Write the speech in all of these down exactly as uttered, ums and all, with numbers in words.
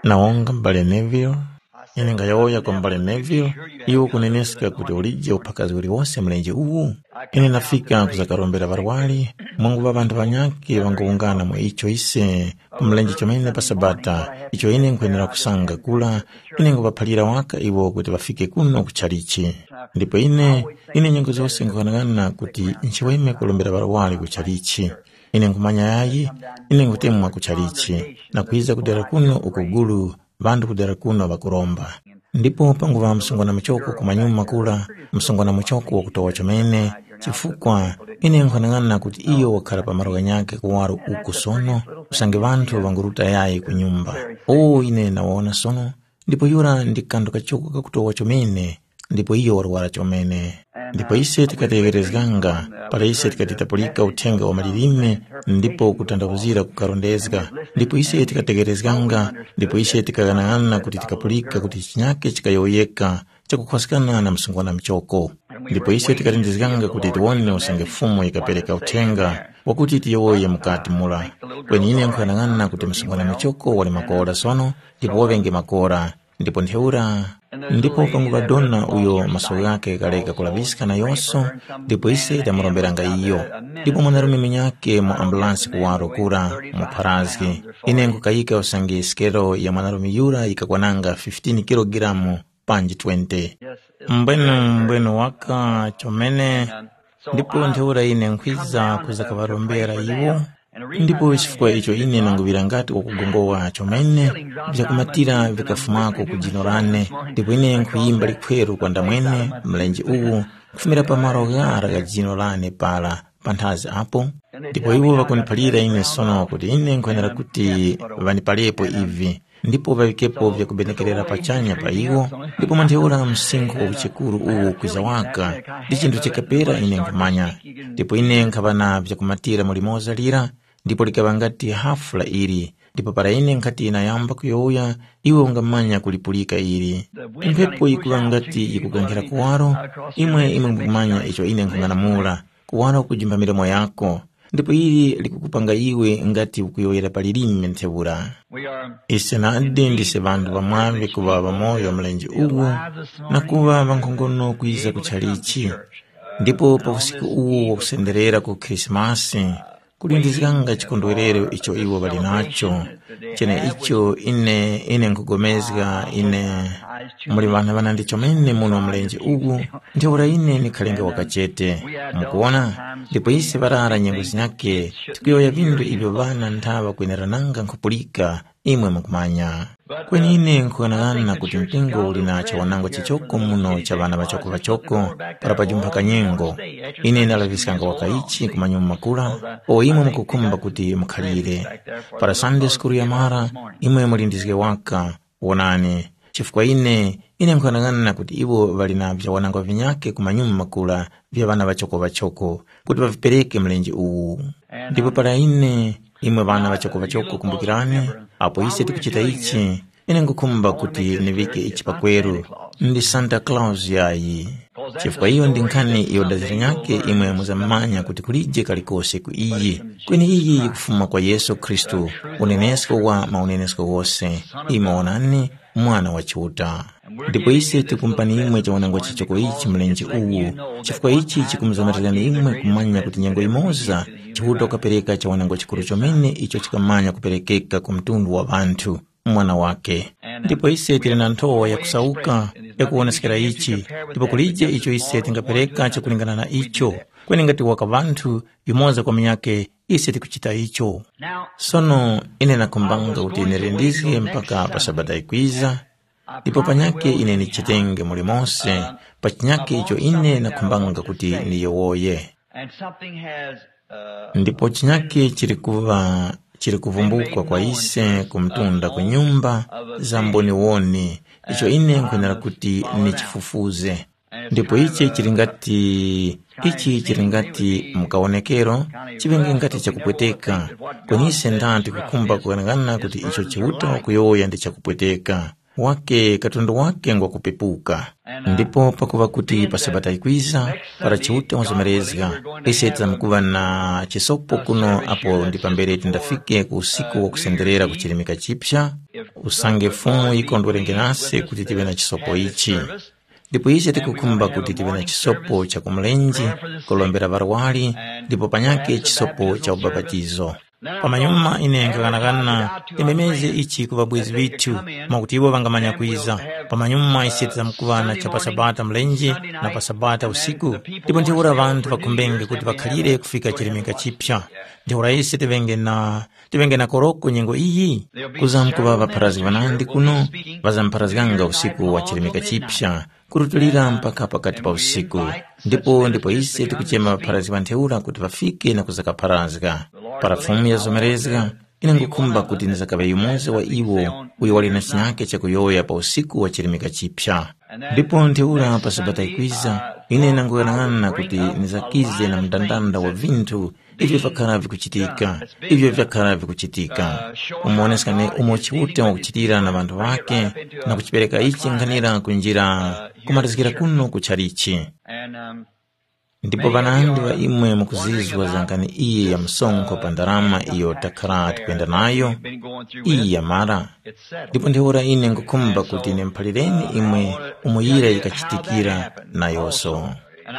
Na wonga m'bale Neville, ine ngayowoya kwa m'bale Neville, iwe ukuneneska kuti ulije uphakazi uliwose mlenje uwu? Ine ndafika kuzakarombera ŵarwari, mwanguŵa ŵanthu ŵanyakhe ŵanguwungana mu icho ise ku mlenje chomene pa Sabata, icho ine nkhwenera kusanga kura, ine nguŵaphalira waka iwo kuti ŵafike kuno ku chalichi. Ndipo ine, ine nyengo zose nkhughanagana kuti nchiweme kurombera ŵarwari ku chalichi. Ine nkhumanya yayi, ine nkhutemwa ku chalichi, na kwiza kudera kuno uku gulu, ŵanthu kudera kuno ŵakuromba. Ndipo panguŵa msungwana muchoko kumanyuma kura, msungwana muchoko wakutowa chomene, chifukwa ine nkhanang'ana kuti iyo wakhara pa malo ghanyakhe kuwaro uku sono, usange ŵanthu ŵanguruta yayi ku nyumba. O ine nawona sono, ndipo yura ndi kanthu kachoko kakutowa chomene, ndipo iyo warwara chomene. Ndipo ise tikategherezganga, para ise tikatitapulika uthenga wa malilime, ndipo kutandawuzira kukarondezga, ndipo ise tikategherezganga, ndipo ise tikaghanag'ana kuti tikapulika kuti chinyake chikayowoyeka, chakukhwaskana na msungwana muchoko. Ndipo ise tikalindizganga kuti tiwone usange Fumu yikapereka uthenga wakuti tiyowoye mukati mura. Kweni ine nkughanag'ana kuti msungwana muchoko wali makora sono, ndipo waŵenge makora, ndipo ntheura. Ndipo panguŵa dona uyo maso ghakhe ghaleka kulaŵiska nayose, ndipo ise tamuromberanga iyo. Ndipo mwanarume munyakhe mu ambulansi kuwaro kura mu Pharazgi. Ine nkukayika usange sikelo ya mwanarume yura yikakwananga fifteen kilogramu panji twenty. Mbwenu mbwenu waka chomene. Ndipo ntheura ine nkhwiza kuza kaŵarombera iwo. Ndipo chifukwa icho ine nanguŵira ngati wakugongowa chomene, vyakumatira vikafumako ku jino lane, ndipo ine nkhuyimba likhweru kwa ndamwene mlenje uwu, kufumira pa malo ghara gha jino lane para panthazi apo. Ndipo iwo ŵakuniphalira ine sono kuti ine nkwenera kuti ŵanipalepo ivi, ndipo ŵaŵikepo vyakubenekerera pachanya pa iwo. Ndipo mwa ntheura msinkhu wa uchekuru uwu kwiza waka, ndi chinthu chikapera ine nkhumanya. Ndipo ine nkhaŵa na vyakumatira mu limoza lira, ndipo likaŵa ngati hafu la ili. Ndipo para ine nkhati nayamba kuyowoya, iwe ungamanya kulipulika ili. Mphepo yikuŵa ngati yikukankhira kuwaro, imwe imwe mukumanya icho ine nkhung'anamula, kuwaro kujimba milomo yako, ndipo ili likukupanga iwe ngati ukuyowoyera pa lilime ntheura. Ise nadi ndise ŵanthu ŵamwaŵi kuŵa ŵamoyo mlenje uwu, na kuŵa ŵankhongono kwiza ku chalichi. Ndipo pa usiku uwu wakusenderera ku Khrisimasi, kulindizganga chikondwerero icho iwo ŵali nacho. Cheneicho ine ine nkugomezga ine muli ŵana ŵanandi chomene muno mlenje uwu, ntheura ine nikhalenge wakachete. Mukuwona? Ndipo ise ŵarara nyengo zinyakhe, tikuyowoya vinthu ivyo ŵana nthaŵa kwenerananga nkhupulika, imwe mukumanya. Kweni ine nkughanag'ana kuti mpingo uli na chawanangwa chichoko muno cha ŵana ŵachoko-ŵachoko para pajumpha kanyengo. Ine ndalaŵiskanga waka ichi ku manyuma makula, o imwe mukukhumba kuti mukhalire. Para Sunday School yamara, imwe mulindizge waka. Wonani, chifukwa ine, ine nkughanag'ana kuti iwo ŵali na vyawanangwa vinyakhe ku manyuma makula vya ŵana ŵachoko-ŵachoko, kuti ŵavipereke mlenje uwu. Ndipo para ine, imwe ŵana ŵachoko-ŵachoko, kumbukirani, apo ise tikuchita ichi, ine nkhukhumba kuti niŵike ichi pakweru, ndi Santa Claus yayi. Chifukwa iyo ndi nkhani iyo dazi linyakhe imwe muzamanya kuti kulije kalikose ku iyi, kweni iyi yikufuma kwa Yesu Khristu, unenesko wa maunenesko ghose. Imwe wonani, Mwana wa Chiuta. Ndipo ise tikumpani imwe chawanangwa chichoko ichi mlenje uwu, chifukwa ichi chikumuzamatirirani imwe kumanya kuti nyengo yimoza Chiuta wakapereka chawanangwa chikuru chomene icho chikamanya kuperekeka ku mtundu wa ŵanthu, Mwana wake. Ndipo ise tili na nthowa yakusauka yakuwoneskera ichi, ndipo kulije icho ise tingapereka chakulingana na icho, kweni ngati waka ŵanthu yumoza kwa munyakhe, ise tikuchita icho. Sono ine nakhumbanga kuti nilindizge mpaka pa Sabata yikwiza, ndipo panyakhe ine nichitenge mulimonse pa chinyakhe icho ine nakhumbanga kuti niyowoye. And something has uh, ndipo chinyakhe chili kuva chili kuvumbukwa kwa ise ku mtunda ku nyumba za mboniwoni, icho ine nkwenera kuti nichifufuze. Ndipo ichi chili ngati ichi chili ngati mukawonekero, chiŵenge ngati chakupweteka. Kweni ise ndani tikukhumba kughanagana kuti icho Chiuta wakuyowoya ndi chakupweteka. Wake katundu wake ngwakupepuka. Ndipo pakuŵa kuti pa Sabata yikwiza, para Chiuta wazomerezga, ise tizamkuŵa na chisopo kuno apo ndi pambere tindafike ku usiku wa kusenderera ku chirimika chipsa. Usange Fumu yikondwerenge nase kuti tive na chisopo ichi. Ndipo ise tikukhumba kuti tive na chisopo cha kumulenje, kulombera ŵarwari, ndipo panyakhe chisopo cha ubapatizo. Pamanyuma ine nkhakanakana ndimemeze ichi ku ŵabwezi ŵithu, mwakuti iwo ŵangamanya kwiza. Pamanyuma ise tizamkuŵa na cha pa Sabata mlenje na pa Sabata usiku, ndipo ntheura ŵanthu ŵakhumbenge kuti ŵakhalire kufika chirimika chipya. Ntheura ise tiŵenge na tiŵenge na koroko nyengo iyi? Kuzamkuŵa ŵapharazgi ŵanandi kuno, ŵazampharazganga usiku wa chirimika chipya, kurutulira mpaka pakati pa usiku. Ndipo ndipo ise tikuchema ŵapharazgi ŵa ntheura kuti ŵafike na kuzakapharazga. Para Fumu yazomerezga, ine ngukhumba kuti ndizakaŵe yumoza wa iwo uyo wali na chinyake chakuyowoya pa usiku wa chirimika chipya. Ndipo ntheura pa Sabata ikwiza, ine nanguyang'ana kuti ndizakize na mndandanda wa vinthu ivyo vyakhala vikuchitika, ivyo vyakhala vikuchitika, umuwoneska ne umo Chiuta wakuchitira na ŵanthu ŵake, na kuchipereka ichi nkhanira kunjira kumatizgira kuno ku chalichi. Ndipo ŵanandi ŵa imwe mukuzizwa za nkani iyi ya msonkho pa ndarama iyo takhala tikuyenda nayo, iyi yamara. Ndipo ntheura ine ngukhumba kuti ndimuphalireni imwe umo yira yikachitikira nayose.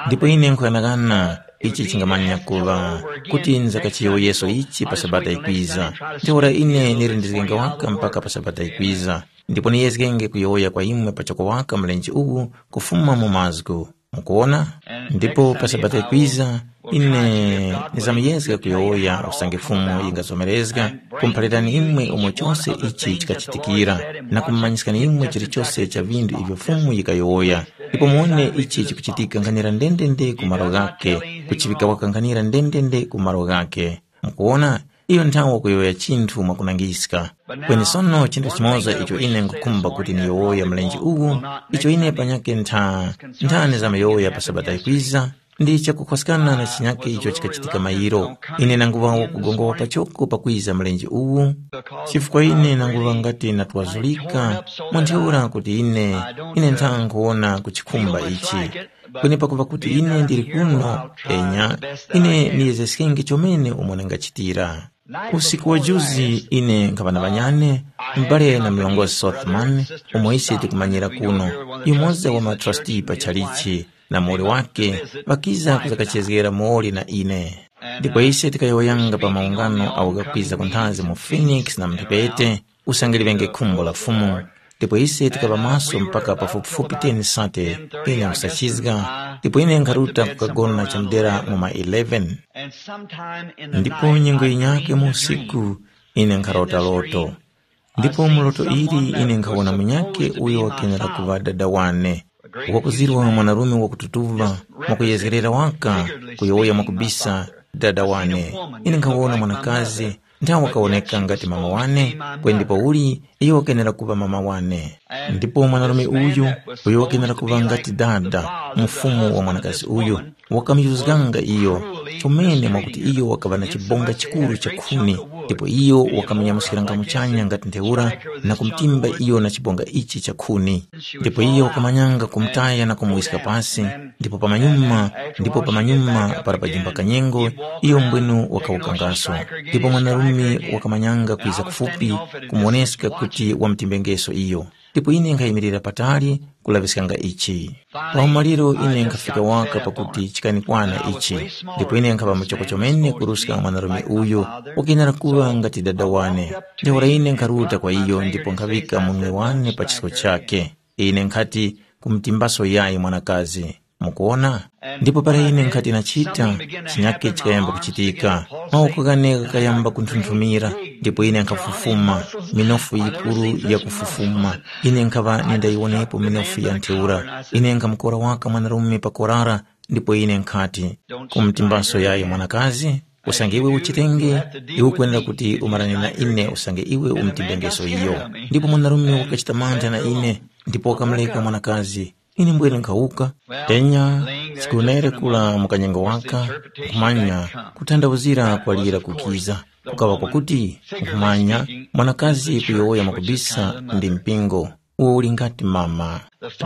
Ndipo ine nkuyang'ana ichi chingamanya kuŵa kuti nzakachiyowoyeso ichi pa Sabata ikwiza. Ntheura ine ndili ndizgenga waka mpaka pa Sabata ikwiza, ndipo niyezgenge kuyowoya kwa imwe pachoko waka mlenje uwu kufuma mu mazgu. Mukuwona? Ndipo pa Sabata ikwiza, ine nizamuyezga kuyowoya usange Fumu yingazomerezga, kumuphalirani imwe umo chose ichi chikachitikira, na kumumanyiskani imwe chilichose cha vinthu ivyo Fumu yikayowoya. Ndipo muwone ichi chikuchitika nkhanira ndendende ku malo ghakhe, kuchiŵika waka nkhanira ndendende ku malo ghakhe. Mukuwona, iyo nthawe wakuyowoya chinthu mwakunangiska. Kweni sono chinthu chimoza icho ine nkhukhumba kuti niyowoya mlenje uwu, icho ine panyakhe ntha nthani zamayowoya pa Sabata yikwiza, ndi chakukhwaskana na chinyakhe icho chikachitika mayiro. Ine nanguŵa wakugongowa pachoko pakwiza mlenje uwu, chifukwa ine nanguŵa ngati natwazulika mu ntheura kuti ine, ine ntha nkhuwona kuchikhumba ichi. Kweni pakuŵa kuti ine ndili kuno, enya, ine niyezgeskenge chomene umo ndingachitira. Usiku wa juzi ine nkhaŵa na ŵanyane, m'bale na mlongosi Sothman, umo ise tikumanyira kuno, yumoza wa matrustee pa tchalichi, na muwoli wake, ŵakiza kuzakachezgera muwoli na ine. Ndipo ise tikayowoyanga pa maungano awo ghakwiza kunthazi mu Phoenix na mu mphepete, usange liŵenge khumbo la Fumu. Ndipo ise tikaŵa maso mpaka pafupifupi ten sate, ine nkhusachizga, ndipo ine nkharuta kukagona chamudera mu ma eleven. Ndipo nyengo yinyakhe mu usiku, ine nkharota loto. Ndipo mu loto ili ine nkhawona munyakhe uyo wakenera kuŵa dada wane, wakuzirwa mwanarume wakututuva, mwakuyezgerera waka, kuyowoya mwakubisa, dada wane. Ine nkhawona mwanakazi, nthawe wakawoneka ngati mama wane, kweni ndipouli iyo wakenera kuŵa mama wane. Ndipo mwanarume uyu, uyo wakenera kuŵa ngati dada, mfumu wa mwanakazi uyu, wakamuyuzganga iyo chomene mwakuti iyo wakaŵa na chibonga chikuru cha khuni, ndipo iyo wakamunyamuskiranga muchanya ngati ntheura na kumtimba iyo na chibonga ichi cha khuni. Ndipo iyo wakamanyanga kumutaya na kumuwiska pasi, ndipo pamanyuma, ndipo pamanyuma para pajimba kanyengo, iyo mbwenu wakawukangaso. Ndipo mwanarume wakamanyanga kwiza kufupi kumuwoneska kuti wamutimbengeso iyo. Ndipo ine nkhayimirira patali kulaŵiskanga ichi. Pa umaliro ine nkhafika waka pakuti chikanikwana ichi, ndipo ine nkhaŵa muchoko chomene kuruska mwanarume uyu, wakenera kuŵa ngati dada wane. Ntheura ine nkharuta kwa iyo ndipo nkhaŵika munwe wane pa chisko chakhe. Ine nkhati, kumutimbaso yayi mwanakazi. Mukuwona? Ndipo para ine nkhati nachita, chinyakhe chikayamba kuchitika. Mawoko ghane ghakayamba kunthunthumira, ndipo ine nkhafufuma, minofu yikuru yakufufuma. Ine nkhaŵa nindayiwonepo minofu ya ntheura. Ine nkhamukora waka mwanarume pa korara, ndipo ine nkhati, kumutimbaso yayi mwanakazi, usange iwe uchitenge, iwe ukwenera kuti umarane na ine usange iwe umutimbengeso iyo. Ndipo mwanarume wakachita mantha na ine, ndipo wakamureka mwanakazi. Ine mbwene nkhawuka, enya, sikunere kula mu kanyengo waka, nkhumanya kuthandawuzira kwalira kukiza. Kukaŵa kwakuti, nkhumanya, mwanakazi kuyowoya mwakubisa ndi mpingo. uwo uli ngati mama.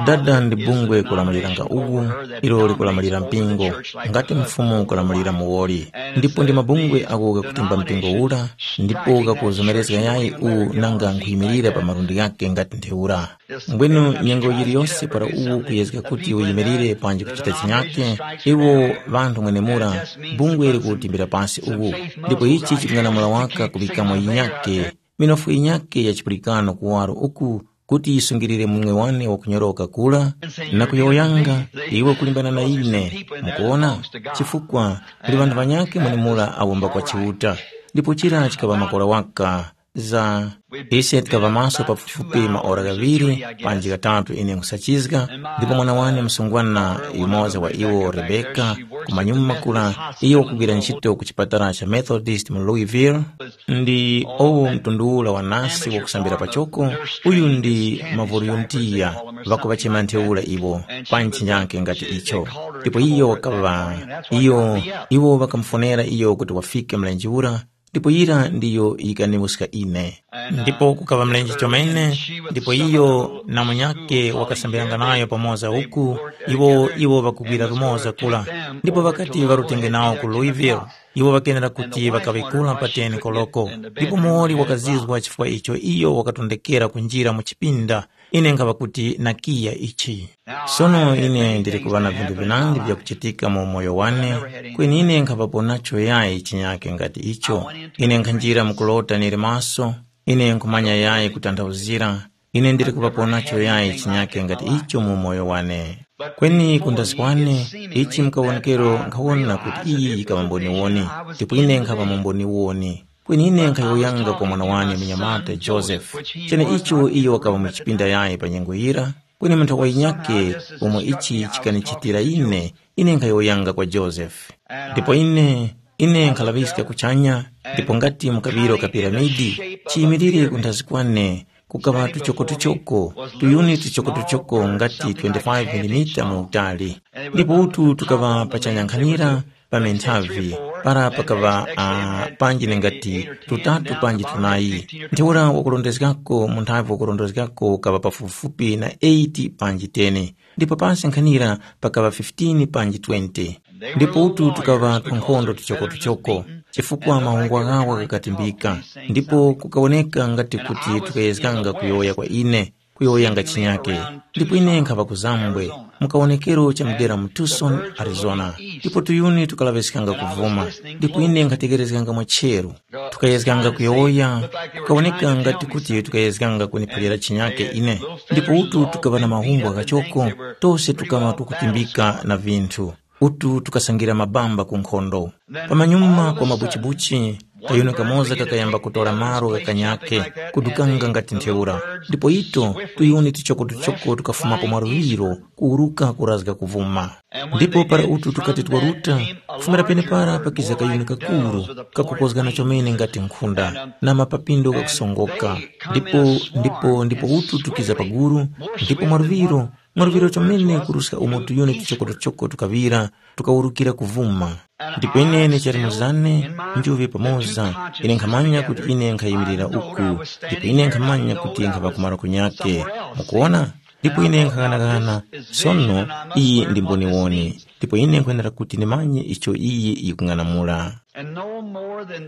Dada ndi bungwe kulamuliranga uwu, ilo likulamulira mpingo, ngati mfumu kulamulira muwoli. Ndipo ndi mabungwe agho ghakutimba mpingo ura, ndipo ghakuzomerezga yayi uwu nanga nkhuyimirira pa malundi ghakhe ngati ntheura. Mbwenu nyengo yiliyose para uwu kuyezga kuti uyimirire panji kuchita chinyake, iwo ŵanthu mwenemura, bungwe likutimbira pasi uwu, ndipo ichi chikung'anamula waka kuŵikamo yinyake, minofu yinyake ya chipulikano kuwaro uku, kuti yisungilire munwe wane wakunyoroka kura, na kuyowoyanga, iwe kulimbana na ine. Mukuwona? Chifukwa kuli ŵanthu ŵanyakhe mwenemura awomba kwa Chiuta, ndipo chira chikaŵa makora waka. Za ise tikaŵa maso pafupifupi maora ghaŵiri panji ghatatu ine nkhusachizga, ndipo mwana wane msungwana yumoza wa iwo Rebeka, kumanyuma kura, iyo wakugwira ntchito ku chipatala cha Methodist mu Louisville, ndi owo mtundu ula wa nasi wakusambira pachoko, uyu ndi mavoluntiya, ŵakuŵachema ntheura iwo, pa ntchinyake ngati icho. Ndipo iyo wakaŵa, iyo, iwo ŵakamufonera iyo kuti wafike mlenje ura, ndipo yira ndiyo yikaniwuska ine. Ndipo kukaŵa mlenje chomene, ndipo iyo na munyakhe wakasambiranga nayo pamoza uku, iwo iwo ŵakugwira lumoza kula. Ndipo ŵakati ŵarutenge nawo ku Louisville, iwo ŵakenera kuti ŵakaŵikula pa ten koloko. Ndipo muwoli wakazizwa chifukwa icho iyo wakatondekera kunjira mu chipinda, ine nkhaŵa kuti nakiya ichi. Sono ine ndili kuŵa na vinthu vinandi vyakuchitika mu umoyo wane, kweni ine nkhaŵapo nacho yayi chinyake ngati icho. Ine nkhanjira mu kulota nili maso, ine nkhumanya yayi kutanthauzira, ine ndili kuŵapo nacho yayi chinyake ngati icho mu umoyo wane. Kweni kundazi kwane, ichi mkawonekero nkhawona kuti iyi yikaŵa mboniwoni, ndipo ine nkhaŵa mu mboniwoni. Kweni ine nkhayowoyanga kwa mwana wane munyamata Joseph, cheneicho iyo wakaŵa mu chipinda yayi pa nyengo yira, kweni munthu wa yinyakhe, umo ichi chikanichitira ine, ine nkhayowoyanga kwa Joseph. Ndipo ine, ine nkhalaŵiska kuchanya, ndipo ngati mu kaŵiro ka piramidi, chiyimirire kunthazi kwane, kukaŵa tuchokotuchoko, tuyuni tuchokotuchoko ngati twenty-five milimita mu utali. Ndipo utu tukaŵa pachanya nkhanira, pa menthavi, para pakaŵa, ah, panji nengati tutatu panji tunayi. Ntheura wakurondezgako, munthavi wakurondezgako ukaŵa pafupifupi na eight panji ten, ndipo pansi nkhanira pakaŵa fifteen panji twenty. Ndipo utu tukaŵa tunkhondo tuchokotuchoko, chifukwa mahungwa ghawo ghakatimbika, ndipo kukawoneka ngati kuti tukayezganga kuyowoya kwa ine, kuyowoyanga chinyake. Ndipo ine nkhapa ku Zambwe, mu kawonekero cha mudera mu Tucson, Arizona, ndipo tuyuni tukalaŵiskanga kuvuma, ndipo ine nkhatekerezganga mwacheru. Tukayezganga kuyowoya, kukawoneka ngati kuti tukayezganga kuniphalira chinyake ine, ndipo utu tukaŵa na mahumbo ghachoko, tose tukaŵa tukutimbika na vinthu. Utu tukasangira mabamba ku nkhondo. Pamanyuma kwa mabuchibuchi, kayuni kamoza kakayamba kutora malo gha kanyakhe, kudukanga ngati ntheura. Ndipo ito, tuyuni tuchokotuchoko tukafumapo mwaluŵiro, kuwuruka kurazga kuvuma. Ndipo para utu tukati twaruta, kufumira penepara pakiza kayuni kakuru, kakukozgana chomene ngati nkhunda, na mapapindo ghakusongoka. Ndipo, ndipo, ndipo utu tukiza paguru, ndipo mwaluŵiro, mwaluŵiro chomene kuruska umo tuyuni tuchokotuchoko tukaŵira, tukawurukira kuvuma. Ndipo ine chali muzane, njuŵe pamoza, ine nkhamanya kuti ine nkhayimirira uku, ndipo ine nkhamanya kuti nkhapa kumaro kunyake. Mukuwona? Ndipo ine nkhang'anang'ana, sono iyi ndi mboniwoni, ndipo ine nkhwenera kuti ndimanye icho iyi yikung'anamula.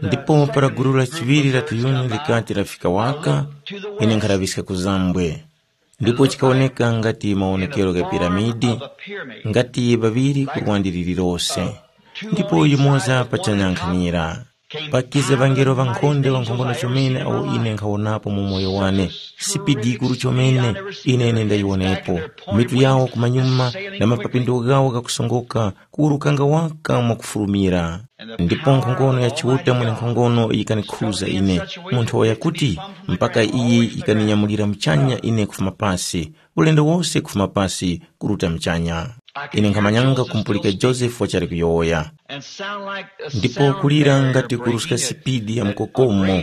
Ndipo para gulu la chiŵiri la tuyuni likati lafika waka, ine nkhalaŵiska ku Zambwe. Ndipo chikawoneka ngati mawonekero gha piramidi, ngati ŵaŵiri ku lwandi lililose, ndipo yumoza pachanyang'anira. Pakiza ŵangelo ŵankhonde ŵankhongono chomene awo ine nkhawonapo mu moyo wane, sipidi yikuru chomene ine ine ndayiwonepo. Mitu yawo kumanyuma na mapapindo ghawo ghakusongoka, kuwurukanga waka mwakufulumira. Ndipo nkhongono ya Chiuta mwenenkhongono yikanikhuza ine, mu nthowa yakuti, mpaka iye yikaninyamulira muchanya ine kufuma pasi, ulendo wose kufuma pasi kuruta muchanya. Ine nkhamanyanga kumupulika Josefu wachali kuyowoya. Ndipo kulira ngati kuruska sipidi ya mukokomo,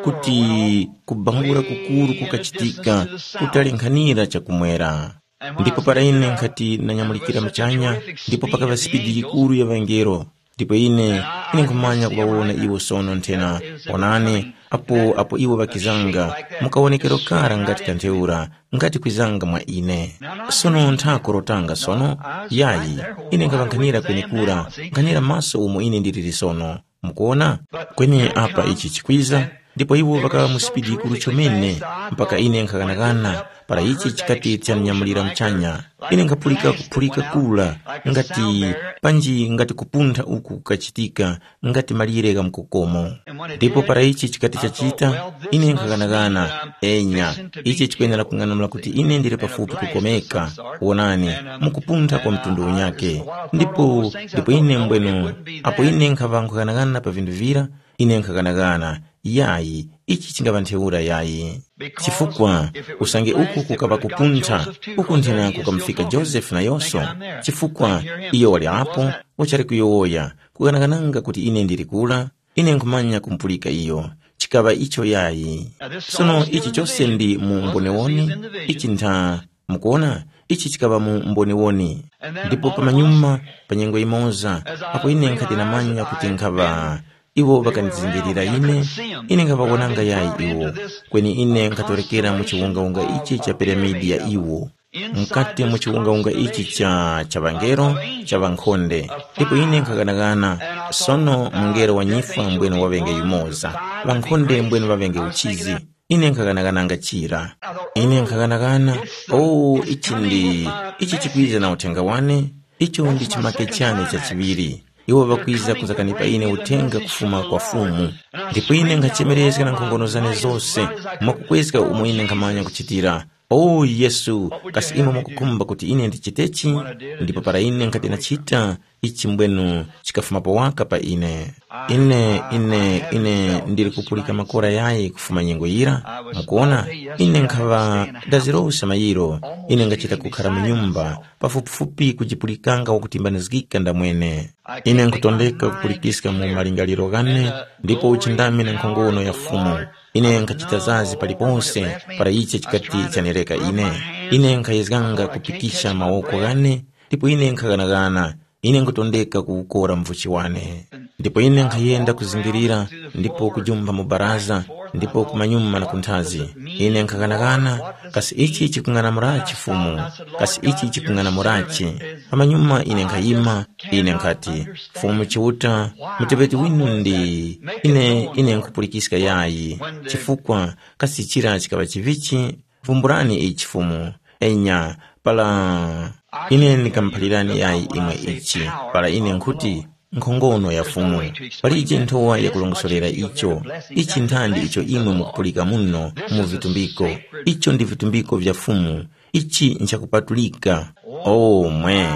kuti kubangula kukuru kukachitika, kutalenkhanira chakumwera. Ndipo para ine nkhati ndanyamulikira muchanya, ndipo pakaŵa sipidi yikuru ya ŵangelo, ndipo ine Ine nkhumanya kuŵawona iwo sono nthena. Onani, apo apo iwo ŵakizanga, mukawonekero kara ngati kantheura, ngati kwizanga mwa ine. Sono nthako rotanga sono, yayi, ine nkhaŵankhanira kwenekura, nkhanira maso umo ine ndiliri sono. Mukuona? Kweni apa ichi chikwiza, ndipo iwo ŵakaŵa mu sipidi yikuru chomene, mpaka ine nkhaghanaghana, para ichi chikati chanyamulira muchanya. Ine nkhapulika kuphulika kura, ngati panji ngati kupuntha uku kukachitika, ngati malire gha mkokomo. Ndipo para ichi chikati chachita, ine nkhaghanaghana, enya, ichi chikwenera kung'anamula kuti ine ndili pafupi kukomeka. Wonani, mukupuntha kwa mtundu unyake. Ndipo ndipo ine mbwenu, apo ine nkhaŵa nkughanagana pa vinthu vira, ine nkhaghanaghana, yayi, ichi chingaŵa ntheura yayi. Chifukwa usange uku kukaŵa kupuntha, uku nthena kukamufika Josefe nayonso, chifukwa iyo wali apo, wachali kuyowoya, kughanaghananga kuti ine ndili kura, ine nkhumanya kumupulika iyo. Chikaŵa icho yayi. Sono ichi chose ndi mu mbonewoni, ichi ntha, mukuona, ichi chikaŵa mu mbonewoni. Ndipo pamanyuma, pa nyengo yimoza, apo ine nkhati namanya kuti nkhaŵa, iwo ŵakandizingirira ine, ine nkhaŵawonanga yayi iwo. Kweni ine nkhatorekera mu chiwungawunga ichi cha piramidi ya iwo, mukati mu chiwungawunga ichi cha cha ŵangelo, cha ŵankhonde. Ndipo ine nkhaghanaghana, sono mungelo wa nyifwa mbwene waŵenge yumoza, ŵankhonde mbwene ŵaŵenge uchizi. Ine nkhaghanagananga chira. Ine nkhaghanaghana, oh, ichi ndi ichi chikwiza na uthenga wane. Icho ndi chimake chane cha chiŵiri. Iwo ŵakwiza kuzakanipa ine uthenga kufuma kwa Fumu. Ndipo ine nkhachemerezga na nkhongono zane zose, mwakukwezga umo ine nkhamanya kuchitira. O Yesu, kasi imwe mukukhumba kuti ine ndichitechi? Ndipo para ine nkhati ndachita, ichi mbwenu chikafumapo waka pa ine. Ine, ine, ine ndili kupulika makora yayi kufuma nyengo yira. Mukuona, ine nkhaŵa ndazirowesa mayiro. Ine ngachita kukhara mu nyumba, pafupifupi kujipulikanga wakutimbanizgika ndamwene. Ine nkutondeka kupulikiska mu malingaliro ghane, ndipo uchindami na nkhongono ya Fumu. Ine nkhachita zazi palipose para ichi chikati chanireka ine. Ine nkhayezganga kupikisha mawoko ghane, ndipo ine nkhaghanagana. Ine nkutondeka kuwukora mvuchi wane. Ndipo ine nkhayenda kuzingirira, ndipo kujumpha mu baraza, ndipo kumanyuma na kunthazi. Ine nkhaghanagana, kasi ichi chikung'anamurachi Fumu? Kasi ichi chikung'anamurachi? Pamanyuma ine nkhayima, ine nkhati, Fumu Chiuta, muteŵeti winu ndi ine, ine nkhupulikiska yayi, chifukwa kasi chira chikaŵa chivichi? Vumburani ichi Fumu. Enya, para ine ndikamuphalirani yayi imwe ichi, para ine nkhuti, nkhongono ya Fumu. Palije nthowa yakulongosorera icho. Ichi nthandi icho imwe mukupulika muno mu vitumbiko. Icho ndi vitumbiko vya Fumu. Ichi nchakupatulika. O mwe!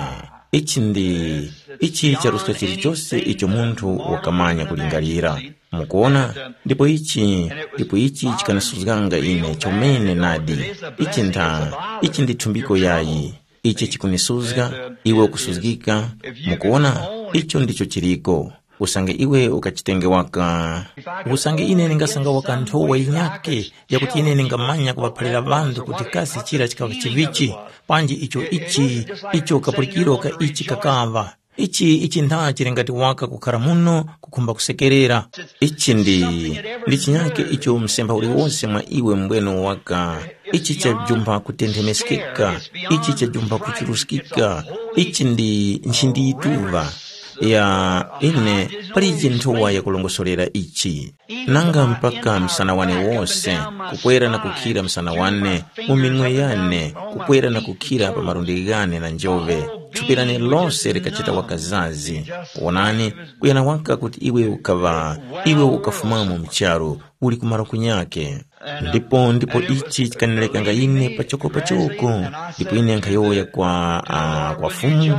Ichi ndi ichi charuska chilichose icho munthu wakamanya kulingalira. Mukuona? Ndipo ichi, ndipo ichi chikanisuzganga ine chomene nadi. Ichi ntha, ichi ndi thumbiko yayi. Ichi chikunisuzga, iwe ukusuzgika. Mukuona? Icho ndicho chiriko. Usange iwe ukachitenge waka. Usange ine ningasanga waka nthowa yinyake yakuti ine ningamanya kuŵaphalira ŵanthu kuti kasi chira chikaŵa chivichi, panji icho ichi, icho kapulikiro ka ichi kakaŵa. Ichi ichi ntha chili ngati waka kukhara muno kukhumba kusekerera. Ichi ndi ndi chinyake icho msemba uliwose mwa iwe mbweno waka. Ichi chajumba kutenthemeskeka. Ichi chajumba kuchuruskika. Ichi ndi nchindiyituva ya ine. Palije nthowa yakulongosolera ichi. Nanga mpaka msana wane wose, kukwera na kukhira msana wane, mu minwe yane, kukwera na kukhira pa malundi ghane na njove, thupi lane lose likachita waka zazi. Wonani, kuyana waka kuti iwe ukaŵa, iwe ukafumamo mu charu, uli kumaro kunyake. Ndipo ndipo ichi chikanilekanga ine pachoko pachoko, ndipo ine nkhayowoya kwa, uh, kwa Fumu,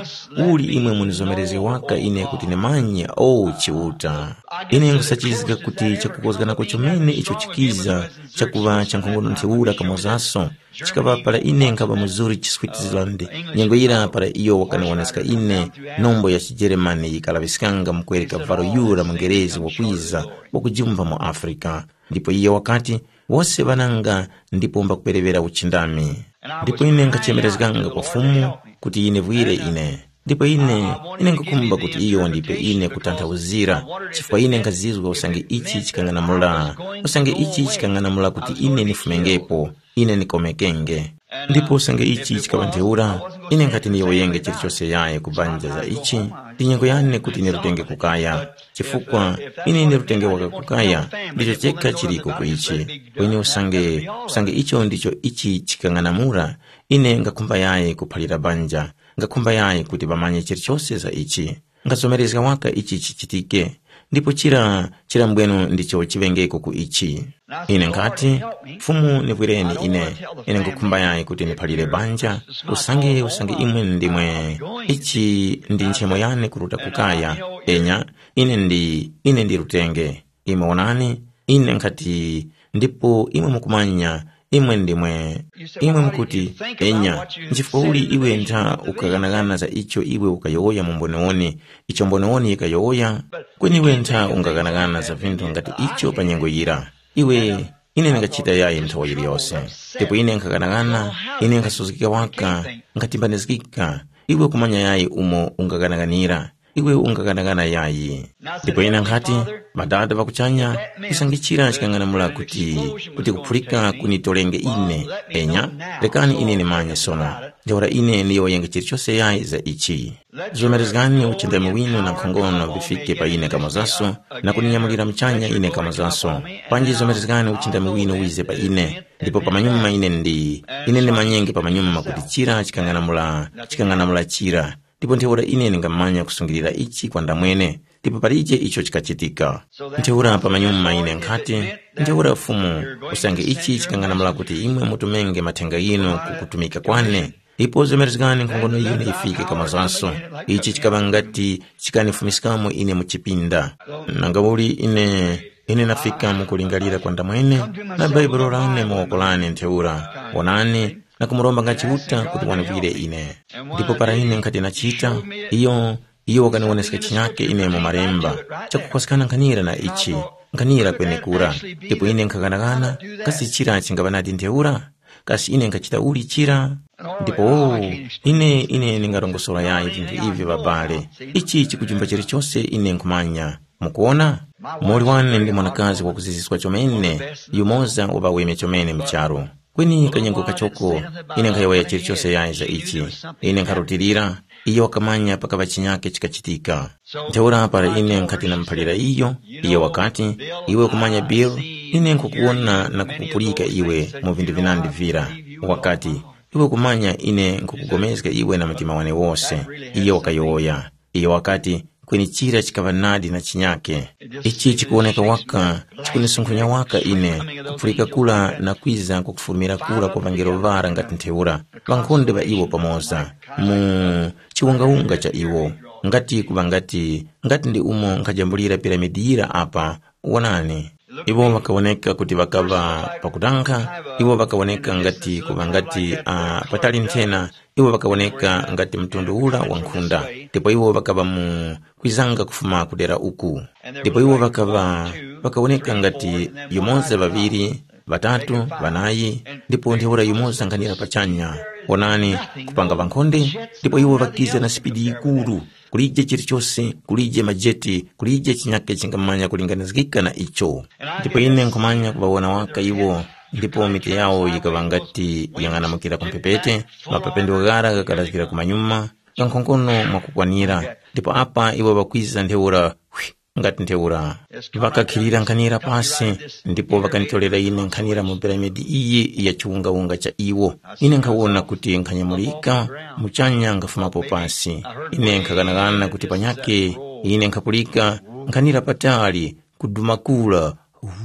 uli imwe munizomerezge waka ine kuti nimanye, o Chiuta. Ine nkhusachizga kuti chakukozganako chomene icho chikiza, chakuŵa cha nkhongono ntheura kamozaso, chikaŵa para ine nkhaŵa mu Zurich, Switzerland, nyengo yira para iyo wakaniwoneska ine nombo ya chijeremani yikalaŵiskanga mukwereka varo yura mungerezi wakwiza, wakujumpha mu Afrika. Ndipo iye wakati, wose ŵananga ndipo mbakupereŵera uchindami. Ndipo ine nkhachemerezganga kwa Fumu kuti yinivwire ine. Ndipo ine, ine nkhukhumba kuti iyo wandipe ine kutanthauzira, chifukwa ine nkhazizwa usange ichi chikang'anamula, usange ichi chikang'anamula kuti ine nifumengepo, ine nikomekenge. Ndipo usange ichi chikaŵa ntheura, ine nkhati niyowoyenge chilichose yaye kubanja za ichi, ndi nyengo yane kuti nirutenge kukaya, chifukwa ine nirutenge waka kukaya, ndicho chekha chiliko ku ichi. Kweni usange, usange icho ndicho ichi chikang'anamula, ine ngakhumba yaye kuphalira banja, ngakhumba yaye kuti ŵamanye chilichose za ichi. Ngazomerezga waka ichi chichitike, ndipo chira chirambweno ndicho chiŵengeko ku ichi. Ine nkhati, Fumu nivwireni ine, ine nkhukhumba yayi kuti niphalire banja, usange usange imwe ndimwe, ichi ndi nchemo yane kuruta kukaya, enya, ine ndi ine ndi rutenge. Imwe wonani, ine nkhati, ndipo imwe mukumanya, imwe ndimwe, imwe mukuti, enya, nchifukwa uli iwe ntha ukaghanagana za icho iwe ukayowoya mu mboniwoni, icho mboniwoni yikayowoya, kweni iwe ntha ungaghanagana za vinthu ngati icho pa nyengo yira. Iwe, ine ndingachita yayi nthowa yiliyose. Ndipo ine nkhaghanaghana, ine nkhasuzgika waka, nkhatimbanizgika. Iwe kumanya yayi umo ungaghanaghanira, iwe ungaghanagana yayi. Ndipo ine nkhati, Madada ŵa kuchanya, kusangichira chikang'anamula kuti, kuti kuphulika kunitolenge ine, enya, rekani ine nimanye sono. Ntheura ine ndiyowoyenge chilichose yayi za ichi. Zomerezgani uchindami winu na nkhongono vifike pa ine kamozaso, na kuninyamulira muchanya ine kamozaso. Panji zomerezgani uchindami winu wize pa ine, ndipo pamanyuma ine ndi, ine ndimanyenge pamanyuma kuti chira chikang'anamula, chikang'anamula chira. Ndipo ntheura ine ndingamanya kusungilira ichi kwa ndamwene, ndipo palije icho chikachitika. Ntheura pamanyuma ine nkhati, ntheura Fumu, usange ichi chikang'anamula kuti imwe mutumenge mathenga ghinu ku kutumika kwane, ipo zemerezgani nkhongono yinu yifike kamozaso. Ichi chikaŵa ngati chikanifumiskamo ine mu chipinda. Nanga uli ine, ine nafika mu kulingalira kwa ndamwene, na Baibulo lane mu woko lane ntheura, wonani, na kumuromba nga Chiuta kuti wanipwire ine. Ndipo para ine nkhati nachita, iyo, iyo wakaniwoneska chinyake ine mu malemba, chakukhwaskana nkhanira na ichi, nkhanira kwenekura. Ndipo ine nkhaghanagana, kasi chira chingaŵa nadi ntheura? Kasi ine nkhachita uli chira? Ndipo, ine, ine ndingarongosora yayi vinthu ivyo, babale. Ichi chikujumba chilichose ine nkhumanya. Mukuona? Muli wane ndi mwanakazi wakuziziswa chomene, yumoza wa ŵaweme chomene mu charu. Kweni kanyengo kachoko, ine nkhayowoya chilichose yayi za ichi. Ine nkharutilira, iyo wakamanya pakaŵa chinyake chikachitika. Ntheura para ine nkhati namuphalira iyo, iyo wakati, iwe kumanya Bill, ine nkhukuwona na kukupulika iwe mu vinthu vinandi vira. Wakati, iwe kumanya ine nkhukupulikana iwe na mtima wane wose. Iyo wakayowoya. Iyo wakati, kweni chira chikaŵa nadi na chinyake. Ichi chikuwoneka waka, chikunisunkhunya waka ine, kuphulika kura na kwiza kukufumira kura kwa ŵangelo ŵara ngati ntheura, ŵankhonde ŵa iwo pamoza, mu chiwungawunga cha iwo, ngati kuŵa ngati, ngati ndi umo nkhajambulira piramidi yira apa, wonani. Iwo ŵakawoneka kuti ŵakaŵa pakutankha, iwo ŵakawoneka ngati kuŵa ngati uh, patali nthena, iwo ŵakawoneka ngati mtundu ura wa nkhunda, ndipo iwo ŵakaŵa mu kwizanga kufuma kudera uku. Ndipo iwo ŵakaŵa ŵakawoneka ngati yumoza ŵaŵiri, ŵatatu, ŵanayi, ndipo ntheura yumoza nkhanira pachanya. Wonani, kupanga ŵankhonde, ndipo iwo ŵakiza na sipidi yikuru, kulije chilichose, kulije majeti, kulije chinyake chingamanya kulinganizgika na icho. Ndipo ine nkhumanya kuŵawona waka iwo, ndipo mitu yawo yikaŵa ngati yang'anamukira ku mphepete, mapependo ghara ghakalaskira kumanyuma, kankhongono mwakukwanira, ndipo apa iwo ŵakwiza ntheura, hwi, ngati ntheura. Ŵakakhilira nkhanira pasi, ndipo ŵakanitorera ine nkhanira mu piramidi iyi ya chiwungawunga cha iwo. Ine nkhawona kuti nkhanyamulika, muchanya nkhafumapo pasi. Ine nkhaghanaghana kuti panyake, ine nkhapulika nkhanira patali, kuduma kura.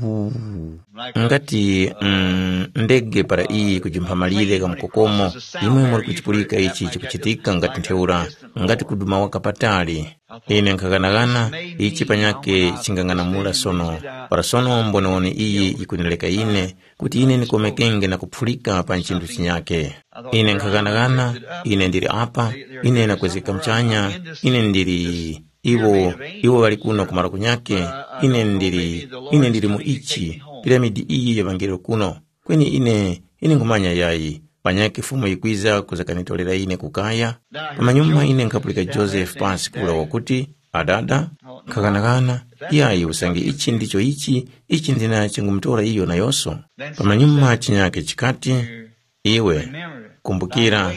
Huu. Ngati mm, ndege para iyi kujumpha malire gha mkokomo, imwe muri kuchipulika ichi chikuchitika ngati ntheura, ngati kuduma waka patali. Ine nkhaghanagana, ichi panyakhe chingang'anamula sono. Para sono mboniwoni iyi yikunileka ine, kuti ine nikomekenge na kuphulika pa nchinthu chinyakhe. Ine nkhaghanagana, ine ndili apa, ine nakwezgeka mchanya, ine ndili iwo, iwo ŵali kuno kumaro kunyakhe, ine ndili, ine ndili mu ichi, piramidi iyi ya ŵangelo kuno. Kweni ine, ine nkhumanya yayi, Panyakhe Fumu yikwiza kuzakanitolera ine ku kaya. Pamanyuma ine nkhapulika Josefu pansi kura wakuti, ‘Adada, nkhakanakana, yayi usange ichi ndicho ichi, ichi ndina chingumutora iyo nayonso.’ Pamanyuma chinyakhe chikati, ‘Iwe, kumbukira,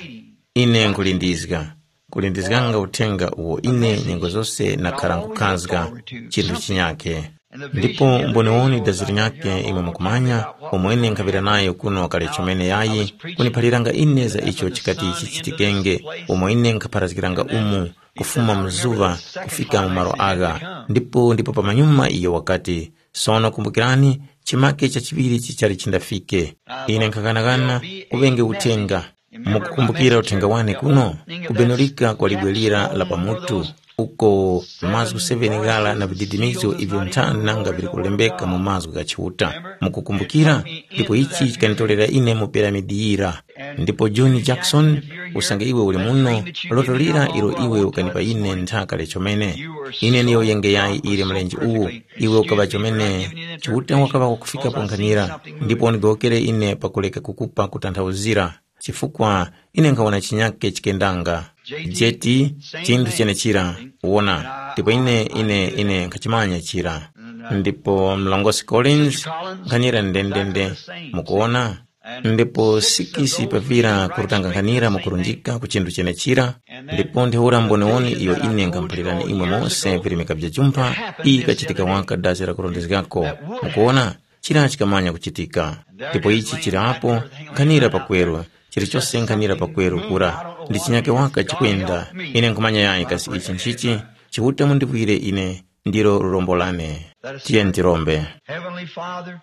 ine nkhulindizga, nkhulindizganga uthenga uwo ine nyengo zose nakhara nkhukhazga chinthu chinyakhe. Ndipo mboniwoni dazi linyakhe imwe mukumanya, umwene nkhaŵira nayo kuno kale chomene yayi, kuniphaliranga ine za icho chikati chichitikenge, umo ine nkhapharazgiranga umu, kufuma mu zuŵa kufika mu malo agha. Ndipo ndipo pamanyuma iyo wakati, sono kumbukirani, chimake chachiŵiri chichali chindafike. Ine nkhakanakana kuŵenge uthenga. Mukukumbukira uthenga wane kuno? Kubenulika kwa libwe lira la pamutu, uko mazgu seven ghala na vididimizo ivyo nthani nanga vili kulembeka mu mazgu gha Chiuta. Mukukumbukira? Ndipo ichi chikanditorera ine mu piramidi yira. Ndipo John Jackson, usange iwe uli muno, loto lira ilo iwe ukanipa ine nthaka lechomene. Ine niyo yengeyayi ili mlenje uwu, iwe ukaŵa chomene. Chiuta wakaŵa wakufika ponkhanira, ndipo undigowokere ine pakureka kukupa kutanthauzira. Chifukwa ine nkhawona chinyake chikendanga. Jeti, chinthu chenechira, wona, ndipo ine ine ine nkhachimanya chira. Ndipo mlongosi Collins, nkhanyira ndendende, mukuona. Ndipo sikisi pavira kurutanganghanira mukurunjika ku chinthu chenechira. Ndipo ntheura mboniwoni iyo ine ngamuphalirani imwe mose virimika vya jumpha, iyi ikachitika waka dasi la kurondezgako. Mukuona, chira chikamanya kuchitika. Ndipo ichi chirapo, nkhanira pakweru, chilichose nkhanira pakweru kura, ndi chinyake waka chikwenda. Ine nkhumanya yayi kasi ichi nchichi. Chiuta mundipwire ine, ndilo lurombo lane. Tiye ntirombe. Heavenly Father,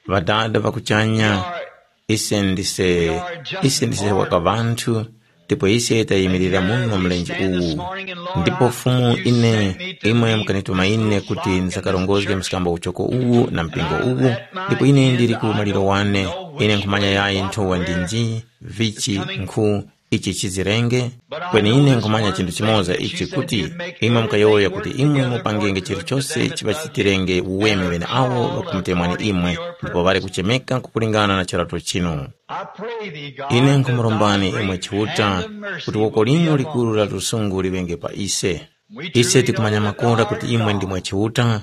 Ŵadada ŵa kuchanya, ise ndise, ise ndise waka ŵanthu, ndipo ise tayimirira muno mlenje uwu. Ndipo Fumu ine, imwe mukanituma ine kuti ndisakarongozge mskambo uchoko uwu na mpingo uwu, ndipo ine ndili ku maliro wane, ine nkhumanya yayi nthowa ndi nji, vichi, nkhu, ichi chizirenge. Kweni ine nkhumanya chinthu chimoza ichi kuti, imwe mukayowoya kuti imwe mupangenge chilichose chiŵachitirenge uweme ŵeneawo ŵakumutemwani imwe, ndipo ŵali kuchemeka kukulingana na charato chinu. Ine nkhumurombani imwe Chiuta, kuti woko linu likuru la lusungu liŵenge pa ise. Ise tikumanya makora kuti imwe ndimwe Chiuta,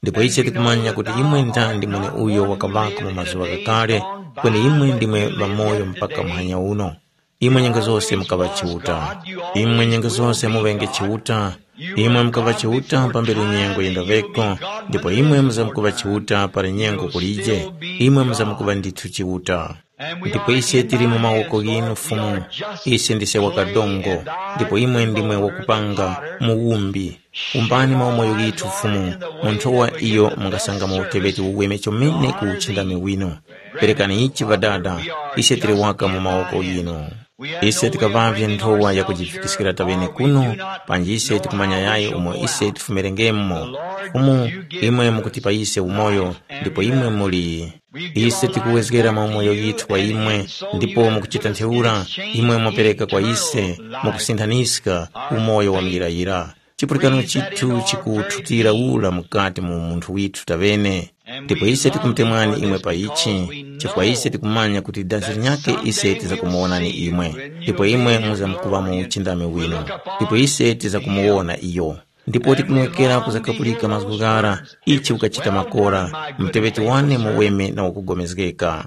ndipo ise tikumanya kuti imwe ndandi mweneuyo wakaŵako mu mazuŵa ghakale, kweni imwe ndimwe ŵamoyo mpaka muhanya uno. Imwe nyengo zose mukaŵa Chiuta. Imwe nyengo zose muŵenge Chiuta. Imwe mukaŵa Chiuta pambere nyengo yendaŵeko, ndipo imwe muzamkuŵa Chiuta para nyengo kulije. Imwe muzamkuŵa ndithu Chiuta. Ndipo ise tili mu mawoko ghinu Fumu. Ise ndise wakadongo, ndipo imwe ndimwe wakupanga muwumbi. Umbani maumoyo ghithu Fumu, mu nthowa iyo mungasanga mu uteŵeti uweme chomene ku uchindami winu. Perekani ichi Ŵadada, ise tili waka mu mawoko ghinu. Ise tikaŵavye nthowa yakujifikiskira taŵene kuno, panji ise tikumanya yayi umo ise tifumirengemo. Fumu, imwe mukutipa ise umoyo, ndipo imwe muli. Ise tikuwezgera maumoyo ghithu kwa imwe, ndipo mukuchita ntheura, imwe mwapereka kwa ise, mukusinthaniska umoyo wa muyirayira. Chipulikano chithu chikuthutira ura mukati mu munthu withu taŵene. Ndipo ise tikumutemwani imwe pa ichi, chifukwa ise tikumanya kuti dazi linyakhe ise tizakumuwonani imwe, ndipo imwe muzamkuŵa mu uchindami winu, ndipo ise tizakumuwona iyo. Ndipo tikumwekera kuzakapulika mazgu ghara, ichi ukachita makora, muteŵeti wane muweme na wakugomezgeka.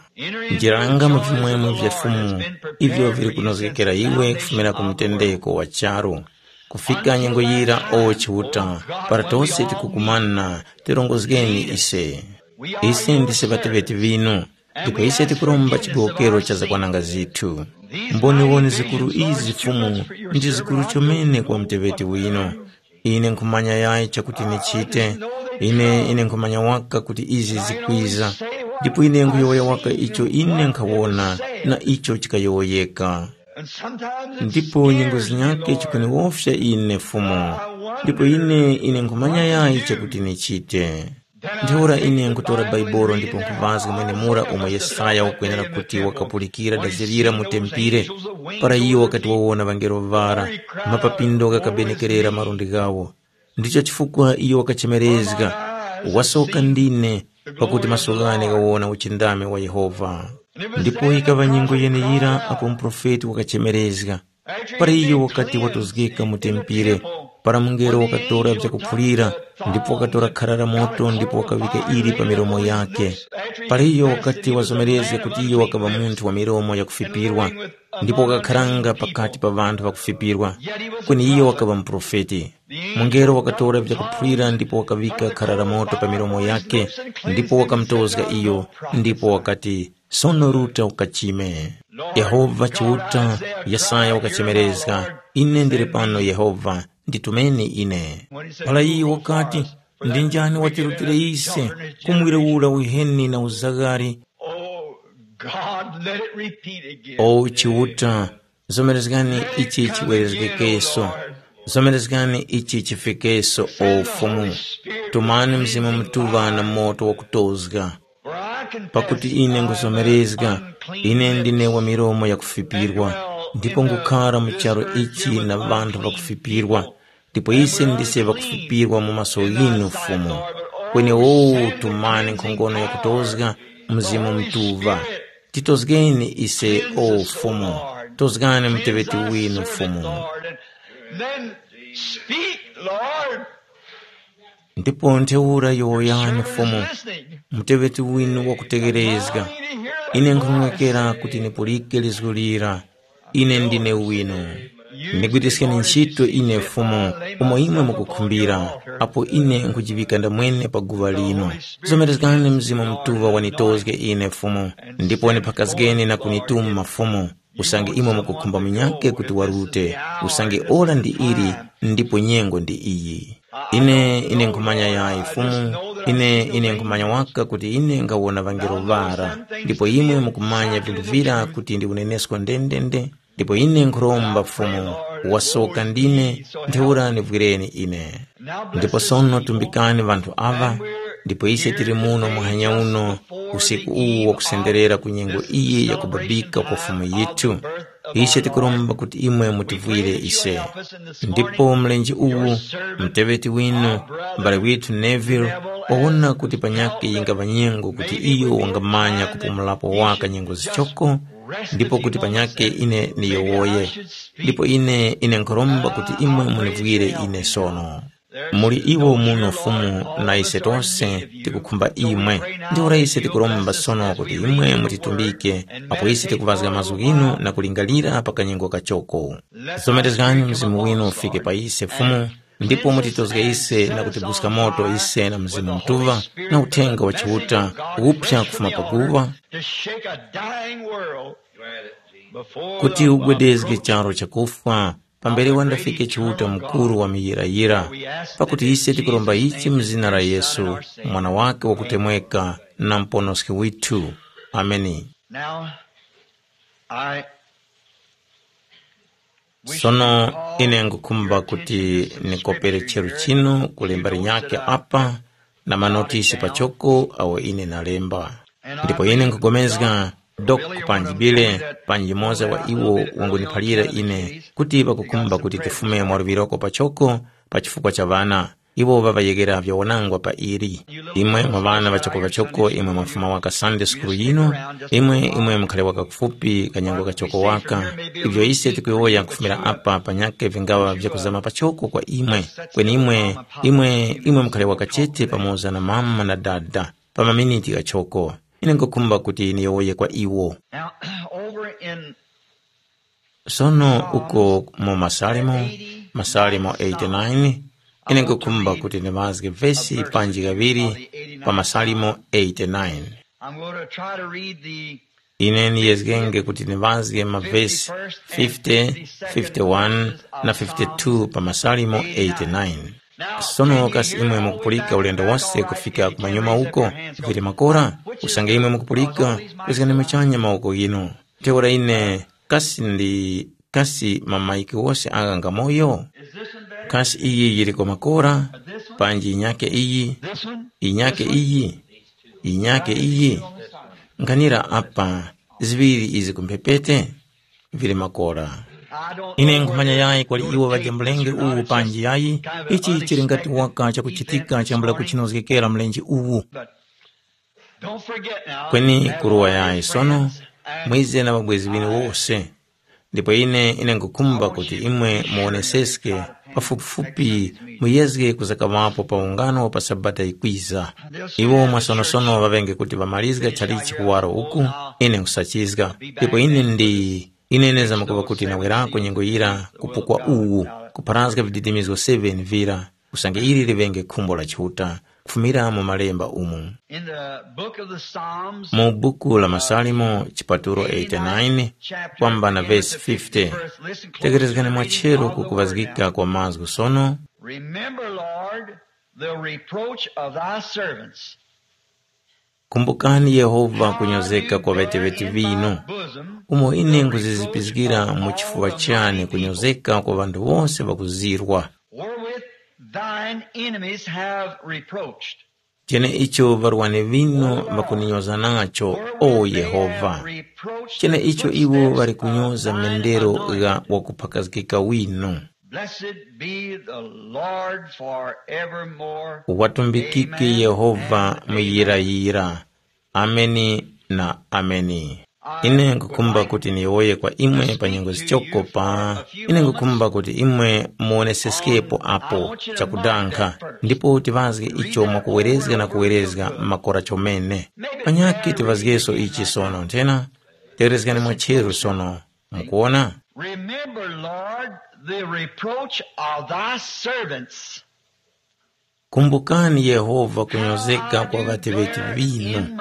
Njira langa mu vimwemwe vya Fumu, ivyo vili kunozgekera iwe kufumira ku mtendeko wa charu. Kufika nyengo yira, o Chiuta, para tose tikukumana, tirongozgeni ise. Ise ndise ŵateŵeti ŵinu, ndipo ise tikuromba chigowokero cha zakwananga zithu. Mboniwoni zikuru izi Fumu, ndi zikuru chomene kwa muteŵeti winu. Ine nkhumanya yayi chakuti nichite, ine ine nkhumanya waka kuti izi zikwiza, ndipo ine nkhuyowoya waka icho ine nkhawona na icho chikayowoyeka. Ndipo nyengo zinyakhe chikuniwofya ine Fumu, ndipo ine ine nkhumanya yayi chakuti nichite. Ntheura ine nkhutora Baibolo ndipo nkhuvazga mwenemura umo Yesaya wakwenera kuti wakapulikira dazirira mu tempire, para iyo wakati wawona ŵangelo ŵara, mapapindo ghakabenekerera malundi ghawo. Ndicho chifukwa iyo wakachemerezga, wasoka ndine, pakuti maso ghane ghawona uchindami wa Yehova. Ndipo yikaŵa nyengo yeneyira apo muprofeti wakachemerezga. Para iyo wakati watozgeka mu tempire, para mungelo wakatora vyakuphulira, ndipo wakatora khara la moto ndipo wakaŵika ili pa milomo yake. Para iyo wakati wazomerezga kuti iyo wakaŵa munthu wa milomo yakufipirwa, ndipo wakakharanga pakati pa ŵanthu ŵakufipirwa, kweni iyo wakaŵa muprofeti. Mungelo wakatora vyakuphulira ndipo wakaŵika khara la moto pa milomo yake, ndipo wakamutozga iyo, ndipo wakati, sono ruta ukachime. Yehova Chiuta, Yesaya wakachemerezga, ine ndili pano Yehova, nditumeni ine. Para iyo wakati, ndi njani watirutire ise kumwire ura uheni na uzaghari? Oh, God, let it repeat again. O Chiuta, zomerezgani ichi chiwerezgekeso. Zomerezgani ichi chifikeso, o Fumu. Tumani Mzimu Mutuŵa na moto wakutozga. Pakuti ine nguzomerezga, ine ndine wa milomo yakufipirwa, ndipo ngukhara mu charu ichi na ŵanthu ŵakufipirwa, ndipo ise ndise ŵakufipirwa mu maso ghinu, Fumu. Kweni wowo tumani nkhongono yakutozga, Mzimu Mutuŵa. Titozgeni ise, o Fumu, tozgani muteŵeti winu, Fumu. Then speak, Lord. Ndipo ntheura yowoyani, Fumu, muteŵeti winu wakutegherezga. Ine nkhung'wekera kuti nipulike lizgu lira. Ine ndine winu. Ndigwiriskeni ntchito ine, Fumu, umo imwe mukukhumbira, apo ine nkhujiŵika ndamwene pa guŵa lino. Zomerezgani Mzimu Mutuŵa wanitozge ine, Fumu, ndipo niphakazgeni na kunituma, Fumu, usange imwe mukukhumba munyakhe kuti warute, usange ora ndi ili, ndipo nyengo ndi iyi. Ine, ine nkhumanya yayi, Fumu, ine, ine nkhumanya waka kuti ine nkhawona ŵangelo ŵara, ndipo imwe mukumanya vinthu vira kuti ndi unenesko ndendende, ndipo ine nkhuromba, Fumu, wasoka ndine, ntheura nivwireni ine. Ndipo sono tumbikani ŵanthu aŵa, ndipo ise tili muno muhanya uno, usiku uwu wakusenderera ku nyengo iyi yakubabika kwa Fumu yithu. Ise tikuromba kuti imwe mutivwire ise. Ndipo mlenje uwu, muteŵeti winu, m'bale withu Neville, wawona kuti panyakhe yingaŵa nyengo kuti iyo wangamanya kupumulapo waka nyengo zichoko, ndipo kuti panyakhe ine niyowoye. Ndipo ine, ine nkhuromba kuti imwe munivwire ine sono. Muli iwo muno Fumu, na ise tose tikukhumba imwe. Ntheura ise tikuromba sono kuti imwe mutitumbike, apo ise tikuŵazga mazgu ghinu na kulingalira pa kanyengo kachoko. Zomerezgani Mzimu winu ufike pa ise, Fumu, ndipo mutitozge ise na kutibuska moto ise na Mzimu Mutuŵa na Uthenga wa Chiuta uphya kufuma pakuŵa, to shake a dying world before kuti the ugwedezge charo chakufwa pambere wandafike Chiuta Mukuru wa muyirayira. Pakuti ise tikuromba ichi mu zina la Yesu, Mwana wake wakutemweka na Muponoski withu. Ameni. Now, I Sono ine ngukhumba kuti nikopere cheru chinu ku lemba linyakhe apa na manotisi pachoko awo ine nalemba. Ndipo ine nkugomezga Dok panji Bile panji yumoza wa iwo wanguniphalira ine kuti ŵakukhumba kuti tifume mwaluŵiroko pachoko pa chifukwa cha ŵana. Iwo ŵaŵayegera vyawanangwa pa ili. Imwe mwa ŵana ŵachokoŵachoko imwe mwafuma waka Sunday School yino, imwe imwe mukhale waka kufupi kanyengo kachoko waka. Ivyo ise tikuyowoya nkufumira apa panyakhe vingaŵa vyakuzama pachoko kwa imwe. Kweni imwe, imwe, imwe mukhale waka chete pamoza na mama na dada pa maminiti ghachoko. Ine nkhukhumba kuti niyowoye kwa iwo. Now, over in Sono uko mu Masalimo, Masalimo eighty-nine, ine nkhukhumba kuti ndimazge vesi panji kaŵiri pa Masalimo eighty-nine. I'm going to try to read the Ine niyezgenge kuti ndimazge mavesi fifty, fifty-one na fifty-two pa Masalimo eighty-nine. Sono kasi imwe mukupulika ulendo wose kufika kumanyuma uko, vili makora? Usange imwe mukupulika, kwezgani muchanya mawoko ghinu. Ntheura ine, kasi ndi, kasi mamaiki wose agha ngamoyo? Kasi iyi yiliko makora? Panji inyake iyi? Inyake iyi? Inyake iyi? Nkhanira apa, ziŵiri izi kumphepete? Vili makora. Ine nkhumanya yayi kwali iwo ŵadya mlenge uwu panji yayi, ichi chili ngati waka chakuchitika chambula kuchinozgekera mlenje uwu. Don't forget now, kweni kuruwa yayi sono, mwize na ŵabwezi ŵinu wose. Ndipo ine ine nkhukhumba kuti imwe muwoneseske pafupifupi, muyezge kuzakaŵapo pa ungano pa Sabata yikwiza. Iwo mwasonosono ŵaŵenge kuti ŵamalizga chalichi kuwaro uku, ine nkhusachizga. Ndipo ine ndi ine neza makuŵa kuti nawerako nyengo yira kupukwa uwu, kupharazga vididimizgo seven vira, usange ili liŵenge khumbo la Chiuta, kufumira mu Malemba umu. In the book of the Psalms, mu buku la Masalimo chipatulo eighty-nine, kwamba na vesi fifty. Tekerezgani mwachero ku kuŵazgika kwa mazgu sono. Remember, Lord, the reproach of thy servants. Kumbukani Yehova kunyozeka kwa ŵeteŵeti vinu, umo ine nkuzizipizgira mu chifuŵa chane kunyozeka kwa ŵanthu wose ŵakuzirwa. Wherewith thine enemies have reproached. Cheneicho ŵarwani ŵinu ŵakuninyoza nacho, o Yehova. Cheneicho iwo ŵali kunyoza mendero gha wakuphakazgika winu. Blessed be the Lord forevermore. Watumbikike Yehova muyirayira. Ameni na ameni. Ine nkukhumba kuti niyowoye kwa imwe pa nyengo zichoko pa ine nkukhumba kuti imwe muwoneseskepo apo chakudankha, ndipo tiŵazge icho mwakuwerezga na kuwerezga makora chomene. Panyakhe tiŵazgeso ichi sono nthena. Tewerezgani mwacheru sono. Mukuona? Remember, Lord, the reproach of thy servants. Kumbukani Yehova kunyozeka kwa ŵateŵeti ŵinu,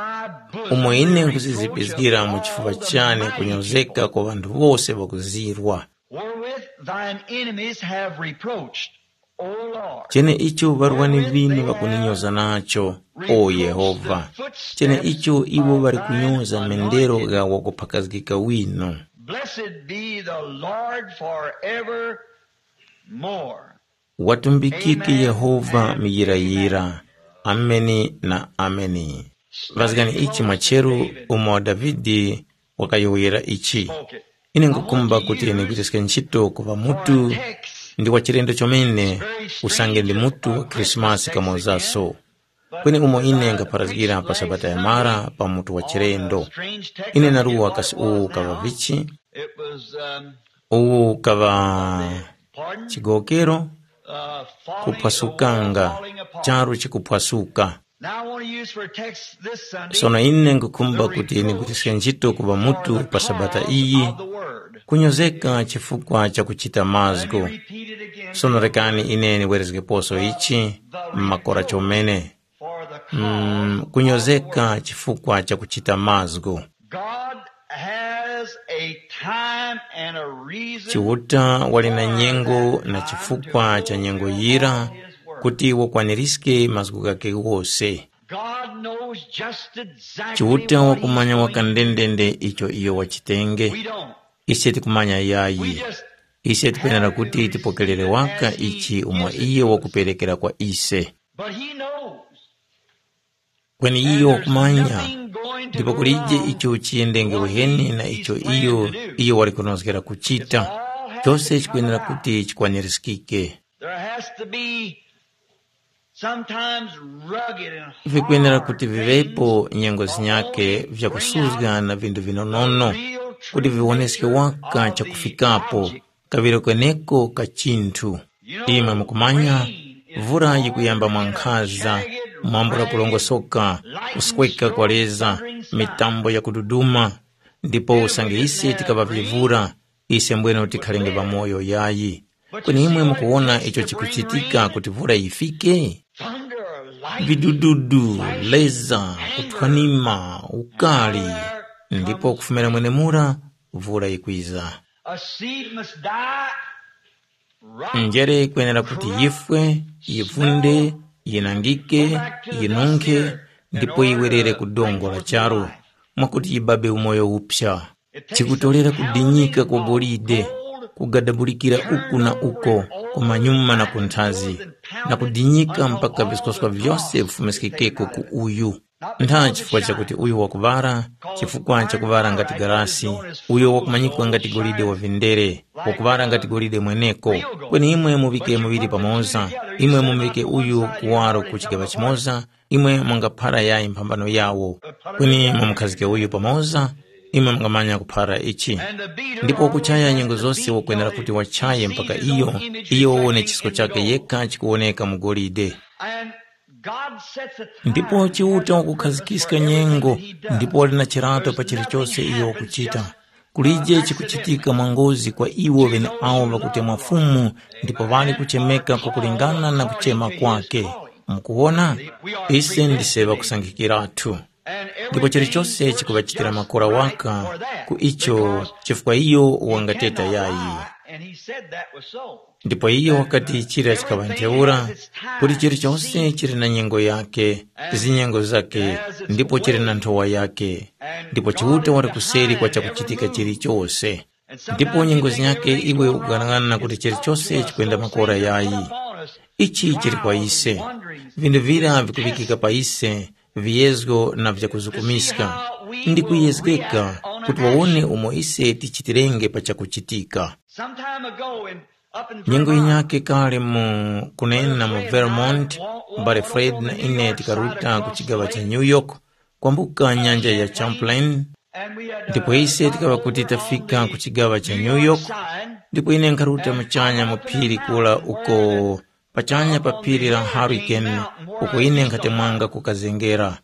umo ine nkhuzizipizgira mu chifuŵa chane kunyozeka kwa ŵanthu wose ŵakuzirwa. Wherewith thine enemies have reproached, O Lord. Cheneicho ŵarwani ŵinu ŵakuninyoza nacho, o Yehova. Cheneicho iwo ŵali kunyoza mendero gha wakuphakazgika winu. Blessed be the Lord forevermore. Watumbikike Yehova muyirayira. Ameni na ameni. Vazgani ichi mwacheru umo Davide wakayowoyera ichi. Ine nkukhumba kuti ndigwiriske ntchito kuŵa mutu ndi wa chilendo chomene, usange ndi mutu wa Khrisimasi kamozaso. Kweni umo ine ngapharazgira pa Sabata ya mara pa mutu wa chilendo. Ine naruwa kasi uwu kaŵa vichi? It was, um, uwu kaŵa pardon? Chigowokero, Uh, falling, kuphwasukanga, the wall falling apart. Charu chikuphwasuka. Now I want to use for a text this Sunday. Sono ine nkukhumba kuti ndigwiritse ntchito kuŵa mutu pa Sabata iyi, kunyozeka chifukwa cha kuchita mazgu. Sono rekani ine ndiwerezgeposo ichi, makora chomene. Mm, kunyozeka chifukwa cha kuchita mazgu. God has a time and a reason. Chiuta wali na nyengo na chifukwa cha nyengo yira kuti wakwanirizge mazgu ghakhe ghose. God knows just exactly Chiuta what wakumanya he's going to do. Wakandendende icho iyo wachitenge. We don't. Ise tikumanya yayi. We just ise tikwenera kuti tipokerere waka ichi umo iye wakuperekera kwa ise. But he knows. Kweni iyo wakumanya. Ndipo kulije icho chiyendenge uheni na icho iyo iyo wali kunozgera kuchita. Chose chikwenera kuti chikwanirizgike. There has to be sometimes rugged and vikwenera hard kuti vivepo things nyengo zinyake vyakusuzga na vinthu vinonono kuti viwoneske waka chakufikapo kaŵiro kweneko ka chinthu. Imwe mukumanya, vura yikuyamba mwankhaza, mwambula kulongosoka, kusweka kwa leza, mitambo yakududuma. Ndipo usange ise tikaŵa vivura, ise mbwene tikhalenge ŵamoyo yayi. Kweni imwe mukuwona icho chikuchitika kuti vura yifike? Vidududu, leza, kuthwanima, ukali, ndipo kufumira mwenemura vura yikwiza. A seed must die. Njere ikwenera kuti yifwe, yivunde, yinangike, yinunkhe, ndipo yiwerere ku dongo la charu, mwakuti yibabe umoyo uphya. Chikutolera kudinyika kwa golide, kugadabulikira uku na uko, kumanyuma na kunthazi, na kudinyika mpaka viskwaswa vyose vifumiskikeko ku uyu. Ntha chifukwa chakuti uyo wakuŵara, chifukwa chakuŵara ngati galasi, uyo wakumanyikwa ngati golide wa vindere, wakuŵara ngati golide mweneko. Kweni imwe muŵike muŵiri pamoza, imwe mumuŵike uyu kuwaro ku chigaŵa chimoza, imwe mungaphara yayi mphambano yawo. Kweni mumukhazike uyu pamoza, imwe mungamanya kuphara ichi. Ndipo wakuchaya nyengo zose wakwenera kuti wachaye mpaka iyo, iyo wawone chisko chakhe yekha chikuwoneka mu golide. And God sets a time. Ndipo Chiuta wakukhazikiska nyengo, ndipo wali na chirato pa chilichose iyo wakuchita. Kulije chikuchitika mwangozi kwa iwo ŵeneawo ŵakutemwa Fumu, ndipo ŵali kuchemeka kwakulingana na kuchema kwake. Mukuwona? Ise ndise ŵakusankhikiratu. Ndipo chilichose chikuŵachitira makora waka ku icho, chifukwa iyo wangateta yayi. And he said that was so. Ndipo iyo wakati chira chikaŵa ntheura, kuti chilichose chili na nyengo yake, zinyengo zake, ndipo chili na nthowa yake. Ndipo Chiuta wali kuseri kwa chakuchitika chilichose. Ndipo nyengo zinyake iwe ukughanag'ana kuti chilichose chikwenda makora yayi. Ichi chili kwa ise. Vinthu vira vikuŵikika pa ise, viyezgo na vyakuzukumiska. Ndi kuyezgeka kuti wawone umo ise tichitirenge pa chakuchitika. Some time ago, in, up in Nyengo Vermont, yinyakhe kale mu kunena mu Vermont, m'bale Fred na ine tikaruta ku chigaŵa cha New York, kwambuka nyanja ya Champlain, ndipo ise tikaŵa kuti tafika ku chigaŵa cha New York, ndipo ine nkharuta muchanya mu phiri kula uko pachanya pa phiri la Hurricane, uko ine nkhatemwanga kukazengera.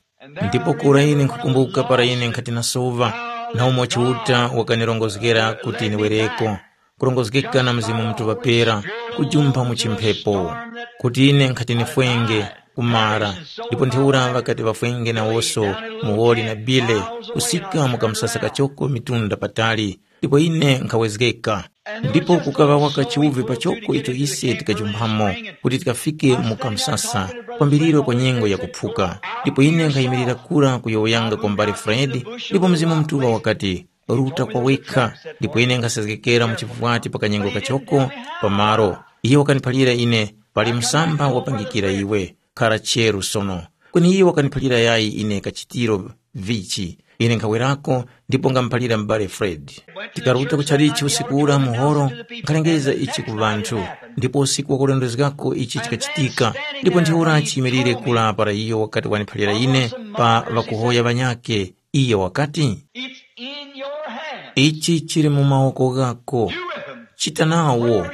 Ndipo kura ine nkhukumbuka para ine nkhati na sova, na umo Chiuta wakanirongozgera kuti niwereko, kurongozgeka na Mzimu Mutuŵa Pera, kujumpha mu chimphepo, kuti ine nkhati nifwenge kumara. Ndipo ntheura ŵakati ŵafwenge nawoso, Muwoli na Bile, kusika mu kamsasa kachoko mitunda patali, ndipo ine nkhawezgeka. Ndipo kukaŵa waka chiwuvi pachoko icho ise tikajumphamo, kuti tikafike mu kamsasa, kwambiriro kwa nyengo yakuphuka. Ndipo ine nkhayimirira kura kuyowoyanga kwa m'bale Fred, ndipo Mzimu Mutuŵa wakati, ruta kwa wekha. Ndipo ine nkhasezgekera mu chivwati pa kanyengo kachoko pamaro. Iye wakaniphalira ine, pali msamba wapangikira iwe, khara cheru sono. Kweni iye wakaniphalira yayi ine kachitiro vichi. Ine nkhawerako, ndipo ngamuphalira m'bale Fred. Tikaruta ku chalichi usiku ura muhoro, nkhalengeza ichi ku ŵanthu. Ndipo usiku wakulondozgako ichi chikachitika, ndipo ntheura chiyimirire kula para iyo wakati waniphalira ine pa ŵakuhoya ŵanyakhe. Iyo wakati, It's in your hand. Ichi chili mu mawoko ghako. Do with them. Chita nawo.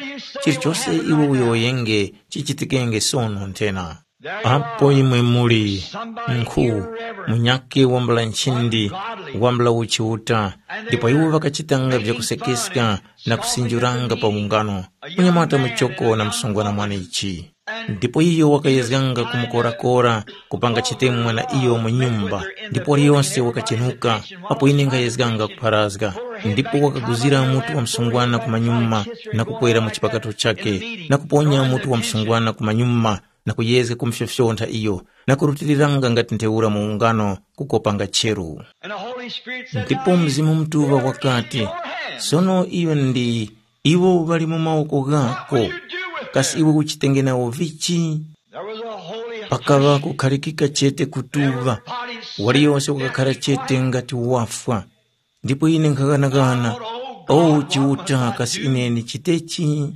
Chilichose iwe uyowoyenge chichitikenge sono nthena. Apo imwe muli nkhu munyakhe wambula nchindi, wambula uchiuta, ndipo iwo ŵakachitanga vyakusekeska na kusinjuranga pa ungano, munyamata muchoko na msungwana mwanechi. Ndipo iyo wakayezganga kumukorakora, kupanga chitemwa na iyo mu nyumba, ndipo waliyonse wakachenuka, apo ine nkhayezganga kupharazga. Ndipo wakaguzira mutu wa msungwana kumanyuma, na kukwera mu chipakato chakhe, na kuponya mutu wa msungwana kumanyuma, na kuyezga kumfyofyontha iyo, na kurutiriranga ngati ntheura mu ungano kukopanga cheru. And the Holy Spirit said, Ndipo Mzimu Mutuŵa wakati, sono iyo ndi iwo ŵali mu mawoko ghako, kasi iwe uchitenge nawo vichi? There was a holy Pakaŵa kukhalikika chete kutuŵa, waliyose wakakhara chete ngati wafwa. Ndipo ine nkhaghanaghana, o Chiuta, kasi ine nichitechi?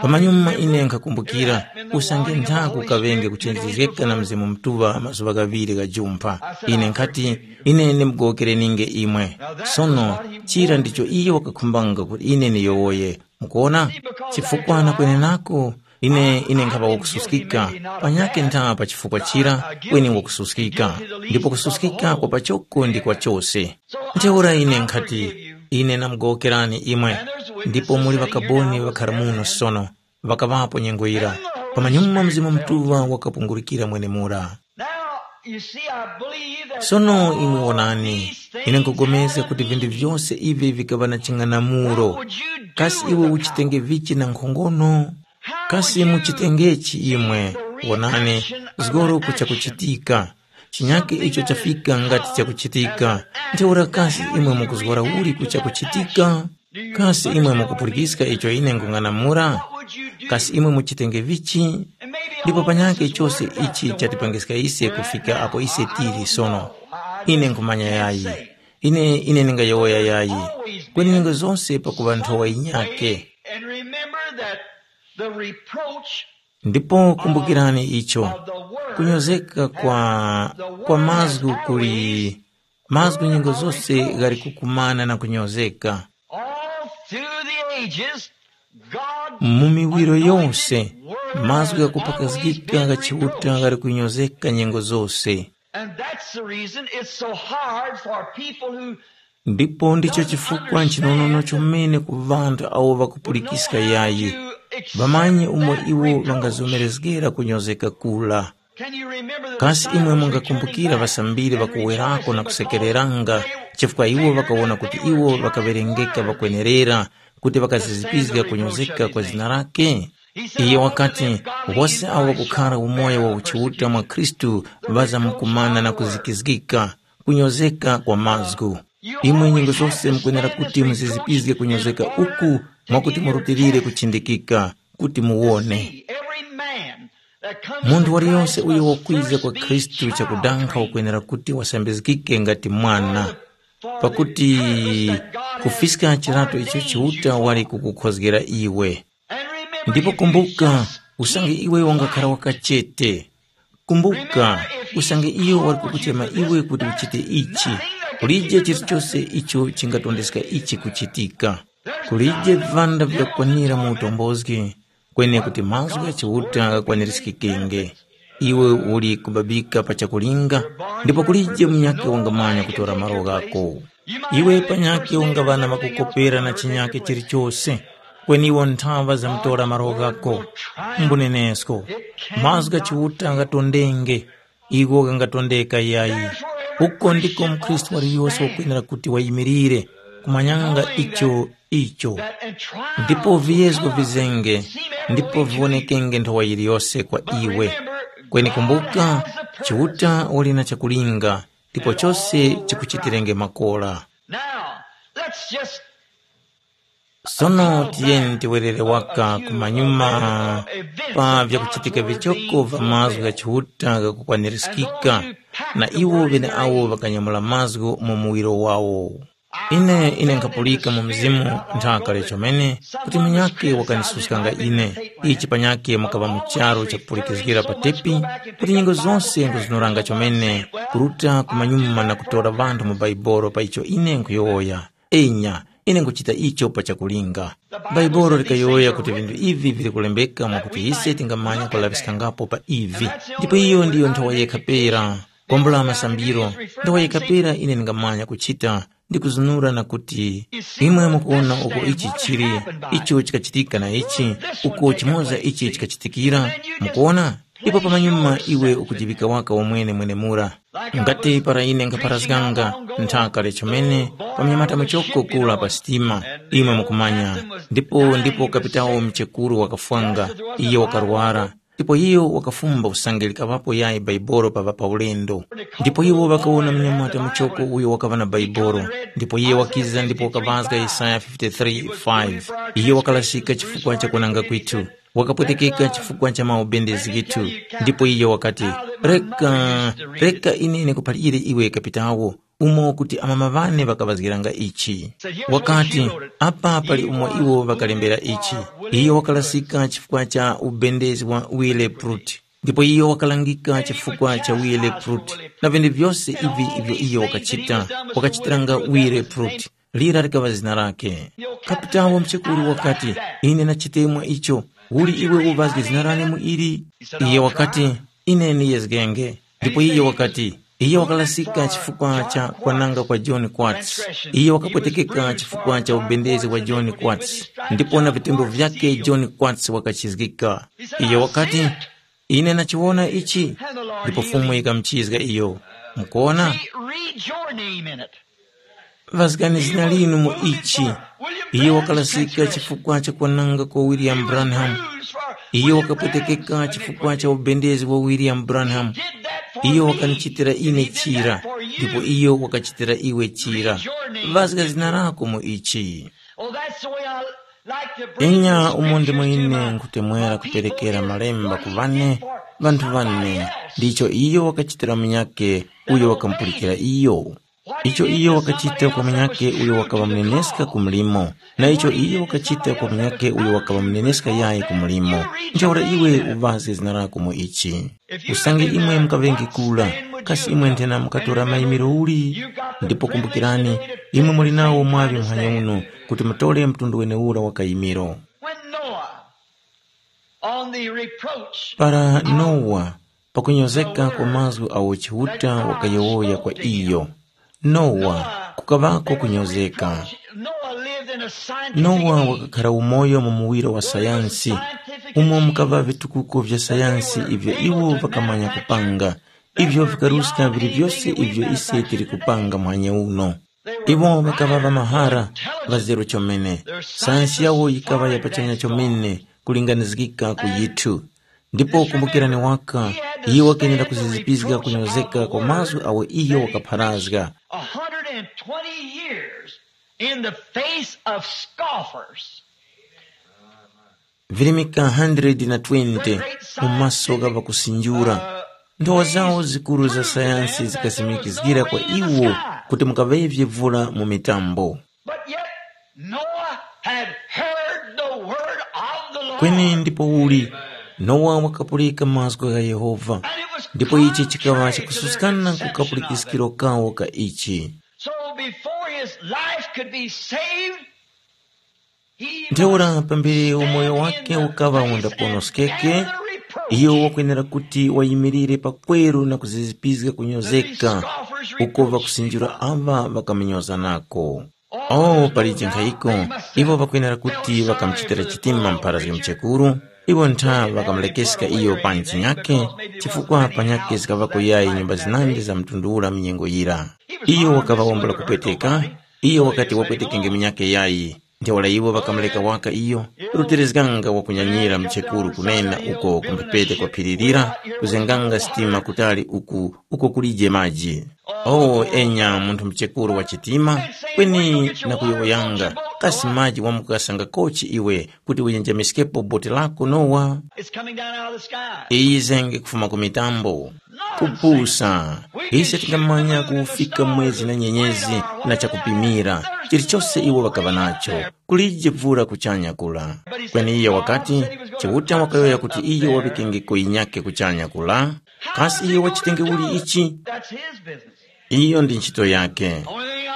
Pamanyuma ine nkhakumbukira, usange nthaku kaŵenge kuchenjezgeka na Mzimu Mutuŵa mazuŵa ghaŵiri ghajumpha. Ine nkhati, ine ndimugowokereninge imwe. Sono, chira ndicho iyo wakakhumbanga kuti ine niyowoye. Mukuona? Chifukwa na kwenenako, ine, ine nkhaŵa wakususkika, panyakhe ntha pa chifukwa chira, kweni wakususkika. Ndipo kususkika kwa pachoko ndi kwa chose. Ntheura ine nkhati, ine namugowokerani imwe, ndipo muli ŵakaboni ŵakhara muno sono, ŵakaŵapo nyengo yira. Pamanyuma Mzimu Mutuŵa wakapungurukira mwenemura. Now, you see, I believe that Sono all imwe wonani, these things ine nkugomezga had kuti a vinthu meaning. Vyose ivi vikaŵa na ching'anamulo. What would you do Kasi with iwe the uchitenge power? Vichi na nkhongono? How Kasi would you muchitengechi see imwe? The Wonani, reaction of zgoro an action? Kuchakuchitika. Chinyake icho chafika ngati chakuchitika. Ntheura kasi imwe mukuzgora uli kuchakuchitika? Kasi imwe mukupulika icho ine nkung'anamula? Kasi imwe muchitenge vichi? Ndipo panyakhe chose ichi chatipangiska ise kufika apo ise tili sono. Ine nkhumanya yayi. Ine, ine ndingayowoya yayi. Kweni nyengo zose pakuŵa nthowa yinyakhe. And remember that the reproach Ndipo kumbukirani icho, kunyozeka kwa, kwa mazgu kuli, Mazgu nyengo zose ghali kukumana na kunyozeka. All through the ages, God Mu miwiro yose, mazgu ghakupakazgika gha Chiuta ghali kunyozeka nyengo zose. And that's the reason it's so hard for people who Ndipo ndicho chifukwa nchinonono chomene ku ŵanthu awo ŵakupulikiska yayi, ŵamanye umo iwo ŵangazomerezgera kunyozeka kula. Kasi imwe mungakumbukira ŵasambiri ŵakuwerako na kusekereranga chifukwa iwo ŵakawona kuti iwo ŵakaŵerengeka ŵakwenerera kuti ŵakazizipizga kunyozeka kwa zina lake? Iye wakati, wose awo ŵakukhara umoyo wa uchiuta mwa Khristu ŵazamkumana na kuzikizgika, kunyozeka kwa mazgu. Imwe nyengo zose mukwenera kuti muzizipizge kunyozeka uku mwakuti murutilire kuchindikika kuti muwone. Munthu waliyonse uyo wakwiza kwa Khristu chakudankha wakwenera kuti wasambizgike ngati mwana, pakuti kufiska chilato icho Chiuta wali kukukhozgera iwe. Ndipo kumbuka, usange iwe wangakhara wakachete, kumbuka, usange iyo wali kukuchema iwe kuti uchite ichi, kulije chilichose icho chingatondeska ichi kuchitika. Kulije vipanda vyakwanira mu utombozgi, kweni kuti mazgu gha Chiuta ghakwanirizgikenge. Iwe uli kubabika pa chakulinga, ndipo kulije munyakhe wangamanya kutora malo ghako. Iwe panyakhe ungaŵa na makukopera na chinyakhe chilichose, kweni iwo nthaŵa zamtora malo ghako. Mbunenesko, mazgu gha Chiuta ghatondenge, igho ghangatondeka yayi. Uko ndiko mukhristu waliyose wakwenera kuti wayimirire, kumanyanga icho icho. Ndipo viyezgo vizenge, ndipo viwonekenge nthowa yiliyose kwa iwe. Kweni kumbuka, Chiuta wali na chakulinga, ndipo chose chikuchitirenge makora. Now, let's just Sono tiyeni tiwerere waka kumanyuma pa vyakuchitika vichoko va mazgu gha Chiuta ghakukwanirizgika na iwo ŵeneawo ŵakanyamula mazgu mu muwiro wawo. Ine ine nkhapulika mu mzimu nthaka chomene kuti munyakhe wakanisuskanga ine. Ichi panyakhe mwakaŵa mu charu chakupulikizgira pa tepi kuti nyengo zose nkuzunuranga chomene kuruta kumanyuma na kutora vanthu mu Baibolo pa icho ine nkhuyowoya. Enya, ine nkuchita icho pa chakulinga. Baibolo likayowoya kuti vinthu ivi vili kulembeka mwakuti ise tingamanya kulaŵiskangapo pa ivi. Ndipo iyo ndiyo nthowa yekha pera. Kwambula masambiro, nthowa yekha pera ine ndingamanya kuchita ndi kuzunura na kuti, imwe mukuwona uko ichi chili, icho chikachitika na ichi, uko chimoza ichi chikachitikira, mukuwona? Ndipo pamanyuma iwe ukujiŵika waka wamwene mwenemura. Ngati para ine nkapharazganga nthaka lechomene pa mnyamata muchoko kula pa sitima, imwe mukumanya, ndipo ndipo kapitawo mchekuru wakafwanga, iyo wakarwara, ndipo iyo wakafumba usange likaŵapo yayi Baibolo paŵa pa ulendo. Ndipo iwo ŵakawona mnyamata muchoko uyo wakaŵa na Baibolo, ndipo iye wakiza ndipo wakaŵazga Yesaya fifty-three five. Iye wakalasika chifukwa cha kunanga kwithu. Wakapwetekeka chifukwa cha maubendezi ghithu. Ndipo iyo wakati, reka, reka ine ndikuphalire iwe kapitawo, umo kuti amama ŵane ŵakaŵazgiranga ichi. Wakati, apa pali umo iwo ŵakalembera ichi. Iyo wakalasika chifukwa cha ubendezi wa Wille Pruitt. Ndipo iyo wakalangika chifukwa cha Wille Pruitt na vinthu vyose ivi ivyo iyo wakachita, wakachitiranga Wille Pruitt. Lira likaŵa zina lake. Kapitawo mchekuru wakati, ine nachitemwa icho. Uli iwe uvazge zina lane mu ili? Iye wakati, ine niyezgenge. Ndipo iye wakati, iye wakalasika chifukwa cha kwananga kwa John Quartz. Iye wakapwetekeka chifukwa cha ubendezi wa John Quartz. Ndipo na vitembo vyake John Quartz wakachizgika. Iye wakati, ine nachiwona ichi. Ndipo Fumu ikamuchizga iyo. Mukuona? Read your name in it. Ŵazgani zina linu mu ichi. Iye wakalasika chifukwa cha kwananga kwa William Branham. Iye wakapwetekeka chifukwa cha ubendezi wa William Branham. Iye wakanichitira ine chira, ndipo iyo wakachitira iwe chira. Ŵazga zina lako mu ichi. Oh, that's the way I like to bring Enya the umo ndimo scriptures to ine my, nkutemwera my people kuperekera is malemba ku vane, vanthu vane, ndicho iyo wakachitira munyake uyo wakamupulikira iyo. Icho iyo wakachita kwa munyakhe uyo wakaŵa muneneska ku mlimo, na icho iyo wakachita kwa munyakhe uyo wakaŵa muneneska yayi ku mlimo, ntheura iwe uŵazge zina lako mu ichi. Usange imwe mukaŵenge kura, kasi imwe nthena mukatora mayimiro uli? Ndipo kumbukirani, imwe muli nawo mwaŵi muhanya uno, kuti mutore mtundu weneura wa kayimiro. When Noah, on the reproach, para Nowa, pakunyozeka kwa mazgu awo Chiuta wakayowoya kwa iyo. Nowa, kukaŵako kunyozeka. Noah lived in a scientific Nowa age. Wakakhara umoyo mu muwiro wa sayansi, umo mukaŵa vitukuko vya sayansi ivyo iwo vakamanya kupanga, ivyo vikaruska vili vyose ivyo ise tili kupanga muhanya uno. Iwo ŵakaŵa ŵamahara, ŵazero chomene. Sayansi yawo yikaŵa ya pachanya chomene kulinganizgika ku yithu. Ndipo kumbukirani waka, iyo wakenera kuzizipizga kunyozeka kwa mazgu awo iyo wakapharazga. A hundred and twenty years in the face of scoffers. Virimika hundred na twenty mu maso gha ŵakusinjura. Nthowa zawo zikuru za sayansi zikasimikizgira kwa iwo kuti mukaŵevye vula mu mitambo. But yet Noah had heard the word of the Lord. Kweni ndipo uli, Nowa wakapulika mazgu gha Yehova, ndipo ichi chikaŵa chakususkana ku kapulikiskiro kawo ka ichi. So before his life could be saved, he Ntheura must pambere umoyo wake ukaŵa undaponoskeke, iyo wakwenera kuti wayimirire pakweru na kuzizipizga kunyozeka uko ŵakusinjira aŵa ŵakamunyozanako. O pali chinkhayiko, iwo ŵakwenera kuti ŵakamuchitira chitima mpharazgi mchekuru, iwo ntha ŵakamulekeska iyo pa nchinyakhe, chifukwa panyakhe zikaŵako yayi nyumba zinandi za mtundu ura mu nyengo yira. Iyo wakaŵa wambula kupweteka, iyo wakati wapwetekenge munyakhe yayi. Ntheura iwo ŵakamureka waka iyo, ruterezganga wakunyanyira mchekuru kunena uko ku mphepete kwa phiri lira, kuzenganga sitima kutali uku uko kulije maji. O enya munthu mchekuru wa chitima, kweni na kuyowoyanga, kasi maji wamukasanga kochi iwe kuti uyenjamiskepo boti lako Nowa? It's coming down out of the sky. Iyi zenge kufuma ku mitambo. Kupusa, ise tingamanya kufika mwezi na nyenyezi na chakupimira, chilichose iwo ŵakaŵa nacho, kulije vura kuchanya kula. Kweni iyo wakati, Chiuta wakayowoya kuti iyo waŵikengeko yinyakhe kuchanya kula. Kasi iyo wachitenge uli ichi? That's his business. Iyo ndi ntchito yake.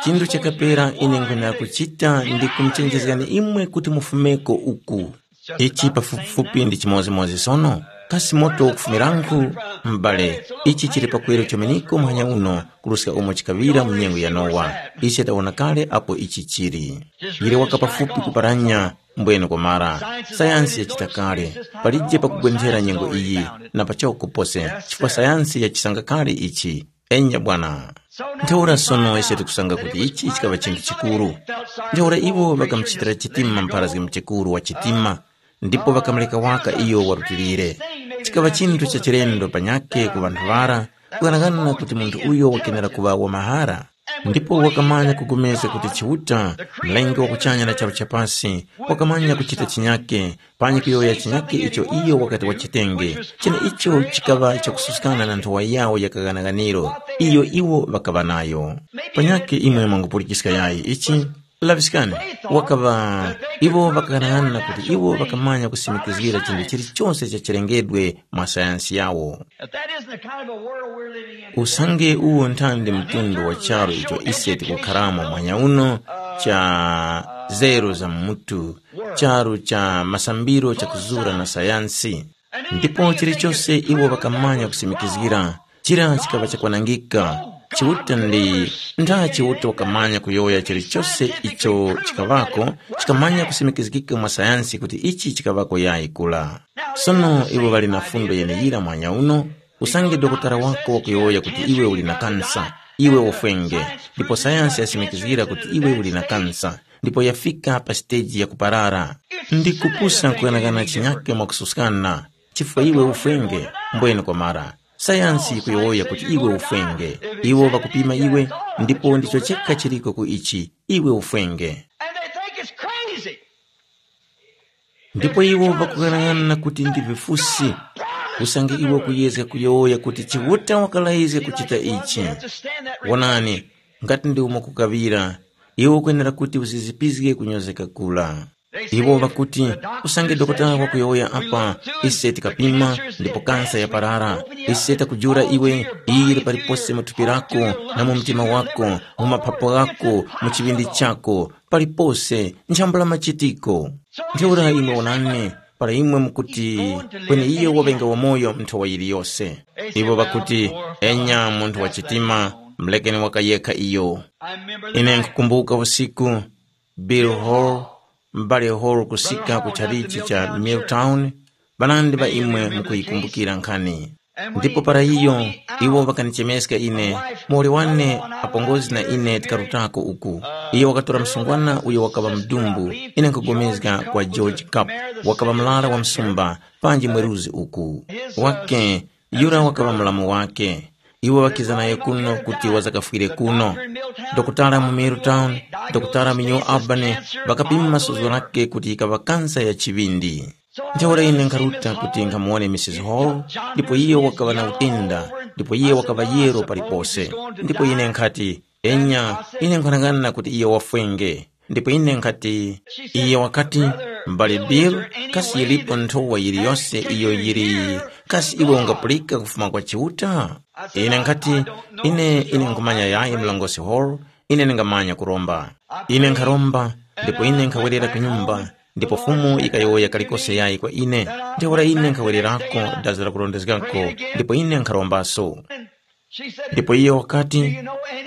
Chinthu chakapera ine nkhwenera kuchita ndi kumuchenjezgani imwe kuti mufumeko uku. Ichi pafupifupi ndi chimodzimodzi sono. Kasi moto ukufumirankhu? M'bale, ichi chili pakuyero chomeneko muhanya uno, kuruska umo chikaŵira mu nyengo ya Nowa. Ise tawona kale apo ichi chili. Yili waka pafupi kuparanya, mbwene kwamara. Sayansi yachita kale. Palije pakugwenthera nyengo iyi, na pachoko pose, chifukwa sayansi yachisanga kale ichi. Enya bwana. Ntheura sono ise tikusanga kuti ichi chikaŵa chinthu chikuru. Ntheura iwo ŵakamuchitira chitima mpharazgi mchekuru wa chitima, ndipo ŵakamureka waka iyo warutilire. Chikaŵa chinthu cha chilendo panyakhe ku ŵanthu ŵara, kughanagana kuti munthu uyo wakenera kuŵa wa mahara. Ndipo wakamanya kugomezga kuti Chiuta, Mlengi wa kuchanya na charu cha pasi, wakamanya kuchita chinyake, panyi kuyowoya chinyake icho iyo wakati wachitenge, cheneicho chikaŵa chakususkana na nthowa yawo ya kaghanaghaniro iyo iwo ŵakaŵa nayo. Panyakhe imwe mwangupulikiska yayi ichi, laŵiskani, wakaŵa iwo ŵakaghanaghanana kuti iwo ŵakamanya kusimikizgira chinthu chilichose cha chilengedwe mwa sayansi yawo. If that isn't the kind of a world we're living in today, Usange uwo nthandi mtundu wa charu icho ise tikukharamo mwanya uno, cha zero za mutu, charu cha masambiro chakuzura na sayansi. Ndipo chilichose iwo ŵakamanya kusimikizgira, chira chikaŵa chakwanangika. Chiuta ndi, nd'a Chiuta wakamanya kuyowoya chilichose icho chikaŵako, chikamanya kusimikizgika mwa sayansi kuti ichi chikaŵako yayi kula. Sono iwo ŵali na fundo yeneyira mwanya uno, usange dokotala wako wakuyowoya kuti iwe uli na kansa, iwe ufwenge, ndipo sayansi yasimikizgira kuti iwe uli na kansa, ndipo yafika pa siteji ya kuparara. Ndi kupusa nkughanagana chinyake mwakususkana, chifukwa iwe ufwenge, mbwene kwamara. Sayansi yikuyowoya kuti iwe ufwenge. Iwo ŵakupima iwe, ndipo ndicho chekha chiliko ku ichi, iwe ufwenge. And they think it's crazy. Ndipo iwo ŵakughanagana kuti ndi vifusi, usange iwe kuyezga kuyowoya kuti Chiuta wakalayizga kuchita ichi. Wonani, Ngati ndi umo kukaŵira, iwe ukwenera kuti uzizipizge kunyozeka kula. Iwo ŵakuti, usange dokotala wakuyowoya apa, ise tikapima, ndipo kansa yaparara. Ise takujula iwe, iyi yili palipose mu thupi lako, na mu mtima wako, mu mapapo ghako, mu chiŵindi chako, palipose, nchambula machitiko. Ntheura imwe wonani, para imwe mukuti, kweni iye waŵenga wamoyo nthowa yiliyose. Iwo ŵakuti, enya munthu wa chitima, mulekeni waka yekha iyo. Ine nkukumbuka usiku, Bill Hall, m'bale Hall kusika ku chalichi cha Milltown, ŵanandi ŵa imwe mukuyikumbukira nkhani. Ndipo para iyo, iwo ŵakanichemeska ine, muwoli wane apongozi na ine tikarutako uku. Iyo wakatora msungwana uyo wakaŵa mdumbu, ine nkupulikana kwa George Cup, wakaŵa murara wa msumba, panji mweruzi uku. Wake, yura wakaŵa mulamu wake. Iwo ŵakiza naye kuno kuti wazakafwire kuno. Dokotala mu Milltown, dokotala mu New Albany, ŵakapima suzgo lake kuti yikaŵa kansa ya chiŵindi. Ntheura ine nkharuta kuti nkhamuwone Misisi Hall, ndipo iyo wakaŵa na utenda, ndipo iye wakaŵa yero palipose. Ndipo ine nkhati, enya, ine nkhwanang'ana kuti iyo wafwenge. Ndipo ine nkhati, iye wakati, m'bale Bill, kasi yilipo nthowa yiliyose iyo yili, kasi iwe ungapulika kufuma kwa Chiuta? Ine nkhati, ine, ine nkhumanya yayi mlongosi Hall, ine ndingamanya kuromba. Ine nkharomba, ndipo ine nkhawerera ku nyumba, ndipo Fumu yikayowoya kalikose yayi kwa ine. Ntheura ine nkhawererako dazi la kurondezgako, ndipo ine nkharombaso. Ndipo iyo wakati,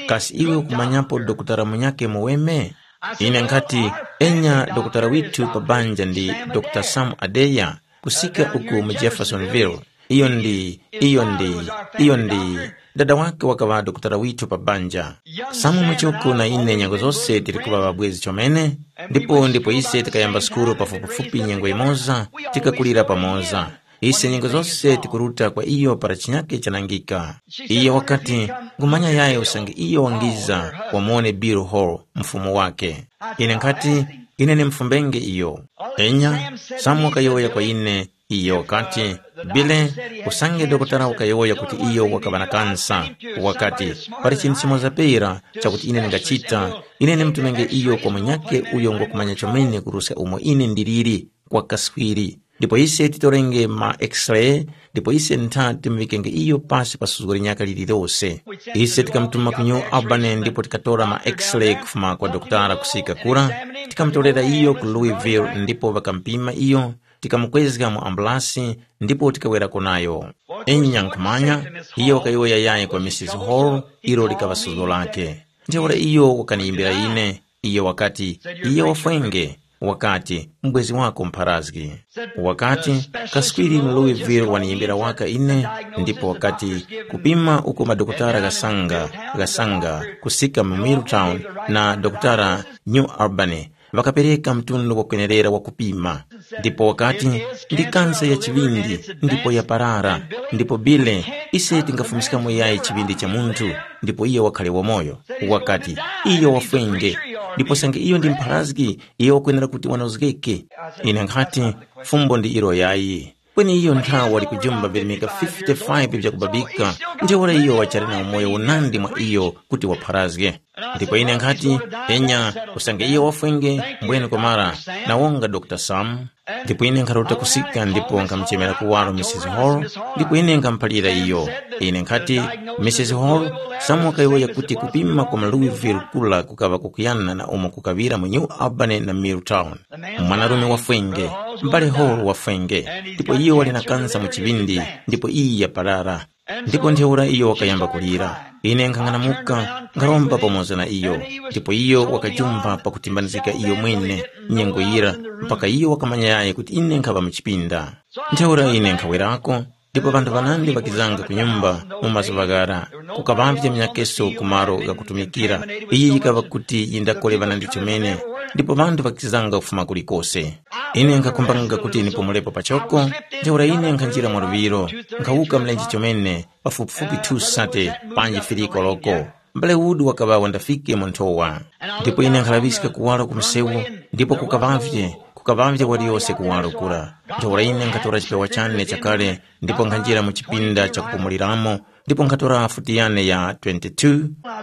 kasi iwe ukumanyapo dokotala munyakhe muweme? Ine nkhati, enya dokotala withu pa banja ndi Dr Sam Adeya, kusika uku mu Jeffersonville. Iyo ndi, iyo ndi, iyo ndi, dada wake wakaŵa dokotala withu pa banja. Samu muchoko na ine nyengo zose tili kuŵa ŵabwezi chomene, ndipo ndipo ise tikayamba sukulu pafupifupi nyengo imoza, tikakulira pamoza. Ise nyengo zose tikuruta kwa iyo para chinyake chanangika. Iyo wakati, ngumanya yaye usange iyo wangiza wamuwone Bill Hall, mfumu wake. Ine nkhati, ine nimfumbenge iyo. Enya, Samu wakayowoya kwa ine, iyo wakati, Bile, usange dokotala wakayowoya kuti iyo wakaŵa na kansa, wakati, pali chinthu chimoza pera chakuti ine ndingachita, ine nimtumenge iyo kwa munyakhe uyo ngwakumanya chomene kuruska umo ine ndiliri, kwa kaswiri. Ndipo ise titorenge ma x-ray, ndipo ise ntha timuŵikenge iyo pasi pa suzgo linyaka lililose. Ise tikamutuma ku New Albany ndipo tikatora ma x-ray kufuma kwa dokotala kusika kura, tikamutorera iyo ku Louisville ndipo ŵakamupima iyo, tikamukwezga mu ambulasi ndipo tikawerako nayo. Enya nkhumanya, iyo wakayowoya yayi kwa Misisi Hall, ilo likaŵa suzgo lake. Ntheura iyo wakaniyimbira ine, iyo wakati, iye wafwenge. Wakati, mubwezi wako mpharazgi. Wakati, kaswiri mu Louisville waniyimbira waka ine, ndipo wakati, kupima uko madokotala ghasanga, ghasanga kusika mu Milltown na dokotala New Albany, ŵakapereka mtundu wakwenerera wa kupima. Ndipo wakati, ndi kansa ya chiŵindi, ndipo yaparara. Ndipo Bile, ise tingafumiskamo yayi chiŵindi cha munthu, ndipo iye wakhale wamoyo? Wakati, iyo wafwenge. Ndipo sange iyo ndi mpharazgi, iyo wakwenera kuti wanozgeke. Ine nkhati, fumbo ndi ilo yayi. Kweni iyo nthawa wali kujumba virimika fifty-five vyakubabika, ntheura iyo wachali na umoyo unandi mwa iyo kuti wapharazge. Ndipo ine nkhati, enya, usange iyo wafwenge, mbwene kwamara, na wonga Dr Sam. Ndipo ine nkharuta kusika ndipo nkhamuchemera kuwaro Misisi Hall, ndipo ine nkhamuphalira iyo. Ine nkhati, Misisi Hall, Sam wakayowoya kuti kupima kwa mu Louisville kula kukaŵa kukuyana na umo kukaŵira mu New Albany na Milltown. Mwanarume wafwenge, m'bale Hall wafwenge, ndipo iyo wali na kansa mu chiŵindi, ndipo iyi yaparara. Ndipo ntheura iyo wakayamba kulira. Ine nkhang'anamuka, nkharomba pamoza na iyo, ndipo iyo wakajumba pakutimbanizika iyo mwene nyengo yira, mpaka iyo wakamanya yayi kuti ine nkhaŵa mu chipinda. Ntheura ine nkhawerako, ndipo ŵanthu ŵanandi ŵakizanga ku nyumba mu mazuŵa ghara, kukaŵavye minyakeso ku malo ghakutumikira. Iyi yikaŵa kuti yindakole ŵanandi chomene, ndipo ŵanthu ŵakizanga kufuma kulikose. Ine nkhakumbanga kuti nipumulepo pachoko, ntheura ine nkhanjira mwa luŵiro, nkhawuka mlenje chomene, pafupifupi two sate panji firiko loko. M'bale Wood wakaŵa wandafike mu nthowa. Ndipo ine nkhalaŵiska kuwala ku msewu, ndipo kukaŵavye, kukaŵavye waliyose kuwala kura. Ntheura ine nkhatora chipewa chane chakale, ndipo nkhanjira mu chipinda chakupumuliramo, Ndipo nkhatora futi yane ya twenty-two,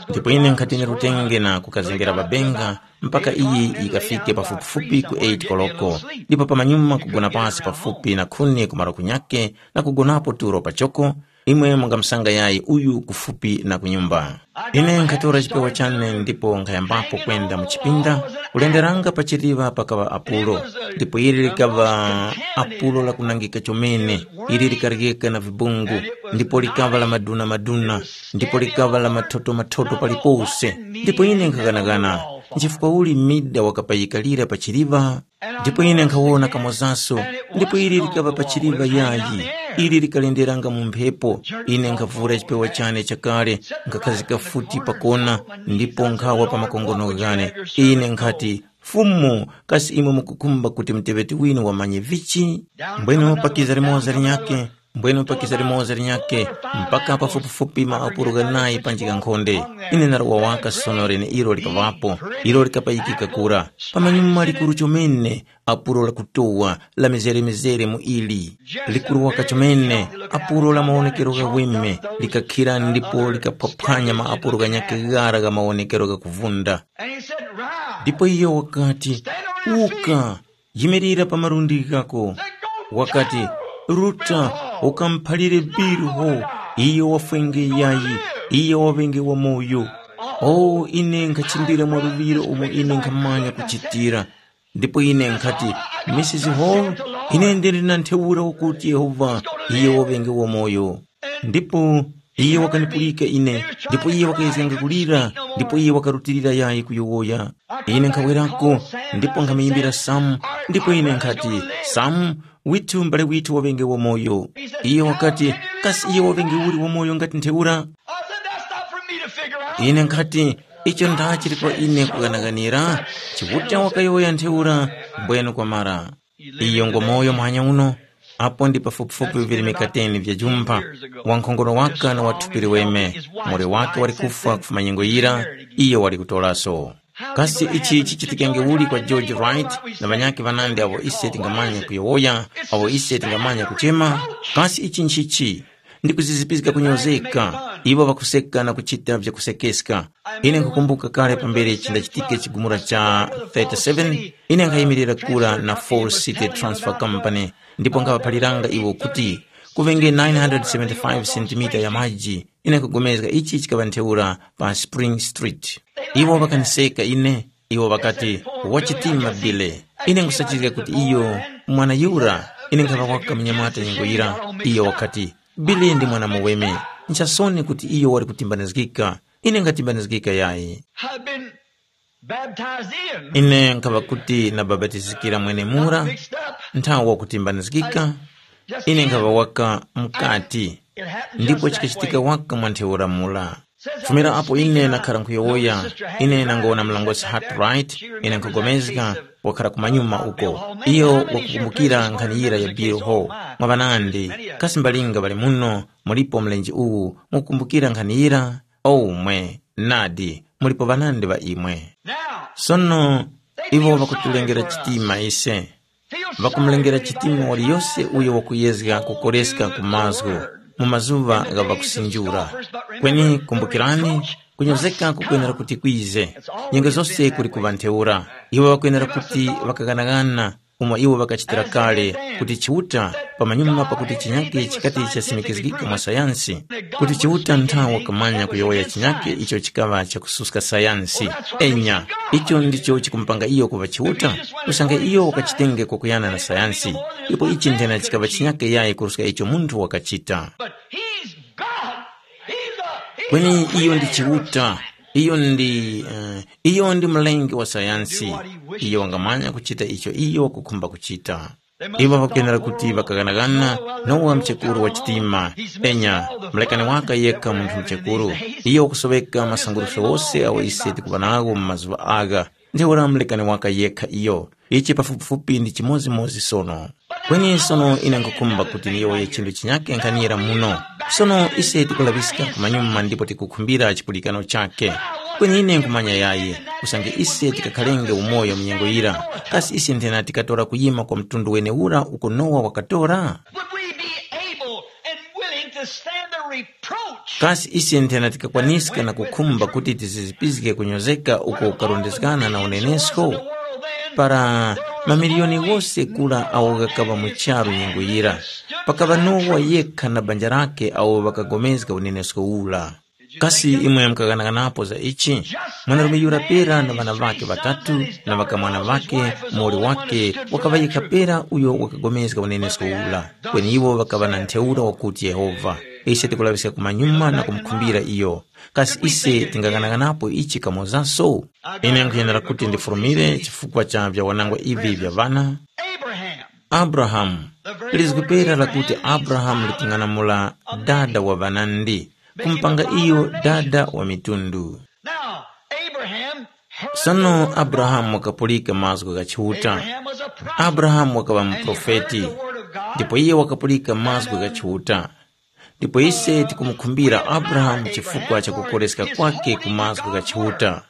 ndipo ine nkhati nirutenge na kukazengera pabenga mpaka iyi yikafike pafupifupi ku eight koloko, ndipo pamanyuma kugona pasi pafupi na khuni kumaro kunyake na kugonapo tulo pachoko, imwe mungamsanga yayi uyu kufupi na kunyumba. Ine nkhatora chipewa chane ndipo nkhayambapo kwenda mu chipinda. Kulenderanga pa chiliŵa pakaŵa apulo, ndipo ili likaŵa apulo lakunangika chomene, ili likaryeka na vibungu, ndipo likaŵa la maduna-maduna, ndipo likaŵa la mathoto-mathoto palipose. Ndipo ine nkhaganagana, nchifukwa uli mida wakapayikalira pa chiliŵa? Ndipo ine nkhawona kamozaso, ndipo ili likaŵa pa chiliŵa yayi, ili likalenderanga mu mphepo. Ine nkhavura chipewa chane chakale, nkhakhazika futi pakona, ndipo nkhawa pa makongono ghane. Ine nkhati, Fumu, kasi imwe mukukhumba kuti muteŵeti winu wamanye vichi? Mbwenu pakiza limoza linyakhe, mbwenu pakiza limoza linyakhe, mpaka pafupifupi maapuro ghanayi panji ghankhonde. Ine ndarowa waka sono leneilo likaŵapo, ilo likapayikika kura. Pamanyuma likuru chomene, apuro lakutowa, la mizere-mizere mu ili. Likuru waka chomene, apuro la mawonekero gha weme, likakhira ndipo likaphwaphwanya maapuro ghanyakhe ghara gha mawonekero gha kuvunda. And he said, Rise. Ndipo iyo wakati, Uka, yimirira pa malundi ghako. Wakati, Ruta, ukamuphalire Biliho, iyo wafwenge yayi, iyo waŵenge wamoyo. O, ine nkhachimbira mwa luŵiro umo ine nkhamanya kuchitira. Ndipo ine nkhati, Misisi Hall, ine ndili na ntheura wakuti Yehova, iyo waŵenge wamoyo. Ndipo iye wakanipulika ine, ndipo iye wakayezganga kulira, ndipo iye wakarutilira yayi kuyowoya. Ine nkhawerako, ndipo nkhamuyimbira Samu, ndipo ine nkhati, Samu, withu m'bale withu waŵenge wamoyo. Iye wakati, kasi iye waŵenge uli wamoyo ngati ntheura? I said, That's not for me to figure out. Ine nkhati, icho ndachili kwa ine kughanaghanira, Chiuta wakayowoya ntheura, mbwenu kwamara. Iyo ngwa moyo muhanya uno, apo ndi pafupifupi vili mikateni vya jumpa, wankhongono waka na wathupi liweme, mure wake wali kufwa kufuma nyengo yira, iyo wali kutoraso. Kasi ichi chichitikenge uli kwa George Wright na ŵanyakhe ŵanandi awo ise tingamanya kuyowoya, awo ise tingamanya kuchema? Kasi ichi nchichi? Ndi kuzizipizga kunyozeka, iwo ŵakuseka na kuchita vyakusekeska. Ine nkhukumbuka kale pambere chindachitike chigumula cha thirty-seven, ine nkhayimirira kura na Fall City Transfer Company, ndipo nkhaŵaphaliranga iwo kuti kuŵenge nine hundred seventy-five sentimita ya maji. Ine nkhupulikana ichi chikaŵa ntheura pa Spring Street. Iwo ŵakaniseka ine, iwo ŵakati, wachitima Bile. Ine nkusachizga kuti iyo mwana yura. Ine nkhaŵa waka munyamata nyengo yira. Iyo wakati, Bile ndi mwana muweme. Nchasoni kuti iyo wali kutimbanizgika. Ine ngatimbanizgika yayi. I've been baptized in. Ine nkhaŵa kuti nabapatizikira mwenemura, nthawa wakutimbanizgika. Ine nkhaŵa waka mukati. Ndipo chikachitika waka mwa ntheura mura. Fumira apo ine nakhara nkhuyowoya, ine nangowona mlongosi Hartright, ine nkhugomezga, wakhara kumanyuma uko. Iyo wakukumbukira nkhani yira ya Bill Hall. Mwa ŵanandi, kasi mbalinga ŵali muno, mulipo mlenje uwu, mukukumbukira nkhani yira? O umwe, nadi, mulipo ŵanandi ŵa imwe. Sono, iwo ŵakutulengera chitima ise. Ŵakumulengera chitima waliyose uyo wakuyezga kukoreska ku mazgu mu mazuŵa gha ŵakusinjura. Kweni kumbukirani, kunyozeka kukwenera kuti kwize. Nyengo zose kuli kuŵa ntheura. Iwo ŵakwenera kuti ŵakaghanaghana umo iwo ŵakachitira kale kuti Chiuta, pamanyuma pakuti chinyake chikati chasimikizgika mwa sayansi, kuti Chiuta nthawe wakamanya kuyowoya chinyake icho chikaŵa chakususka sayansi. Enya, icho ndicho chikumupanga iyo kuŵa Chiuta, usange iyo wakachitenge kwakuyana na sayansi, ipo ichi nthena chikaŵa chinyake yayi kuruska icho munthu wakachita. But he's God. He's a, he's Kweni a iyo ndi creator. Chiuta, iyo ndi, eh, iyo ndi mlengi wa sayansi. Iyo wangamanya kuchita icho iyo wakukhumba kuchita. Iwo ŵakenera kuti ŵakaghanaghana Nowa mchekuru wa chitima. Enya, mlekani waka yekha munthu mchekuru. Iyo wakusoweka masanguruso wose awo ise tikuŵa nawo mu mazuŵa agha. Ntheura mlekani waka yekha iyo. Ichi pafupifupi ndi chimodzimodzi sono. Kweni sono ine nkhukhumba kuti ndiyowoye chinthu chinyake nkhanira muno. Sono ise tikulaŵiska kumanyuma ndipo tikukhumbira chipulikano chake. Kweni ine nkhumanya yayi, usange ise tikakhalenge umoyo mu nyengo yira, kasi ise nthena tikatora kuyima kwa mtundu wenewura uko Nowa wakatora? Would we be able and willing to stand the reproach Kasi ise nthena tikakwaniska na kukhumba kuti tizizipizge kunyozeka uko kukarondezgana na unenesko? Para mamiliyoni ghose gula agho ghakaŵa mu charu nyengo yira, pakaŵa Nowa yekha na banja lakhe awo ŵakagomezga unenesko ura. Kasi imwe mukaghanaganapo za ichi? Mwanarume yura pera na ŵana ŵakhe ŵatatu na ŵakamwana ŵakhe, muwoli wakhe wakaŵa yekha pera uyo wakagomezga unenesko ura. Kweni iwo ŵakaŵa na ntheura wakuti Yehova. Ise tikulaŵiska kumanyuma na kumukhumbira iyo. Kasi ise tingaghanaganapo ichi kamozaso? Ine nkhuyenera kuti ndifurumire chifukwa cha vyawanangwa ivi vya ŵana. Abraham. Abrahamu. Lizgu pera lakuti Abrahamu likung'anamula dada wa ŵanandi, kumupanga iyo dada wa mitundu. Now, Abraham heard Sono Abrahamu wakapulika mazgu gha Chiuta. Abrahamu was a prophet. Abrahamu wakaŵa muprofeti, ndipo iye wakapulika mazgu gha Chiuta. Ndipo ise tikumukhumbira Abrahamu chifukwa cha kukoreska kwake ku mazgu gha Chiuta,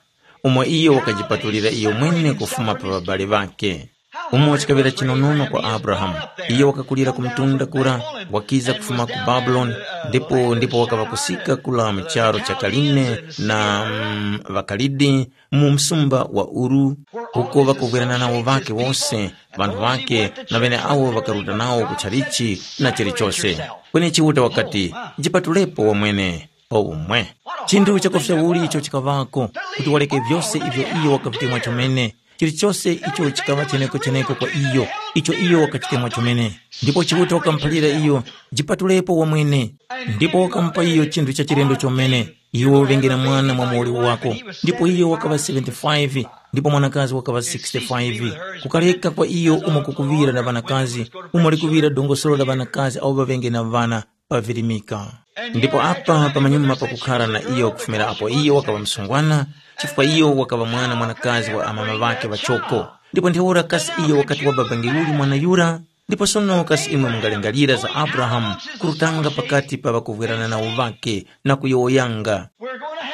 umo iyo wakajipatulira iyo mwene kufuma pa ŵabali ŵakhe. Umo chikaŵira chinonono kwa Abrahamu, iyo wakakulira ku mtunda kura, wakiza kufuma ku Babuloni, ndipo ndipo wakaŵa kusika kula mu charu cha Kaline na mm, ŵaKalidi, mu msumba wa Uru, uko ŵakuvwerana nawo ŵakhe wose, ŵanthu ŵakhe na ŵeneawo ŵakaruta nawo ku chalichi na chilichose. Kweni Chiuta wakati, jipatulepo wamwene, pa umwe. Chinthu chakufya uli icho chikaŵako, kuti waleke vyose ivyo iyo wakavitemwa chomene, chilichose icho chikaŵa cheneko-cheneko kwa iyo, icho iyo wakachitemwa chomene. Ndipo Chiuta wakamuphalira iyo, jipatulepo wamwene. Ndipo wakamupa iyo chinthu cha chilendo chomene, iwe uŵenge na mwana mwa muwoli wako. Ndipo iyo wakaŵa seventy-five, ndipo mwanakazi wakaŵa sixty-five. Kukaleka kwa iyo umo kukuŵira na ŵanakazi, umo likuŵira dongosolo la ŵanakazi awo ŵaŵenge na ŵana, pavirimika. Ndipo apa pamanyuma pakukhara na iyo kufumira apo iyo wakaŵa msungwana, chifukwa iyo wakaŵa mwana mwanakazi wa amama ŵakhe ŵachoko. Ndipo ntheura kasi iyo wakati wababangiruli mwana yura? Ndipo sono kasi imwe mungalingalira za Abrahamu kurutanga pakati pa ŵakuvwerana nawo ŵakhe na kuyowoyanga,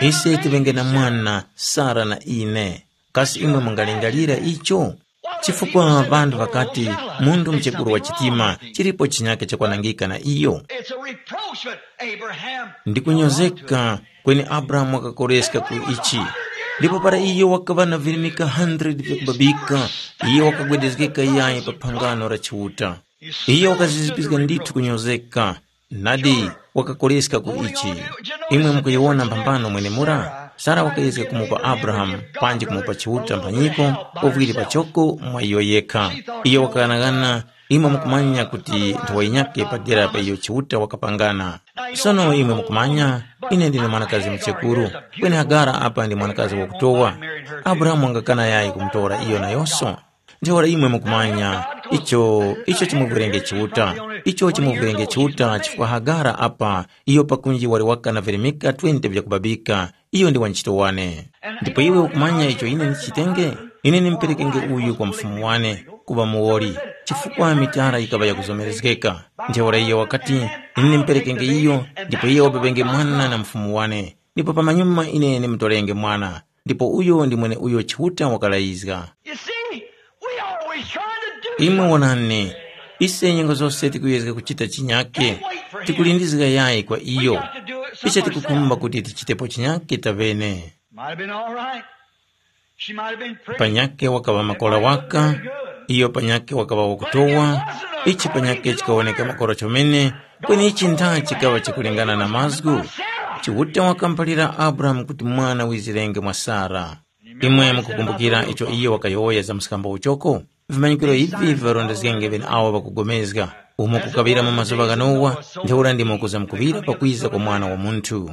ise tiŵenge na mwana, Sara na ine? Kasi imwe mungalingalira icho? Chifukwa ŵanthu ŵakati, munthu mchekuru wa chitima, chilipo chinyake chakwanangika na iyo. It's a reproach, but Abraham. Ndi kunyozeka, kweni Abrahamu wakakoreska ku ichi. Ndipo para iyo wakaŵa na virimika hundred vyakubabika, iyo wakagwedezgeka yayi pa phangano la Chiuta. Iyo wakazizipizga ndithu kunyozeka. Nadi, wakakoleska ku ichi. Imwe mukuyiwona mphambano mwenemura? Sara wakayezga kumupa Abrahamu, panji kumupa Chiuta mphanyiko, uvwiri pachoko mwa iyo yekha. Iyo wakaghanaghana, imwe mukumanya kuti nthowa yinyakhe padera pa iyo Chiuta wakapangana. Sono imwe mukumanya, ine ndine mwanakazi muchekuru, kweni Hagara apa ndi mwanakazi wakutowa. Abrahamu wangakana yayi kumutora iyo nayonso? Ntheura imwe mukumanya icho, icho chimuvwerenge Chiuta. Icho chimuvwerenge Chiuta chifukwa Hagara apa, iyo pakunji wali waka na virimika twenty vyakubabika, iyo ndi wanchito wane. Ndipo iwe ukumanya icho ine ndichitenge? Ine nimperekenge uyu kwa mfumu wane, kuŵa muwoli, chifukwa mitara yikaŵa yakuzomerezgeka. Ntheura iyo wakati, ine nimperekenge iyo, ndipo iye wababenge mwana na mfumu wane, ndipo pamanyuma ine nimutorenge mwana. Ndipo uyo ndi mweneuyo Chiuta wakalayizga. You see, we always trying to do Imwe something. Wonani, ise nyengo zose tikuyezga kuchita chinyake, tikulindizga yayi kwa iyo. Ise tikukhumba kuti tichitepo chinyake tavene. Might have been all right. She might have been pretty. Panyake wakaŵa makora waka, iyo panyake wakaŵa wakutowa, ichi panyake chikawoneka makora chomene, kweni ichi ntha chikaŵa chikulingana na mazgu. Chiuta wakamphalira Abrahamu kuti mwana wizirenge mwa Sara. Imwe mukukumbukira icho iyo wakayowoya za mskambo uchoko? Vimanyikiro ivi viŵarondezgenge ŵeneawo ŵakugomezga, umo kukaŵira mu mazuŵa gha Nowa, ntheura ndimo kuzamkuŵira pakwiza kwa Mwana wa Munthu.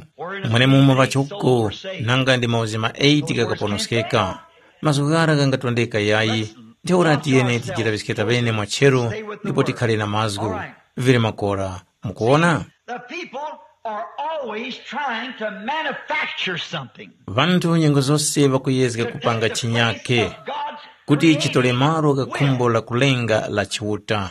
Mwenemumo ŵachoko, nanga ndi mauzi ma eight ghakaponoskeka. Mazgu ghara ghangatondeka yayi, ntheura tiyeni tijiraŵiske taŵene mwa cheru ndipo tikhare na mazgu. Vili makora, mukuwona? The people are always trying to manufacture something. Ŵanthu nyengo zose ŵakuyezga kupanga chinyake kuti chitole malo gha khumbo la kulenga la Chiuta.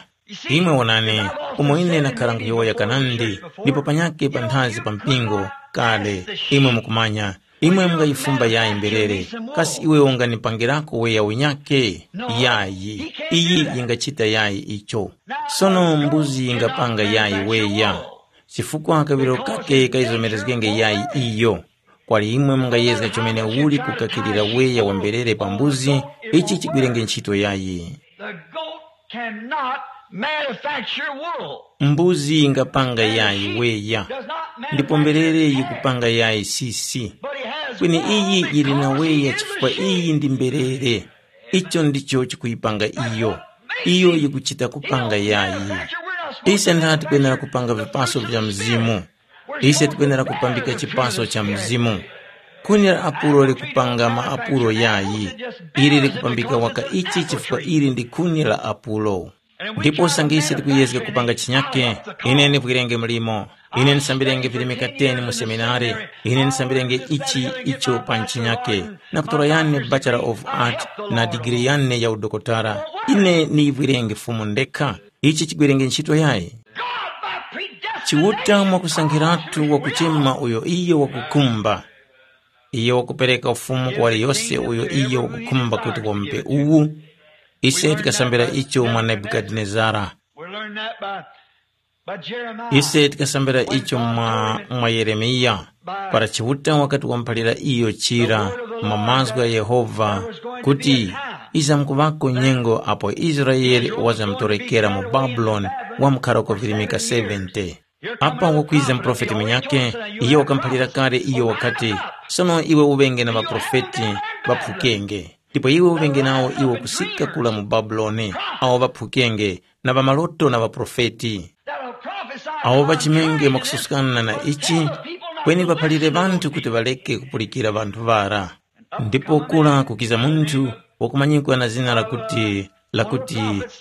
Imwe wonani, umo ine nakhara nkhuyowoya kanandi, ndipo panyake panthazi pa mpingo, kale, imwe mukumanya, imwe mungayifumba yayi mberere, kasi iwe unganipangirako weya unyake? Yayi, iyi yingachita yayi icho. Sono mbuzi yingapanga yayi weya? Chifukwa kaŵiro kake kayizomerezgenge yayi iyo. Kwali imwe mungayezga chomene uli kukakirira weya wa mberere pa mbuzi, ichi chigwirenge ntchito yayi. The goat cannot manufacture wool. Mbuzi yingapanga yayi weya, ndipo mberere yikupanga yayi sisi. But he has kweni iyi yili na weya chifukwa iyi ndi mberere. Icho ndicho chikuyipanga iyo. Iyo yikuchita kupanga yayi. Ise ntha tikwenera kupanga vipaso vya mzimu. Ise tikwenera kupambika chipaso cha mzimu. Khuni la apulo likupanga maapulo yayi. Ili likupambika waka ichi chifukwa ili ndi khuni la apulo. Ndipo usange ise tikuyezga kupanga chinyake, ine ndivwirenge mlimo. Ine ndisambirenge virimika teni mu seminari. Ine ndisambirenge ichi icho pa nchinyake, na kutora yane Bachelor of Art na digiri yane ya udokotara. Ine niyivwirenge Fumu ndekha. Ichi chigwerenge ntchito yayi. Chiuta mwakusankhiratu wakuchema uyo iyo wakukhumba. Iyo wakupereka ufumu kwa waliyose uyo iyo wakukhumba kuti wamupe uwu. Ise tikasambira icho mwa Nebukadinezara. We learn that by, by Jeremiah. Ise tikasambira icho mwa, mwa Yeremiya. Para Chiuta wakati wamuphalira iyo chira mwa mazgu gha Yehova kuti, izamkuvako nyengo apo Israele wazamutorekera mu Babuloni wamkhara kwa virimika seventy. Apa wakwiza muprofeti munyakhe, iyo wakamuphalira kale iyo wakati, sono iwe uŵenge na ŵaprofeti ŵaphukenge, ndipo iwe uŵenge nawo iwo kusika kula mu Babuloni, awo ŵaphukenge, na ŵamaloto na ŵaprofeti. Awo ŵachimenge mwakususkana na ichi, kweni ŵaphalire ŵanthu kuti ŵareke kupulikira ŵanthu ŵara. Ndipo kura kukiza munthu wakumanyikwa na zina lakuti, lakuti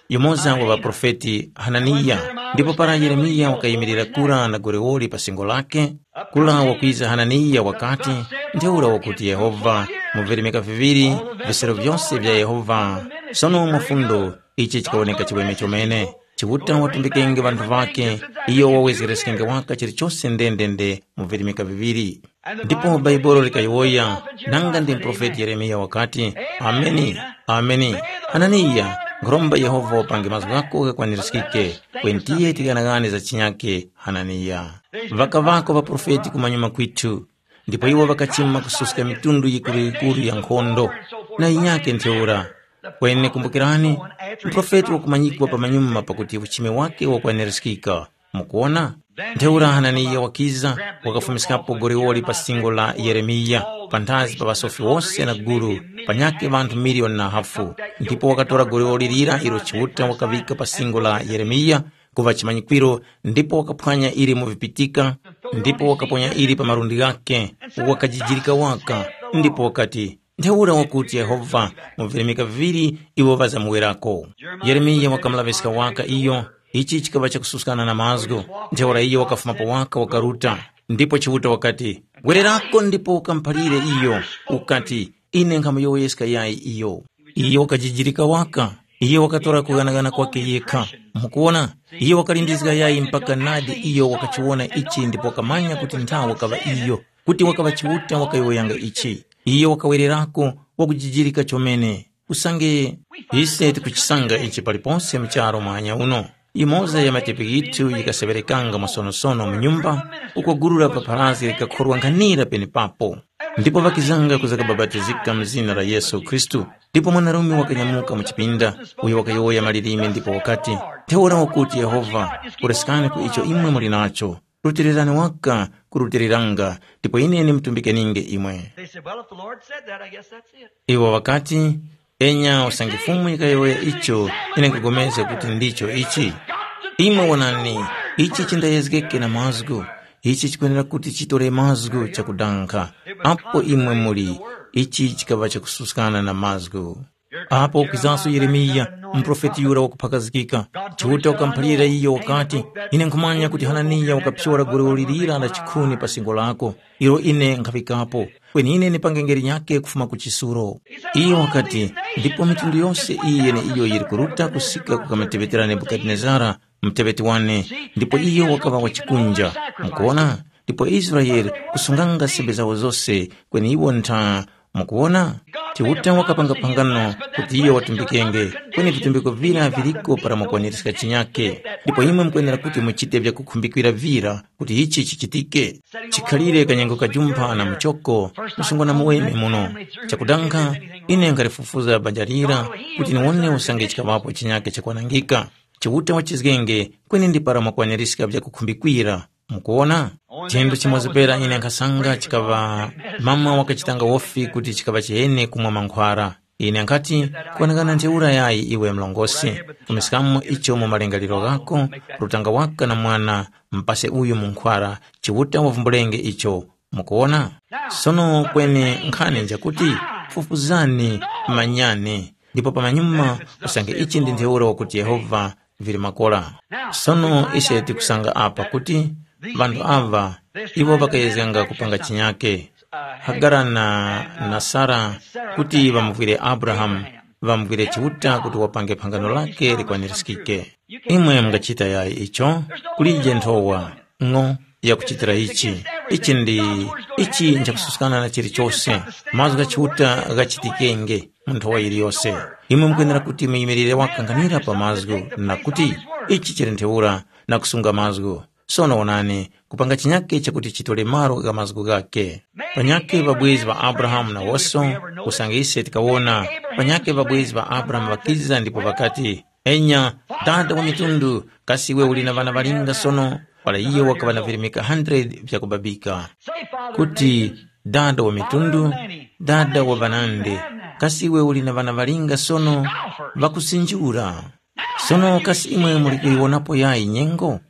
yumoza wa ŵaprofeti Hananiya. Ndipo para Yeremiya wakayimirira kura na goliwoli pa singo lake, kura wakwiza Hananiya wakati, ntheura wakuti Yehova, mu virimika viŵiri visero vyose vya Yehova, sono mwafundo ichi chikawoneka chiweme chomene. Chiuta watumbikenge ŵanthu ŵakhe, iyo wawezgereskenge waka chilichose ndendende mu virimika viŵiri. Ndipo Bhaibuli likayowoya, nanga ndi muprofeti Yeremiya wakati, ameni, ameni. Hananiya, nkhuromba Yehova wapange mazgu ghako ghakwanirizgike, kweni tiye tighanagane za chinyake, Hananiya. Ŵakaŵako ŵaprofeti kumanyuma kwithu, ndipo iwo ŵakachima kususka mitundu yikuru-yikuru ya nkhondo, na yinyakhe ntheura. Kweni kumbukirani, muprofeti wakumanyikwa pamanyuma pakuti uchimi wake wakwanirizgika. Mukuwona? Ntheura Hananiya wakiza, wakafumiskapo goliwoli pa singo la Yeremiya, panthazi pa ŵasofi wose na gulu, panyakhe ŵanthu miliyoni na hafu. Ndipo wakatora goliwoli lira ilo Chiuta wakaŵika pa singo la Yeremiya, kuŵa chimanyikwiro, ndipo wakaphwanya ili mu vipitika, ndipo wakaponya ili pa malundi ghakhe, wakajijirika waka, ndipo wakati, ntheura wakuti Yehova, mu virimika viŵiri iwo ŵazamuwerako. Yeremiya wakamulaŵiska waka iyo, ichi chikaŵa chakususkana na mazgu, ntheura iyo wakafumapo waka wakaruta. Ndipo Chiuta wakati, gwererako ndipo ukamuphalire iyo, ukati, ine nkhamuyowoyeska yayi iyo. Iyo wakajijirika waka. Iyo wakatora kughanagana kwake yekha. Mukuwona? Iyo wakalindizga yayi mpaka nadi iyo wakachiwona ichi ndipo wakamanya kuti nthawe wakaŵa iyo, kuti wakaŵa Chiuta wakayowoyanga ichi. Iyo wakawererako wakujijirika chomene. Usange ise tikuchisanga ichi paliponse mu charu mwanya uno. Imoza ya matepi ghithu yikaseŵerekanga mwasonosono mu nyumba, uko gulu la paparazi likakhorwa nkhanira penepapo. Ndipo ŵakizanga kuza kabapatizika mu zina la Yesu Khristu. Ndipo mwanarume wakanyamuka mu chipinda, uyo wakayowoya malilime ndipo wakati, ntheura wakuti Yehova, kuresekani ku icho imwe muli nacho, rutilirani waka kurutiliranga, ndipo ine ndimtumbikininge imwe. They said, well, if the Lord said that, I guess that's it. Iwo ŵakati, enya usange Fumu yikayowoya icho, ine nkugomezga kuti ndicho ichi. Imwe wonani, ichi chindayezgeke na mazgu, ichi chikwenera kuti chitore mazgu chakudankha. Apo imwe muli, ichi chikaŵa chakususkana na mazgu. Apo ukizanso Yeremiya, muprofeti yura wakuphakazikika, Chiuta wakamuphalira iyo wakati, ine nkhumanya kuti Hananiya wakaphyora goliwoli lira la chikhuni pa singo lako, ilo ine nkhaŵikapo, kweni ine ndipangenge linyakhe kufuma ku chisuro. Iyo wakati, ndipo mitundu yose iyi yeneiyo yili kuruta kusika ku kamateŵetera Nebukadinezara, muteŵeti wane, ndipo iyo wakaŵa wa chikunja. Mukuwona? Ndipo Israele kusunganga sembe zawo zose, kweni iwo ntha Mukuwona? Chiuta wakapanga phangano kuti iyo watumbikenge, kweni vitumbiko vira viriko para mwakwaniska chinyake, ndipo imwe mukwenera kuti muchite vyakukhumbikira vira kuti ichi chichitike. Chikhalire kanyengo kajumpha na muchoko, msungwana muweme muno. Chakudankha, ine nkhalifufuza banja lira kuti niwone usange chikaŵapo chinyake chakwanangika. Chiuta wachizgenge, kweni ndi para mwakwaniska vyakukhumbikira. Mukuwona? Chinthu chimoza pera ine nkhasanga chikaŵa mama wakachitanga wofi kuti chikaŵa chihene kumwa mankhwara. Ine nkhati, kwanangana ntheura yayi iwe mlongosi, kumiskamo icho mu malingaliro ghako, rutanga waka na mwana, mpase uyu munkhwara, Chiuta wavumbulenge icho. Mukuwona? Sono kweni nkhani njakuti, fufuzani, manyani, ndipo pamanyuma usange ichi ndi ntheura wakuti Yehova vili makora. Sono ise tikusanga apa kuti ŵanthu aŵa iwo ŵakayezganga kupanga chinyake. Hagara na, na Sara kuti ŵamuvwire Abrahamu, ŵamuvwire Chiuta kuti wapange phangano lake likwanirizgike. Imwe mungachita yayi icho, kulije nthowa ng'o yakuchitira ichi. Ichi ndi ichi nchakususkana na chilichose. Mazgu gha Chiuta ghachitikenge mu nthowa yiliyose. Imwe mukwenera kuti muyimirire wakankhanira pa mazgu na kuti ichi chili ntheura na kusunga mazgu. Sono wonani, kupanga chinyake chakuti chitole malo gha mazgu ghakhe. Panyakhe ŵabwezi ŵa Abrahamu nawoso, usange ise tikawona, panyakhe ŵabwezi ŵa Abrahamu ŵakiza ndipo ŵakati, enya, dada wa mitundu, kasi iwe uli na ŵana ŵalinga sono? Para iyo wakaŵa na virimika hundred vyakubabika. Kuti, dada wa mitundu, dada wa ŵanandi, kasi iwe uli na ŵana ŵalinga sono? Ŵakusinjura. Sono kasi imwe muli kuyiwonapo yayi nyengo?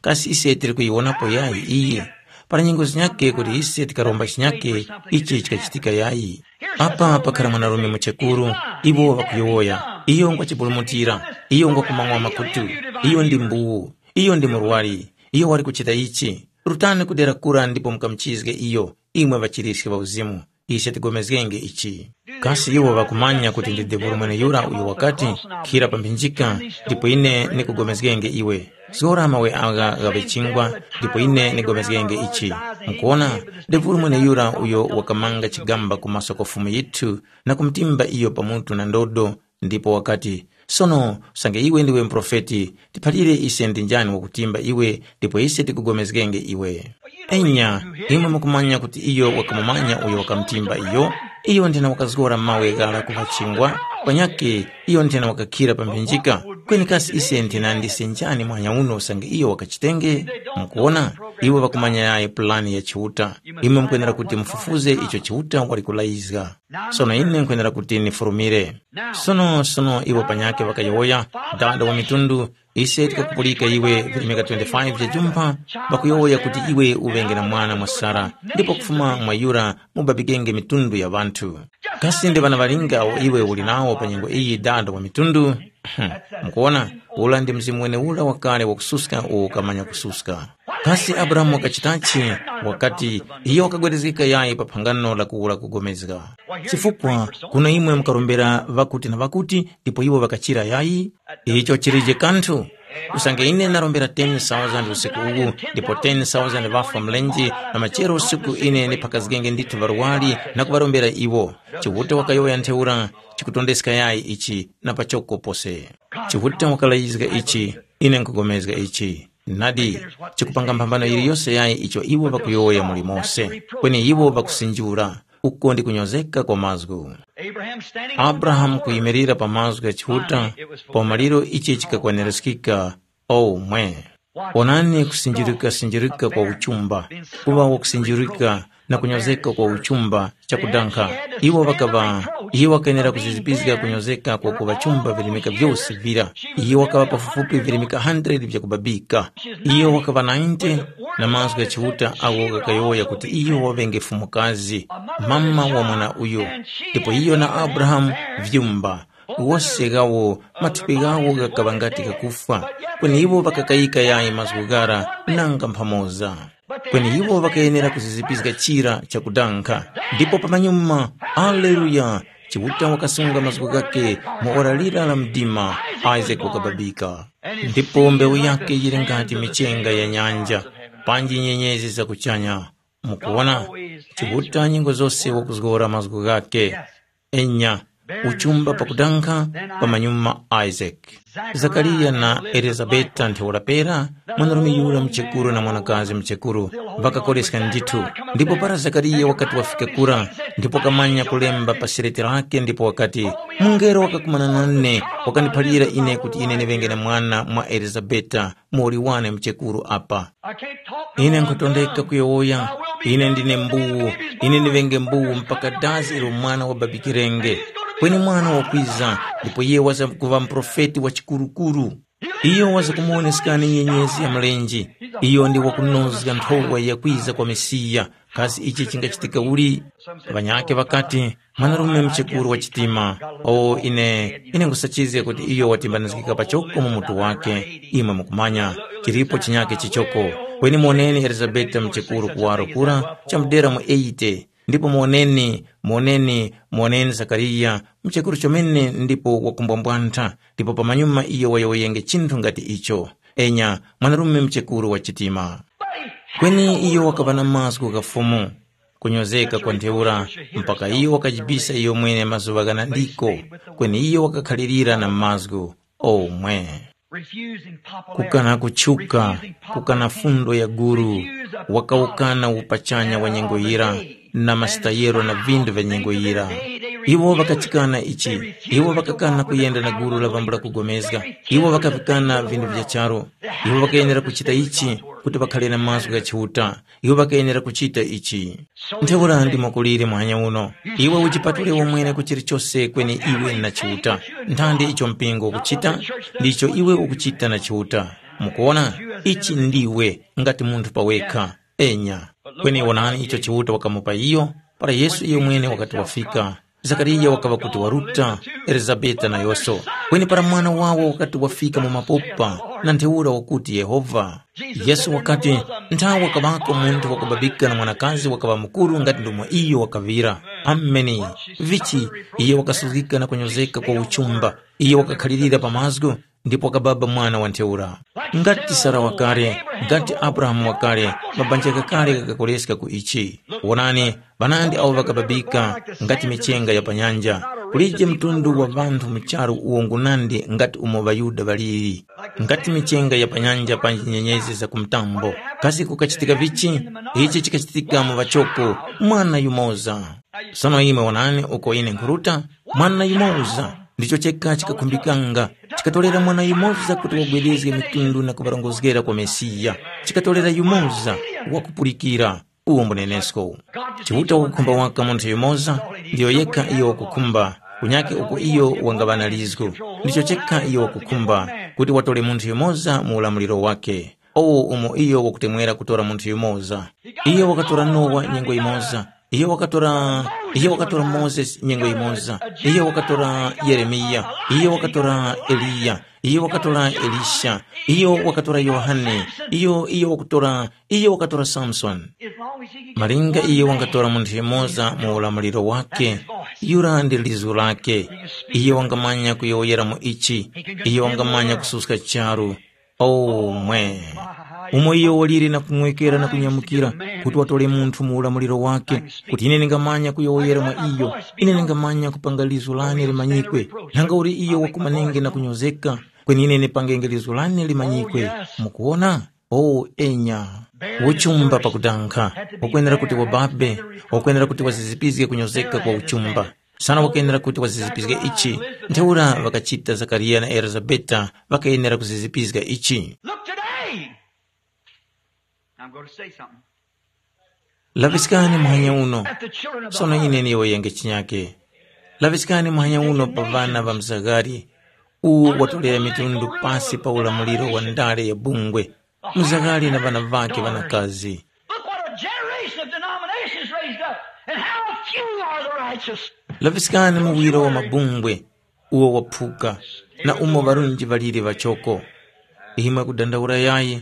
Kasi ise tili kuyiwonapo yayi iye? Para nyengo zinyake kuti ise tikaromba chinyake, ichi chikachitika yayi. Apa pakhala mwanarume muchekuru, iwo ŵakuyowoya, iyo ngwachipulumutira, iyo ngwakumang'wa makutu, iyo ndi mbuwu, iyo ndi murwari, iyo wali kuchita ichi. Rutani ku dera kura ndipo mukamuchizge iyo, imwe ŵachiriske ŵa uzimu. Ise tigomezgenge ichi. Kasi iwo ŵakumanya kuti ndi devulu mweneyura uyo wakati, khira pa mphinjika, ndipo ine nikugomezgenge iwe. Zgora mawe agha ghaŵe chingwa, ndipo ine nigomezgenge ichi. Mukuona, devulu mweneyura uyo wakamanga chigamba kumaso kwa Fumu yithu na kumutimba iyo pamutu na ndodo, ndipo wakati, sono, usange iwe ndiwe muprofeti, tiphalire ise ndi njani wakutimba iwe, ndipo ise tikugomezgenge iwe. Enya, imwe mukumanya kuti iyo wakamumanya uyo wakamutimba iyo? Iyo nthena wakazgora mawe ghara kuŵa chingwa, panyakhe iyo nthena wakakhira pa mphinjika. Kweni kasi ise nthena ndise njani mwanya uno usange iyo wakachitenge? Mukuona, iwo ŵakumanya yayi pulani ya Chiuta. Imwe mukwenera kuti mufufuze icho Chiuta wali kulayizga. Sono ine nkhwenera kuti nifurumire. Sono sono iwo panyakhe ŵakayowoya, dada wa mitundu, ise tikakupulika iwe virimika twenty-five vya jumpha, ŵakuyowoya kuti iwe uŵenge na mwana mwa Sara, ndipo kufuma mwa yura mubabikenge mitundu ya ŵanthu. Kasi ndi ŵana ŵalinga awo iwe uli nawo pa nyengo iyi, dada wa mitundu? Mukuona, ula ndi mzimu weneura wakale wakususka uwo ukamanya kususka. Kasi Abrahamu wakachitachi? Wakati, iyo wakagwerezgeka yayi pa phangano la kuwula kugomezga. Chifukwa kuno imwe mukarombera ŵakuti na ŵakuti, ndipo iwo ŵakachira yayi? Icho chilije kanthu. Usange ine narombera ten thousand usiku uwu, ndipo ten thousand ŵafwa mlenje, na machero usiku ine ndiphakazgenge ndithu ŵarwari na kuŵarombera iwo. Chiuta wakayowoya ntheura, chikutondeska yayi ichi na pachoko pose. Chiuta wakalayizga ichi, ine nkugomezga ichi. Nadi, chikupanga mphambano yiliyose yayi icho iwo ŵakuyowoya muli mose, kweni iwo ŵakusinjura, uko ndi kunyozeka kwa mazgu. Abrahamu kuyimirira pa mazgu gha Chiuta, pa umaliro ichi chikakwanirizgika. O mwe! Onani kusinjirika-sinjirika kwa uchumba, kuŵa wakusinjirika na kunyozeka kwa uchumba chakudankha. Iwo ŵakaŵa, iye wakayenera kuzizipizga kunyozeka kwa kuŵa chumba virimika vyose vira. Iye wakaŵa pafupifupi virimika hundred vyakubabika. Iyo wakaŵa ninety na mazgu gha Chiuta agho ghakayowoya kuti iyo waŵenge fumukazi, mama wa mwana uyo. Ndipo iyo na Abrahamu vyumba, wose ghawo mathupi ghawo ghakaŵa ngati ghakufwa, kweni iwo ŵakakayika yayi mazgu ghara nanga mphamoza. Kweni iwo ŵakayenera kuzizipizga chira chakudankha. Ndipo pamanyuma, aleluya, Chiuta wakasunga mazgu ghakhe mu ora lira la mdima, Isake wakababika. Ndipo mbewu yakhe yili ngati michenga ya nyanja, panji nyenyezi za kuchanya. Mukuwona, Chiuta nyengo zose wakuzgora mazgu ghakhe. Enya, uchumba pakudankha pamanyuma Isaac. Zakariya na Elizabeta ntheura pera, mwanarume yura mchekuru na mwanakazi mchekuru, ŵakakoreska ndithu. Ndipo para Zakariya wakati wafika kura, ndipo kamanya kulemba pa sereti lake ndipo wakati, mungelo wakakumana nane, wakandiphalira ine kuti ine ndiŵenge na mwana mwa Elizabeta, muwoli wane mchekuru apa. Ine nkhutondeka kuyowoya, ine ndine mbuwu, ine ndiŵenge mbuwu mpaka dazi ilo mwana wababikirenge. Kweni mwana wakwiza, ndipo iye waza kuŵa muprofeti wa chikurukuru. Iyo waza kumuwoneskani nyenyezi ya mlenje. Iyo ndi wakunozga nthowa yakwiza kwa Mesiya. Kasi ichi chingachitika uli? Ŵanyakhe ŵakati, mwanarume mchekuru wa chitima. O ine, ine nkhusachizga kuti iyo watimbanizgika pachoko mu mutu wake. Imwe mukumanya, chilipo chinyake chichoko. Kweni moneni Elizabeta mchekuru kuwaro kura chamudera mu eighty. Ndipo moneni, moneni, moneni Zakariya, mchekuru chomene ndipo wakumbwambwantha, ndipo pamanyuma iyo wayowoyenge chinthu ngati icho. Enya, mwanarume mchekuru wa chitima. Kweni iyo wakaŵa na mazgu gha Fumu, kunyozeka kwa ntheura, mpaka iyo wakajibisa iyo mwene mazuŵa ghanandiko, kweni iyo wakakhalirira na mazgu omwe. Kukana kutchuka, kukana fundo ya guru, wakawukana upachanya wa nyengo yira, na masitayero na vindu vya nyengo yira. Iwo ŵakachikana ichi, iwo ŵakakana kuyenda na guru la vambula kugomezga, iwo ŵakavikana vindu vya charu, iwo ŵakayenera kuchita ichi kuti ŵakhale na mazgu gha Chiuta. Iwo ŵakayenera kuchita ichi. Ntheura ndimo kuliri muhanya uno. Iwe ujipatule wamwene ku chilichose kweni iwe na Chiuta. Nthandi icho mpingo ukuchita, ndicho iwe ukuchita na Chiuta. Mukuona, ichi ndiwe ngati munthu pawekha. Enya. Kweni wonani icho Chiuta wakamupa iyo, para Yesu iyo mwene wakati wafika. Zakariya wakaŵa kuti waruta, Elizabeta nayose. Kweni para mwana wawo wakati wafika mu mapopa, na ntheura wakuti Yehova. Yesu wakati, nthawe wakaŵako munthu wakubabika na mwanakazi wakaŵa mukuru ngati ndomwe iyo wakaŵira. Ameni. Vichi, iye wakasuzgika na kunyozeka kwa uchumba. Iye wakakhalirira pa mazgu, ndipo wakababa mwana wa ntheura. Ngati Sara wakale, ngati Abrahamu wakale, mabanja ghakale ghakakoleska ku ichi. Wonani, ŵanandi awo ŵakababika ngati michenga ya pa nyanja. Kulije mtundu wa ŵanthu mu charu uwo ngunandi ngati umo ŵaYuda ŵaliri. Ngati michenga ya pa nyanja panji nyenyezi za ku mtambo. Kasi kukachitika vichi? Ichi chikachitika mu ŵachoko, mwana yumoza. Sono imwe wonani uko ine nkhuruta, mwana yumoza. Ndicho cheka chikakhumbikanga. Chikatorera mwana yumoza kuti wagwedezge mitundu na kuŵarongozgera kwa Mesiya. Chikatorera yumoza wakupulikira. Uwo mbunenesko. Chiuta wakukhumba waka munthu yumoza, ndiyo yekha iyo wakukhumba, kunyake uko iyo wangaŵa na lizgu. Ndicho chekha iyo wakukhumba, kuti watole munthu yumoza mu ulamuliro wake. Owo umo iyo wakutemwera kutora munthu yumoza. Iyo wakatora Nowa nyengo yimoza. Iyo wakatora, iyo wakatora Mozesi nyengo yimoza. Iyo wakatora Yeremiya. Iyo wakatora Eliya. Iyo wakatora Elisha. Iyo wakatora Yohane. Iyo, iyo wakutora, iyo wakatora Samsoni. Malinga iyo wangatora munthu yumoza mu ulamuliro wake, yura ndi lizu lake. Iyo wangamanya kuyowoyera mu ichi. Iyo wangamanya kususka charu. Oh mwe! Umo iyo waliri na kumwekera na kunyamukira, kuti watore munthu mu ulamuliro wake, kuti ine ndingamanya kuyowoyera mwa iyo, ine ndingamanya kupanga lizu lane limanyikwe. Nanga uli iyo wakumanenge na kunyozeka, kweni ine ndipangenge lizu lane limanyikwe. Mukuwona? Oh enya. Uchumba pakudankha, ukwenera kuti wababe, ukwenera kuti wazizipizge kunyozeka kwa uchumba. Sana wakenera kuti wazizipizga ichi. Ntheura ŵakachita Zakariya na Elizabeta, ŵakayenera kuzizipizga ichi. Look today. I'm going to say something. Laŵiskani muhanya uno. At the children of the Sono heart. Ine niyowoyenge chinyake. Laŵiskani muhanya uno pa ŵana ŵa mzaghali, uwo watolera mitundu pasi pa ulamuliro wa ndale ya bungwe. Mzaghali na ŵana ŵake ŵanakazi. Look what a generation of denominations raised up, and how few are the righteous. Laŵiskani muwiro wa mabungwe uwo waphuka, na umo ŵarunji ŵaliri ŵachoko. Imwe kudandaula yayi,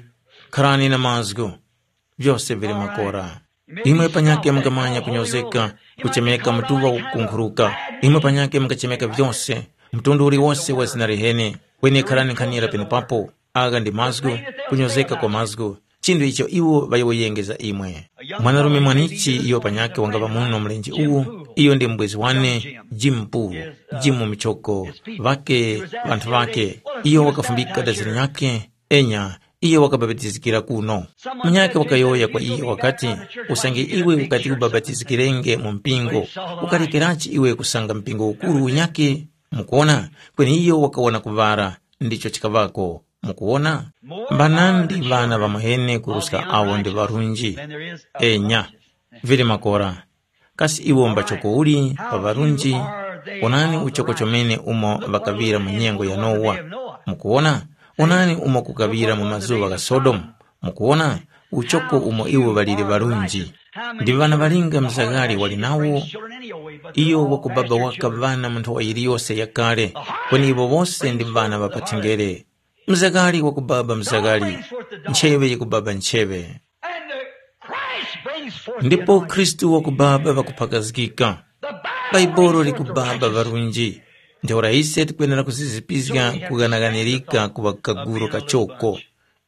kharani na mazgu, vyose vili makora. Imwe panyake mungamanya kunyozeka, kuchemeka mutuŵa kukunkhuruka. Imwe panyake mungachemeka vyose, mtundu uliwose wa zina liheni. Kweni kharani nkhanira penepapo. Agha ndi mazgu, kunyozeka kwa mazgu, chinthu icho iwo ŵayowoyenge za imwe. Mwanarume mwanichi iyo panyakhe wangapa muno mlenje uwu, iyo ndi mubwezi wane, Jim Pool, Jim Michoko, ŵake ŵanthu ŵake. Iyo wakafumbika dazira nyakhe, enya, iyo wakabapatizikira kuno. Munyakhe wakayowoya kwa iyo wakati, usange iwe ukati ubapatizikirenge mu mpingo, ukalekerachi iwe kusanga mpingo ukuru unyakhe? Mukuona, kweni iyo wakawona kuŵara, ndicho chikaŵako. Mukuwona? Mbanandi ŵana ŵamwene kuruska awo ndi ŵarunji. Enya, vili makora. Kasi iwo mbachoko uli pa ŵarunji? Onani uchoko chomene umo ŵakaŵira mu nyengo ya Nowa. Mukuwona? Onani umo kukaŵira mu mazuŵa gha Sodomu. Mukuwona? Uchoko umo iwo ŵaliri ŵarunji. Ndi ŵana ŵalinga mzaghali wali nawo? Iyo wakubaba waka ŵana mu nthowa yiliyose yakale, kweni iwo wose ndi ŵana ŵa pathenjere. Mzakali wakubaba mzakali, ncheŵe yikubaba ncheŵe. And the Christ brings forth the Ndipo anointing. Khristu wakubaba ŵakuphakazgika. The Bible Baibolo brings forth the likubaba righteous. Ŵarunji. Ntheura ise tikwenera kuzizipizga kughanaghanirika ku kaguru kachoko.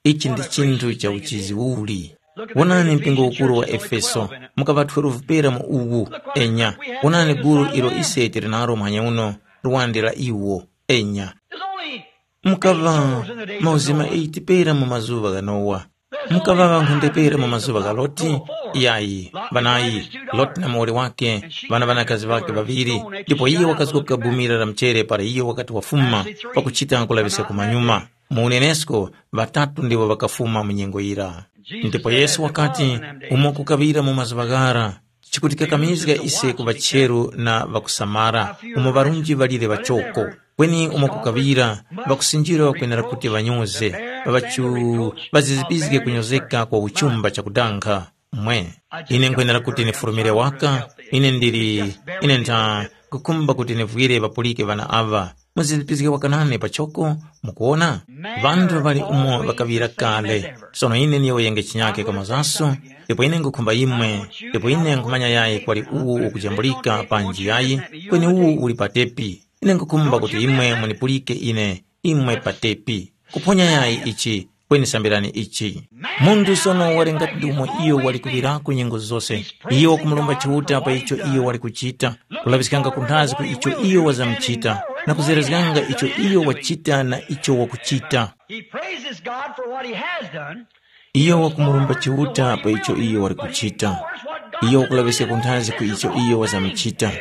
Ichi ndi chinthu cha uchizi uli. Wonani mpingo ukuru wa Efeso, mukava twelve pera mu uwu. Enya, wonani guru ilo ise tili nalo muhanya uno, lwande la iwo. Enya. There's only Mukava mauzima eight pera mu mazuŵa gha Nowa. Mukava ŵankhonde pera mu mazuŵa gha Loti? Yayi, ŵanayi, Loti na muwoli wake, ŵana ŵanakazi ŵakhe ŵaŵiri, ndipo iye wakazgoka bumira la mchere para iyo wakati wafuma pakuchita kulaŵiska kumanyuma. Mu unenesko, ŵatatu ndiwo ŵakafuma mu nyengo yira. Ndipo Yesu wakati, umo kukaŵira mu mazuŵa ghara, chikutikakamizga ise kuŵa cheru na ŵakusamara, umo ŵarunji ŵalire ŵachoko. Kweni umo kukaŵira, ŵakusinjira ŵakwenera kuti ŵanyoze, ŵaŵachu ŵazizipizge kunyozeka kwa uchumba chakudankha. Mwe, ine nkhwenera kuti nifurumire waka, ine ndili, ine ntha kukhumba kuti nivwire ŵapulike ŵana aŵa. Muzizipizge waka nane pachoko, mukuwona? Ŵanthu ŵali umo ŵakaŵira kale. Sono ine niyowoyenge chinyake kwa mazaso, ndipo ine nkhukhumba imwe, ndipo ine nkhumanya yayi kwali uwu ukujambulika panji yayi, kweni uwu uli patepi. Ine nkhukhumba kuti imwe munipulike ine, imwe patepi. Kuphonya yayi ichi, kweni sambirani ichi. Munthu sono wali ngati ndi umo iyo wali kuŵirako nyengo zose. Iyo wakumulomba Chiuta pa icho iyo wali kuchita, kulaŵiskanga kunthazi ku icho iyo wazamuchita, na kuzerezganga icho iyo wachita na icho wakuchita. He praises God for what he has done. Iyo wakumurumba Chiuta pa icho iyo wali kuchita. Iyo wakulaŵiska kunthazi ku icho iyo wazamuchita.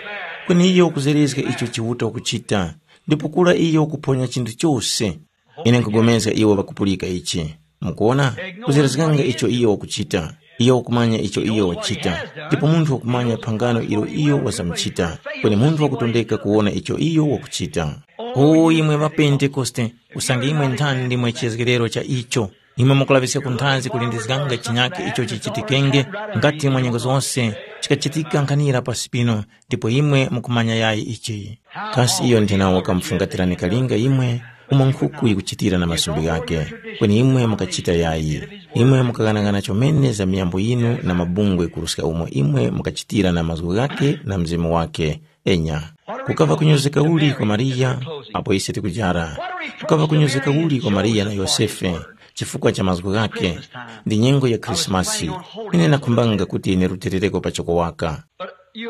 Kweni iyo wakuzerezga icho Chiuta wakuchita, ndipo kura iyo wakuphonya chinthu chose. Ine nkugomezga iwo ŵakupulika ichi. Mukuwona? Kuzerezganga icho iyo wakuchita. Iyo wakumanya icho iyo wachita. Ndipo munthu wakumanya phangano ilo iyo wazamuchita. Kweni munthu wakutondeka kuwona icho iyo wakuchita. O imwe ŵapentekoste, usange imwe nthani ndimwe chizgekero cha icho, imwe mukulaŵiska kunthazi kulindizganga chinyakhe icho chichitikenge, ngati mwa nyengo zose chikachitika nkhanira pasi pino, ndipo imwe mukumanya yayi ichi. Kasi iyo nthena wakamufungatirani kalinga imwe, umo nkhuku yikuchitira na masumbi ghake, kweni imwe mukachita yayi. Imwe mukaghanagana chomene za miyambo yinu na mabungwe kuruska umo imwe mukachitira na mazgu ghake na mzimu wake. Enya, kukava kunyozeka uli kwa Mariya apo ise tikujara? Kukava kunyozeka uli kwa Mariya na Yosefe chifukwa cha mazgu ghake? Ndi nyengo ya Khrisimasi. Ine nakhumbanga kuti nirutilireko pachoko waka.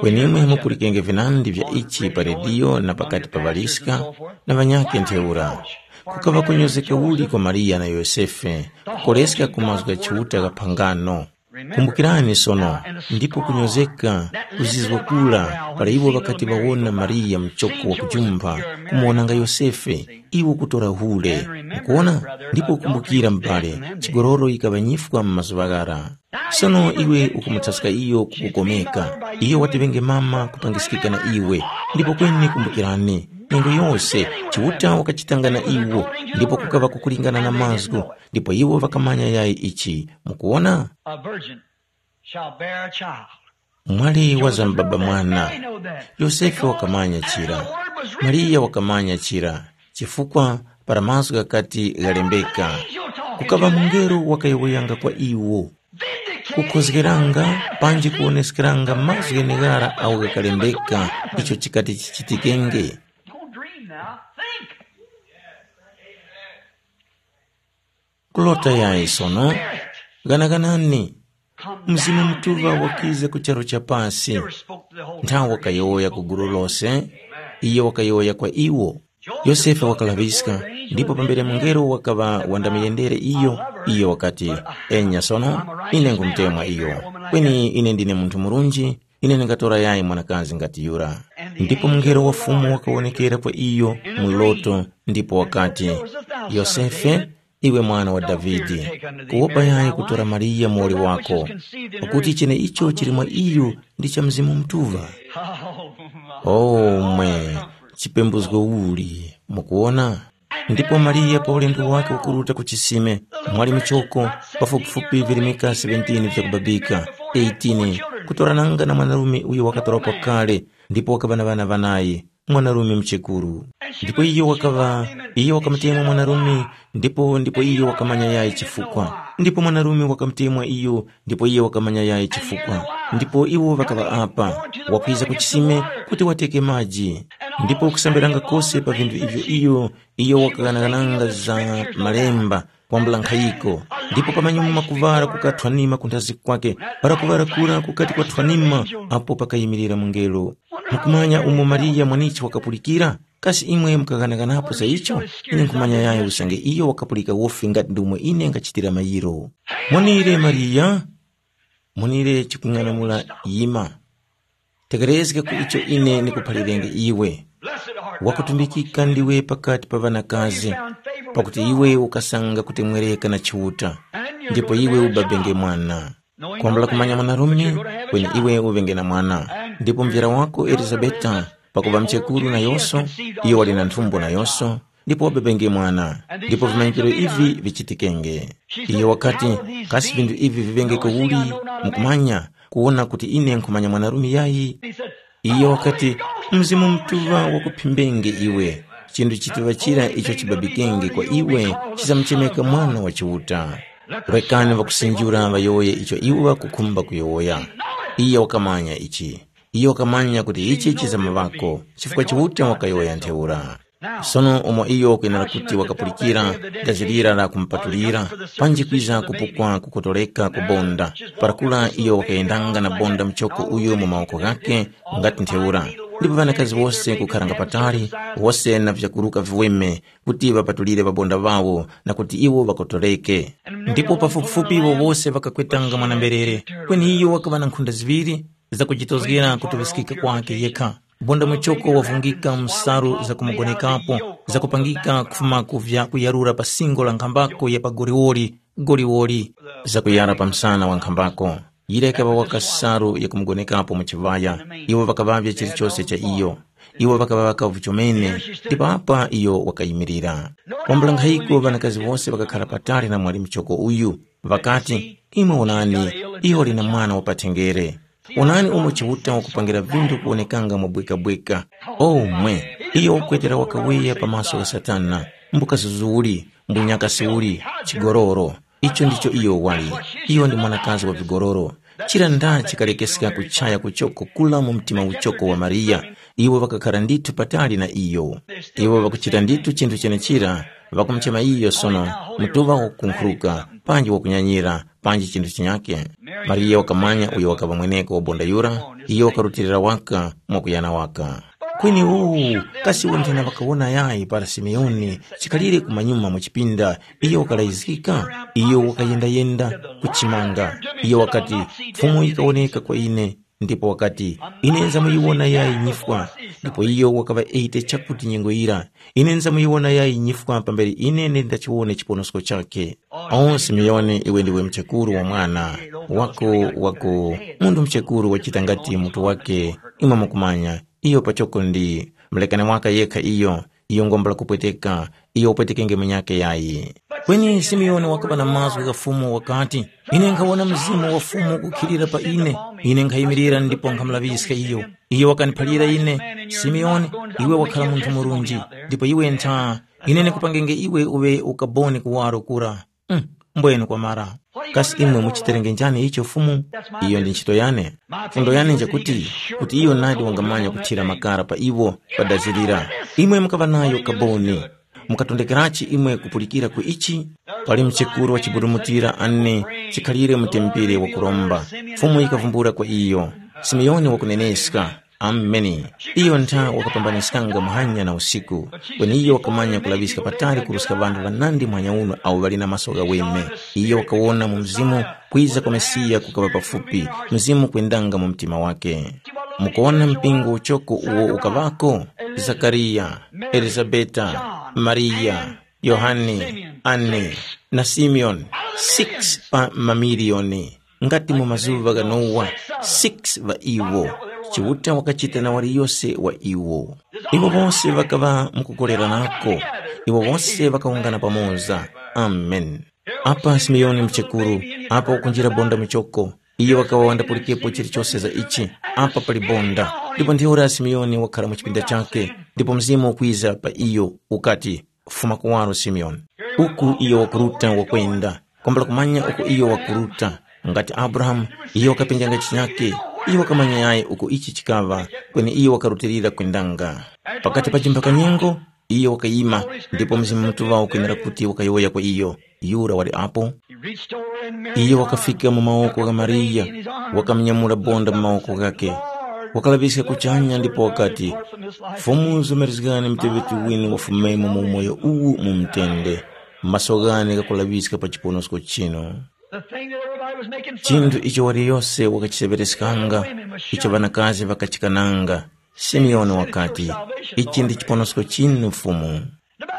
Kweni imwe mupulikenge vinandi vya ichi pa rediyo na pakati pa ŵaliska na ŵanyakhe ntheura. Kukava kunyozeka uli kwa Mariya na Yosefe kukoleska ku mazgu gha Chiuta gha phangano. Kumbukirani sono, ndipo kunyozeka kuzizwa kura para iwo ŵakati ŵawona Mariya mchoko wa kujumpha, kumuwonanga Yosefe, iwo kutora hule. Mukuwona? Ndipo kumbukira m'bale, chigololo yikaŵa nyifwa mu mazuŵa ghara. Sono iwe ukumuthaska iyo kukukomeka. Iyo wati ŵenge mama kupangiskika na iwe. Ndipo kweni kumbukirani, nyengo yose, Chiuta wakachitanga na iwo, ndipo kukaŵa kukulingana na mazgu, ndipo iwo ŵakamanya yayi ichi. Mukuwona? A virgin shall bear a child. Mwali wazambaba mwana. Yosefe wakamanya chira. Mariya wakamanya chira, chifukwa para mazgu ghakati ghalembeka, kukaŵa mungelo wakayowoyanga kwa iwo, kukhozgeranga panji kuwoneskeranga mazgu gheneghara agho ghakalembeka icho chikati chichitikenge. Don't dream now. Think. Kulota yayi sono, ghanaganani. Mzimu Mutuŵa wakiza ku charu cha pasi. Nthawe wakayowoya ku gulu lose, iyo wakayowoya kwa iwo. Yosefe wakalaŵiska, ndipo pambere mungelo wakaŵa wandamuyendere iyo, iyo wakati, “Enya sono, ine nkumutemwa iyo. Kweni ine ndine munthu murunji, ine ndingatora yayi mwanakazi ngati yura.” Ndipo mungelo wa Fumu wakawonekera kwa iyo mu loto, ndipo wakati, “Yosefe, iwe mwana wa Davide, kuwopa yayi kutora Mariya muwoli wako, pakuti cheneicho chili mwa iyo ndi cha Mzimu Mutuŵa.” Oh, mwe, chipembuzgo uli! Mukuwona? Ndipo Mariya pa ulendo wake wakuruta ku chisime, mwali muchoko, pafupifupi virimika seventeen vyakubabika, eighteen, kutorananga na mwanarume uyo wakatorapo kale, ndipo wakaŵa na ŵana ŵanayi, mwanarume muchekuru. Ndipo iyo wakaŵa, iyo wakamutemwa mwanarume, ndipo ndipo iyo wakamanya yayi chifukwa. Ndipo mwanarume wakamutemwa iyo, ndipo iyo wakamanya yayi chifukwa. Ndipo iwo ŵakaŵa apa, wakwiza ku chisime kuti wateke maji. Ndipo kusambiranga kose pa vinthu ivyo iyo, iyo wakaghanaghananga za malemba, kwambula nkhayiko. Ndipo pamanyuma kuvara kukathwanima kunthazi kwake, para kuvara kura kukati kwathwanima, apo pakayimirira mungelo. Mukumanya umo Mariya mwanichi wakapulikira? Kasi imwe mukaghanaganapo za icho? Ine nkhumanya yayo usange iyo wakapulika wofi ngati ndi umo ine ngachitira mayiro. Mwanire Mariya, mwanire chikung'anamula yima. Tekerezga ku icho ine nikuphalirenge iwe. Wakutumbikika ndiwe pakati pa ŵanakazi, pakuti iwe ukasanga kutemwereka na Chiuta, ndipo iwe ubabenge mwana. Kwambula kumanya mwanarume, kweni iwe uŵenge na mwana, ndipo mvyara wako Elizabeta, pakuŵa mchekuru nayonso, iyo wali na nthumbo nayonso, ndipo wababenge mwana, ndipo vimanyikiro ivi vichitikenge. Iyo wakati, kasi vinthu ivi vivenge kawuli? Mukumanya, kuwona kuti ine nkhumanya mwanarume yayi? Iyo wakati, Mzimu Mutuŵa wakuphimbenge iwe, chinthu chituŵa chira icho chibabikenge kwa iwe chizamuchemeka Mwana wa Chiuta. Rekani ŵakusinjura ŵayowoye icho iwo ŵakukhumba kuyowoya. Iye wakamanya ichi. Iye wakamanya kuti ichi chizamuŵako, chifukwa Chiuta wakayowoya ntheura. Sono umo iyo wakwenera kuti wakapulikira dazi lira la kumupatulira, panji kwiza kupukwa kukotoleka kubonda, parakula iyo wakayendanga na bonda muchoko uyo mu mawoko ghakhe, ngati ntheura. Ndipo ŵanakazi wose kukharanga patali, wose na vyakuruka viweme, kuti ŵapatulire ŵabonda ŵawo na kuti iwo ŵakotoleke. Ndipo pafupifupi iwo wose ŵakakwetanga mwana-mberere, kweni iyo wakaŵa na nkhunda ziŵiri zakujitozgera kutuŵiskika kwake yekha. Bonda muchoko wavungika mu nsalu zakumugonekapo, zakupangika kufuma ku vya kuyarura pa singo la nkhambako ya pa goliwoli, goliwoli, zakuyara pa msana wa nkhambako. Yira yikaŵa waka nsalu yakumugonekapo mu chiŵaya, iwo ŵakaŵavya chilichose cha iyo. Iwo ŵakaŵa ŵakavu chomene, ndipo apa iyo wakayimirira. Kwambula nkhayiko ŵanakazi wose ŵakakhara patali na mwali muchoko uyu, ŵakati, “Imwe wonani, iyo wali na mwana wa pathenjere. Wonani umo Chiuta wakupangira vinthu kuwonekanga mwabwekabweka. O mwe, iyo wakwetera wakaweya pa maso gha Satana, mbukazuzu uli, mbunyakasi uli, chigololo. Icho ndicho iyo wali. Iyo ndi mwanakazi wa vigololo.” Chira nda chikalekeska kuchaya kuchoko kula mu mtima uchoko wa Mariya, iwo ŵakakhara ndithu patali na iyo. Iwo ŵakuchita ndithu chinthu chenechira, ŵakumuchema iyo sono mutuŵa wakukunkhuruka, panji wakunyanyira, panji chinthu chinyakhe. Mariya wakamanya uyo wakaŵa mweneko wa bonda yura, iyo wakarutilira waka mwakuyana waka. Kweni uwu, kasi iwo nthena ŵakawona yayi para Simeoni chikhalire kumanyuma mu chipinda, iyo wakalayizgika, iyo wakayendayenda ku chimanga. Iyo wakati, Fumu yikawoneka kwa ine, ndipo wakati, ine nzamuyiwona yayi nyifwa. Ndipo iyo wakaŵa eite chakuti nyengo yira, ine nzamuyiwona yayi nyifwa pambere ine nde ndachiwone chiponosko chakhe. O Simeoni, iwe ndiwe mchekuru wa mwana wako, wako, munthu mchekuru wachita ngati mutu wake, imwe mukumanya, iyo pachoko ndi mlekani waka yekha iyo, iyo ngombo lakupweteka, iyo upwetekenge munyakhe yayi. Kweni Simeoni wakaŵa na mazgu gha Fumu wakati, ine nkhawona Mzimu wa Fumu kukhilira pa ine, ine nkhayimirira ndipo nkhamulaŵiska iyo. Iyo wakaniphalira ine, Simeoni, iwe wakhala munthu murunji, ndipo iwe ntha, ine ndikupangenge iwe uŵe ukaboni kuwaro kura. Mm, mbwenu kwamara. Kasi imwe muchiterenge njani icho Fumu? Iyo ndi ntchito yane. Fundo yane njakuti, kuti iyo nadi wangamanya kuthira makara pa iwo padazirira. Imwe mukaŵa nayo kaboni. Mukatondekerachi imwe kupulikira ku ichi? Pali mchekuru wachiburumutira ane chikhalire mutempere wakuromba. Fumu yikavumbula kwa iyo, Simeoni wakuneneska. Ameni. Iyo ntha wakapambaniskanga muhanya na usiku, kweni iyo wakamanya kulaŵiska patali kuruska ŵanthu ŵanandi muhanya uno awo ŵali na maso ghaweme. Iyo wakawona mu Mzimu kwiza kwa Mesiya kukaŵa pafupi, Mzimu kwendanga mu mtima wake. Mukuwona mpingo uchoko uwo ukaŵako? Zakariya, Elizabeta, Mariya, Yohane, Anne, na Simeoni, six pa mamiliyoni. Ngati mu mazuŵa gha Nowa, six ŵa iwo. Chiuta wakachita na waliyose wa iwo. Iwo wose ŵakaŵa mukukoleranako. Iwo wose ŵakawungana pamoza. Amen. Apa Simeoni mchekuru, apa wakunjira bonda muchoko. Iyo wakaŵa wandapulikepo chilichose za ichi. Apa pali bonda. Ndipo ntheura Simeoni wakhala mu chipinda chake, ndipo Mzimu ukwiza pa iyo, ukati, fuma kuwaro Simeoni. Uku iyo wakuruta wakwenda, kwambula kumanya uko iyo wakuruta. Ngati Abrahamu, iyo wakapenjanga chinyake, iyo wakamanya yayi uko ichi chikaŵa, kweni iyo wakarutilira kwendanga. Pakati pa chimphaka nyengo, iyo wakayima, ndipo Mzimu Mutuŵa ukwenera kuti wakayowoya kwa iyo, yura wali apo. Iyo wakafika mu mawoko gha Mariya, wakamunyamula bonda mu mawoko ghakhe, wakalaŵiska kuchanya ndipo wakati, Fumu, zomerezgani muteŵeti winu wafumemo mu umoyo uwu mu mutende, maso ghane ghakulaŵiska pa chiponosko chinu. The thing that everybody was making fun Chinthu of. Icho waliyose wakachiseŵereskanga, icho ŵanakazi ŵakachikananga, Simeoni wakati, ichi ndi chiponosko chinu Fumu.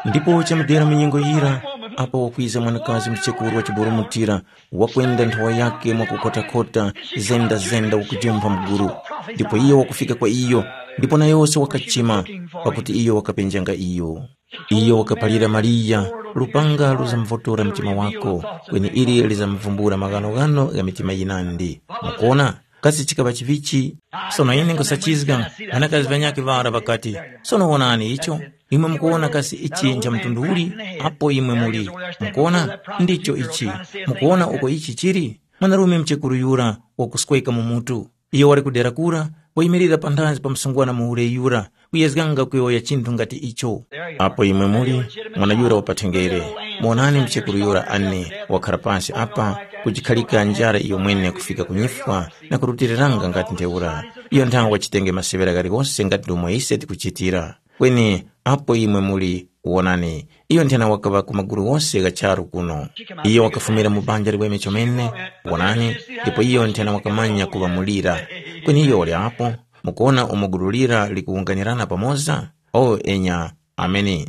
Ndipo chamudera mu nyengo yira, apo wakwiza mwanakazi mchekuru wachiburumutira, wakwenda nthowa yake mwakukotakota, zenda-zenda wakujumpha mguru. Ndipo iyo wakufika kwa iyo, ndipo na yose wakachima, pakuti iyo wakapenjanga iyo. Iyo wakaphalira Mariya, lupanga luzamvotora mtima wako, kweni ili lizamvumbula maghanoghano gha mitima yinandi. Mukuona? Kasi chikaŵa chivichi? Sono ine nkusachizga, ŵanakazi ŵanyakhe ŵara ŵakati, sono wonani icho. Imwe mukuwona kasi ichi ncha mtundu uli? Apo imwe muli. Mukuwona? Ndicho ichi. Mukuwona uko ichi chili? Mwanarume mchekuru yura wakusweka mu mutu. Iyo wali kudera kura, wayimirira panthazi pa msungwana muhule yura, kuyezganga kuyowoya chinthu ngati icho. Apo imwe muli, mwana yura wapathengere. Muwonani mchekuru yura ani, wakhara pansi apa, kuchikhalika njara iyo mwene kufika ku nyifwa na kurutiriranga ngati ntheura. Iyo nthawe wachitenge maseŵera ghaligose ngati ndomwe ise tikuchitira. Kweni apo imwe muli, wonani, iyo nthena wakaŵa ku magulu ghose gha charu kuno. Iyo wakafumira mu banja liweme chomene, wonani, ndipo iyo nthena wakamanya kuŵa mulira. Kweni iyo uli apo, mukuwona umo gulu lira likuwunganirana pamoza? O enya, ameni.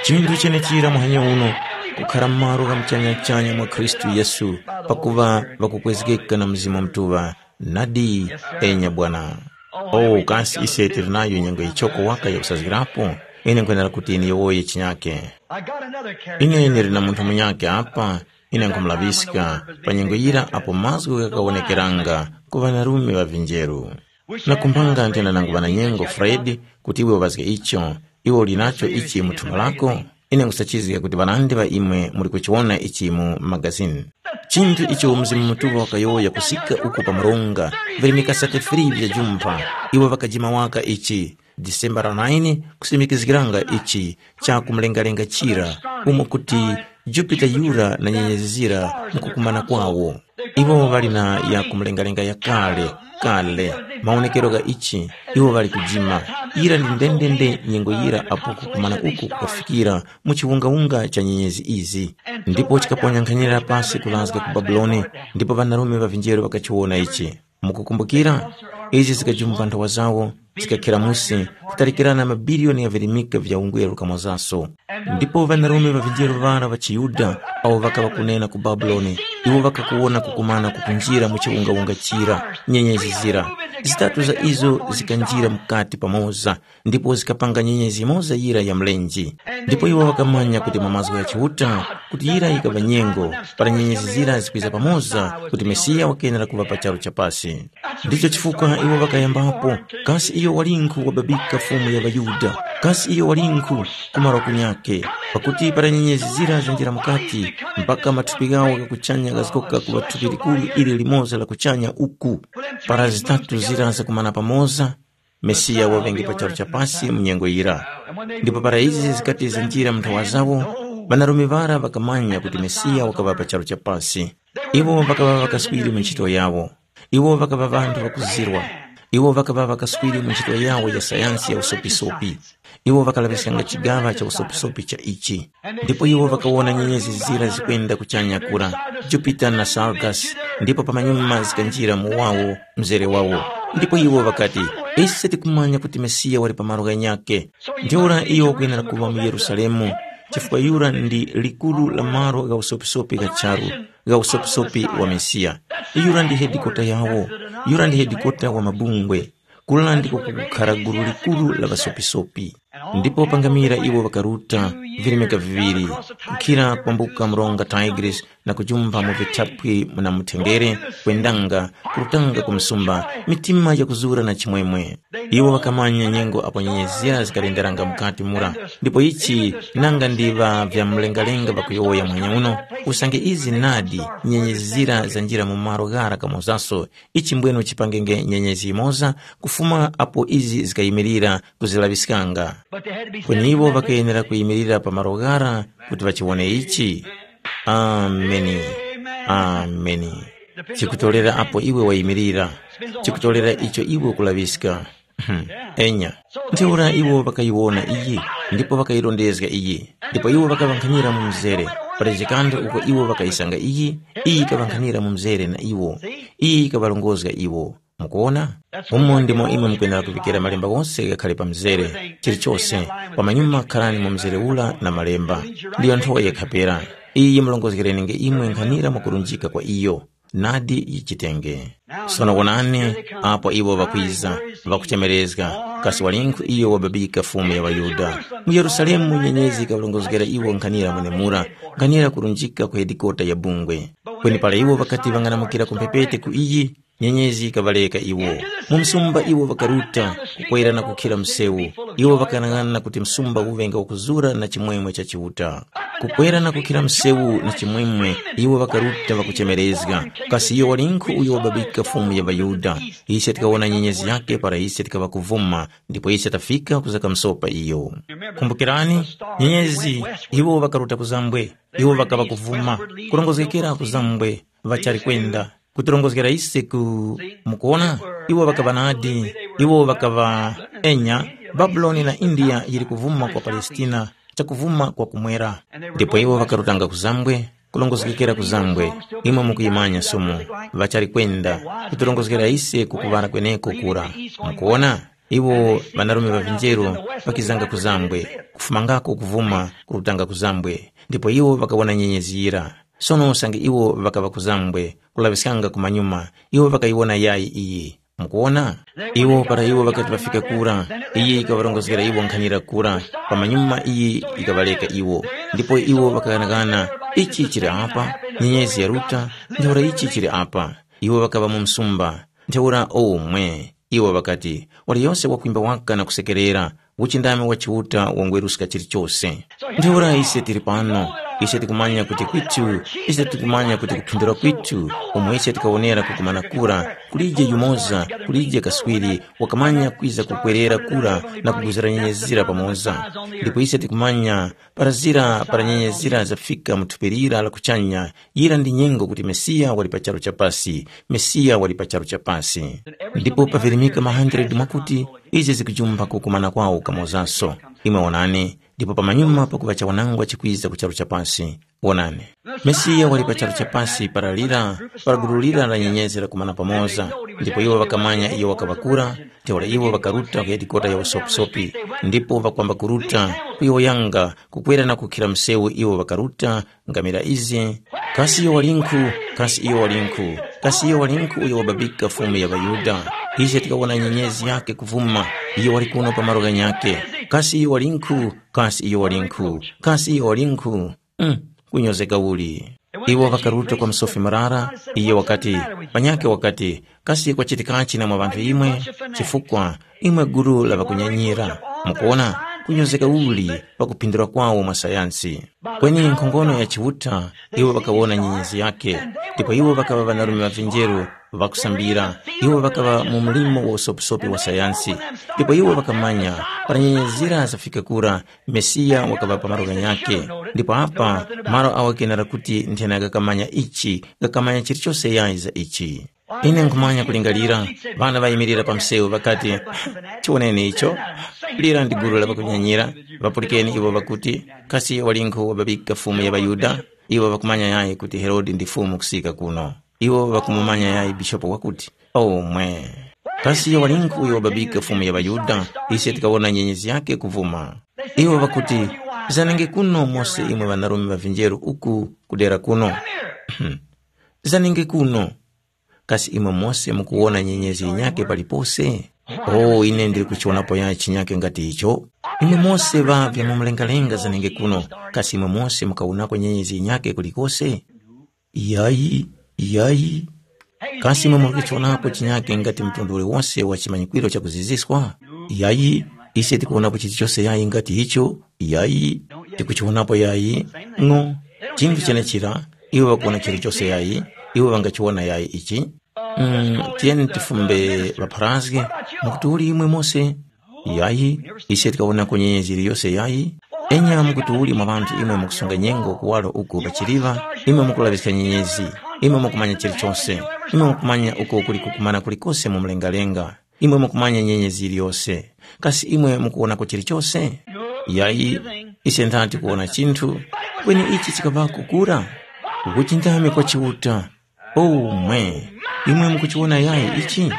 Chinthu chenechira muhanya uno, kukhara m'malo gha muchanyachanya mwa Khristu Yesu, pakuŵa ŵakukwezgeka na Mzimu Mutuŵa. Nadi, enya Bwana. Oh, kasi ise tili nayo nyengo yichoko waka yakusazgirapo? Ine nkhwenera kuti niyowoye chinyake. I got another character. Ine ndili na munthu munyakhe apa, ine nkhumulaŵiska pa nyengo yira apo mazgu ghakawonekeranga ku ŵanarume ŵa vinjeru. Nakumbanga nthena nangu ŵananyengo Fred, kuti iwe uŵazge icho, iwe uli nacho ichi mu thumba lako? Ine nkhusachizga kuti ŵanandi ŵa imwe muli kuchiwona ichi mu magazini. Chinthu icho Mzimu Mutuŵa wakayowoya kusika uku pa mronga, virimika thirty-three vya jumpha, iwo ŵakajima waka ichi, December nine, kusimikizgiranga ichi cha kumlengalenga chira, umo kuti Jupiter yura na nyenyezi zira mukukumana kwawo. Iwo ŵali na ya kumlengalenga ya kale, kale, mawonekero gha ichi, iwo ŵali kujima. Yira ndi ndendende nyengo yira apo kukumana uku kukafikira mu chiwungawunga cha nyenyezi izi. Ndipo chikaponya nkhanira pasi kulazga ku Babuloni, ndipo ŵanarume ŵa vinjeru ŵakachiwona ichi. Mukukumbukira? Izi zikajumba nthowa zawo, zikakhera musi, kutalikirana mabiliyoni ya virimika vya ungweru kamozaso. Ndipo ŵanarume ŵa vinjeru ŵara ŵa chiYuda awo ŵakaŵa kunena ku Babuloni, iwo ŵakakuwona kukumana kukunjira mu chiwungawunga chira, nyenyezi zira. Zitatu za izo zikanjira mukati pamoza, ndipo zikapanga nyenyezi yimoza yira ya mlenje. Ndipo iwo ŵakamanya kuti mwa mazgu gha Chiuta, kuti yira yikaŵa nyengo, para nyenyezi zira zikwiza pamoza, kuti Mesiya wakenera kuŵa pa charu cha pasi. Ndicho chifukwa iwo ŵakayambapo, kasi iyo walinkhu wababika Fumu ya ŵaYuda? Kasi iyo walinkhu kumarwa kunyakhe? Pakuti para nyenyezi zira zanjira mukati, mpaka mathupi ghawo gha kuchanya ghazgoka kuŵa thupi likuru ili limoza la kuchanya uku. Para zitatu zira zakumana pamoza, Mesiya waŵenge pa charu cha pasi mu nyengo yira. Ndipo para izi zikati zanjira mu nthowa zawo, ŵanarume ŵara ŵakamanya kuti Mesiya wakaŵa pa charu cha pasi. Iwo ŵakaŵa ŵakaswiri mu ntchito yawo. Iwo ŵakaŵa ŵanthu ŵakuzirwa. Iwo ŵakaŵa ŵakaswiri mu ntchito yawo ya sayansi ya usopisopi. Iwo ŵakalaŵiskanga chigaŵa cha usopisopi cha ichi. Ndipo iwo ŵakawona nyenyezi zira zikwenda kuchanya kura, Jupita na Sargas, ndipo pamanyuma zikanjira mu wawo mzere wawo. Ndipo iwo ŵakati, “Ise tikumanya kuti Mesiya wali pa malo ghanyakhe. Ntheura iyo wakwenera kuŵa mu Yerusalemu, chifukwa yura ndi likuru la malo gha usopisopi gha charu, gha usopisopi wa Mesiya. Yura ndi hedikota yawo, yura ndi hedikota wa mabungwe. Kula ndiko kukukhara gulu likuru la ŵasopisopi.” Ndipo pangamira iwo ŵakaruta virimika viŵiri, kukhira kwambuka mronga Tigris na kujumpha mu vithapwi na muthenjere, kwendanga, kurutanga ku msumba, mitima yakuzura na chimwemwe. Iwo ŵakamanya nyengo apo nyenyezi zira zikalenderanga mukati mura, ndipo ichi nanga ndi ŵa vyamlengalenga ŵakuyowoya muhanya uno, usange izi nadi nyenyezi zira zanjira mu malo ghara kamozaso, ichi mbwenu chipangenge nyenyezi yimoza kufuma apo izi zikayimirira kuzilaŵiskanga. Kweni iwo ŵakayenera kuyimirira pa malo ghara kuti ŵachiwone ichi. Ameni. Ameni. Chikutorera apo iwe wayimirira, chikutorera icho iwe ukulaŵiska. Enya. Ntheura iwo ŵakayiwona iyi, ndipo ŵakayirondezga iyi, ndipo iwo ŵakaŵankhanira mu mzere. Pali chikantha uko iwo ŵakayisanga iyi, iyi yikaŵankhanira mu mzere na iwo, iyi yikaŵarongozga iwo. Mukuwona? Umo ndimo imwe mukwenera kuŵikira malemba ghose ghakhale pa mzere, chilichose, pamanyuma kharani mu mzere ura na malemba. Ndiyo nthowa yakhapera. Iyi yimurongozgereninge imwe nkhanira mwakurunjika kwa iyo. Nadi yichitenge. Sono wonani, apo iwo ŵakwiza, ŵakuchemerezga, kasi walinkhu iyo wababika Fumu ya ŵaYuda? Mu Yerusalemu nyenyezi yikaŵarongozgera iwo nkhanira mwenemura, nkhanira kurunjika ku hedikota ya bungwe. Kweni para iwo ŵakati ŵang'anamukira ku mphepete ku iyi, nyenyezi yikaŵareka iwo. Mu msumba iwo ŵakaruta, kukwera na kukhira msewu. Iwo ŵakanang'ana kuti msumba uŵenge wakuzura na chimwemwe cha Chiuta. Kukwera na kukhira msewu na chimwemwe, iwo ŵakaruta ŵakuchemerezga, kasi iyo walinkhu uyo wababika Fumu ya ŵaYuda? Ise tikawona nyenyezi yakhe para ise tikaŵa kuvuma, ndipo ise tafika kuza kamsopa iyo. Kumbukirani, nyenyezi, iwo ŵakaruta kuzambwe, iwo ŵakaŵa kuvuma, kurongozgekera kuzambwe, ŵachali kwenda, kutirongozgera ise ku, mukuona, iwo ŵakaŵa nadi, iwo ŵakaŵa enya, Babuloni na India yili kuvuma kwa Palestina, chakuvuma kwa kumwera. Ndipo iwo ŵakarutanga kuzambwe, kulongozgekera kuzambwe, imwe mukuyimanya somo, ŵachali kwenda, kutirongozgera ise kukuŵala kweneko kura. Mukuona, iwo ŵanarume ŵa vinjeru ŵakizanga kuzambwe, kufumangako kuvuma kurutanga kuzambwe, ndipo iwo ŵakawona nyenyezi yira. Sono usange iwo ŵakaŵa kuzambwe, kulaŵiskanga kumanyuma, iwo ŵakayiwona yayi iyi. Mukuwona? Iwo para iwo ŵakati ŵafika kura, iyi yikaŵarongozgera iwo nkhanira kura, pamanyuma iyi yikaŵareka iwo. Ndipo iwo ŵakaghanaghana, ichi chili apa, nyenyezi yaruta, ntheura ichi chili apa. Iwo ŵakaŵa mu msumba. Ntheura omwe, iwo ŵakati, waliyose wakwimba waka na kusekerera, uchindami wa Chiuta wangweruska chilichose. Ntheura ise tili pano, ise tikumanya kuti kwitu, ise tikumanya kuti kuphindula kwitu, umo ise tikawonera kukumana kura, kulije yumoza, kulije kaswiri, wakamanya kwiza kukwerera kura na kuguzira nyenyezira pamoza. Ndipo ise tikumanya para zira para nyenyezira zafika mu thupi lira la kuchanya, yira ndi nyengo kuti Mesiya wali pa charu cha pasi, Mesiya wali pa charu cha pasi. Ndipo pavirimika ma hundred mwakuti, izi zikujumpha kukumana kwawo kamozanso. Imwe wonani, ndipo pamanyuma pakuŵa chawanangwa chikwiza ku charu cha pasi. Wonani, Mesiya wali pa charu cha pasi para lira, para gulu lira la nyenyezi lakumana pamoza, ndipo iwo ŵakamanya iyo wakaŵakura, ntheura iwo ŵakaruta ku hedikota ya usopisopi, ndipo ŵakwamba kuruta, kuyowoyanga, kukwera na kukhira msewu iwo ŵakaruta, ngamira izi, kasi iyo walinkhu, kasi iyo walinkhu, kasi iyo walinkhu uyo wababika Fumu ya ŵaYuda? Ise tikawona nyenyezi yakhe kuvuma, iyo wali kuno pa malo ghanyakhe. Kasi iyo walinkhu, kasi iyo walinkhu, kasi iyo walinkhu? Mm, kunyozeka uli. Iwo ŵakaruta kwa msofi murara, iye wakati, panyakhe wakati, kasi kwachitikachi na mwa ŵanthu imwe? Chifukwa imwe gulu la ŵakunyanyira. Mukuona, kunyozeka uli pakuphindula kwawo mwa sayansi. Kweni nkhongono ya Chiuta, iwo ŵakawona nyenyezi yakhe, ndipo iwo ŵakaŵa ŵanarume ŵa vinjeru Ŵakusambira, iwo ŵakaŵa mu mlimo wa usopisopi wa sayansi, ndipo iwo ŵakamanya para nyenyezi zira zafika kura, Mesiya wakaŵa pa malo ghanyakhe. Ndipo apa malo awo kenera kuti nthena ghakamanya ichi, ghakamanya chilichose yayi za ichi. Ine nkhumanya kulingalira, ŵana ŵayimirira pa msewu ŵakati, tiwoneni icho. Lira ndi gulu la ŵakunyanyira, ŵapulikeni iwo ŵakuti, kasi walinkhu wababika Fumu ya ŵaYuda? Iwo ŵakumanya yayi kuti Herode ndi Fumu kusika kuno. Iwo ŵakumumanya yayi bishopu wakuti, omwe. Kasi walinkhu uyo wababika Fumu ya ŵaYuda? Ise tikawona nyenyezi yakhe kuvuma. Iwo ŵakuti, zanenge kuno mose imwe ŵanarume ŵa vinjeru uku kudera kuno. Zanenge kuno. Kasi imwe mose mukuwona nyenyezi yinyakhe palipose? O ine ndili kuchiwonapo yayi chinyakhe ngati icho. Imwe mose ŵa vyamumlengalenga zanenge kuno, kasi imwe mose mukawonako nyenyezi yinyakhe kulikose? Yayi, yayi. Kasi imwe muli kuchiwonapo chinyakhe ngati mtundu uliwose wa chimanyikwiro chakuziziswa? Yayi, ise tikuwonapo chilichose yayi ngati icho? Yayi, tikuchiwonapo yayi. No, chinthu chenechira, iwo ŵakuwona chilichose yayi, iwo ŵangachiwona yayi ichi. Mm, tiyeni tifumbe ŵapharazge, mukuti uli imwe mose? Yayi, ise tikawonako nyenyezi yiliyose yayi. Enya mukuti uli mwa ŵanthu imwe mukusunga nyengo kuwaro uku pachiliva, imwe mukulaŵiska nyenyezi, imwe mukumanya chilichose, imwe mukumanya uko kuli kukumana kulikose mu mlengalenga. Imwe mukumanya nyenyezi yiliyose, kasi imwe mukuwonako chilichose? Yayi, ise nthati kuwona chinthu. Kweni ichi chikaŵako kura, ukuchindami kwa Chiuta. Omwe, imwe mukuchiwona yayi ichi?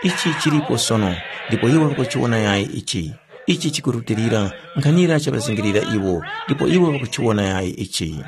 Ichi chilipo sono, ndipo iwo ŵakuchiwona yayi ichi. Ichi chikurutilira, nkhanira chaŵazingirira iwo, ndipo iwo ŵakuchiwona yayi ichi.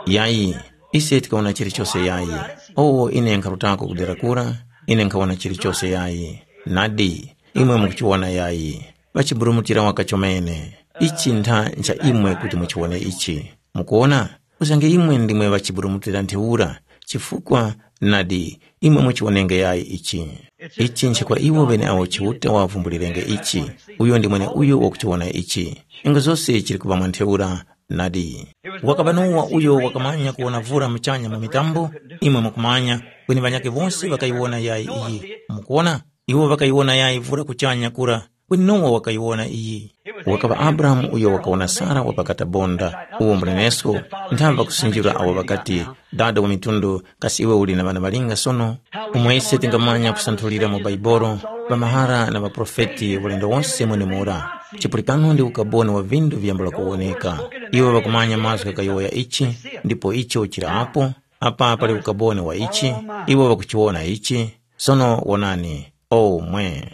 Yayi, ise tikawona chilichose yayi. Owo ine nkharutako kudera kura, ine nkhawona chilichose yayi. Nadi, imwe mukuchiwona yayi. Ŵachiburumutira waka chomene. Ichi ntha ncha imwe kuti muchiwone ichi. Mukuwona? Usange imwe ndimwe ŵachiburumutira ntheura, chifukwa nadi, imwe muchiwonenge yayi ichi. Ichi nchikwa iwo ŵeneawo Chiuta wavumbulirenge ichi. Uyo ndi mweneuyo wakuchiwona ichi. Ingo zose chili kuŵa mwa ntheura. Nadi, wakaŵa Nowa uyo wakamanya kuwona vura muchanya mu mitambo, imwe mukumanya, kweni ŵanyakhe wose ŵakayiwona yayi iyi. Mukuwona? Iwo ŵakayiwona yayi vura kuchanya kura, kweni Nowa wakayiwona iyi. Wakaŵa Abrahamu uyo wakawona Sara wa pa katabonda, uwo mbunenesko, nthamba kusinjira awo ŵakati, dada wa mitundu, kasi iwe uli na ŵana ŵalinga sono? Umo ise tingamanya kusanthulira mu Baibolo, ŵamahara na ŵaprofeti ulendo wonse mwenemura. Chipulikano ndi ukaboni wa vindu viyambula kuwoneka. Iwo ŵakumanya mazgu ghayowoya ichi, ndipo icho chili apo. Apa pali ukaboni wa ichi, iwo ŵakuchiwona ichi. Sono wonani, omwe.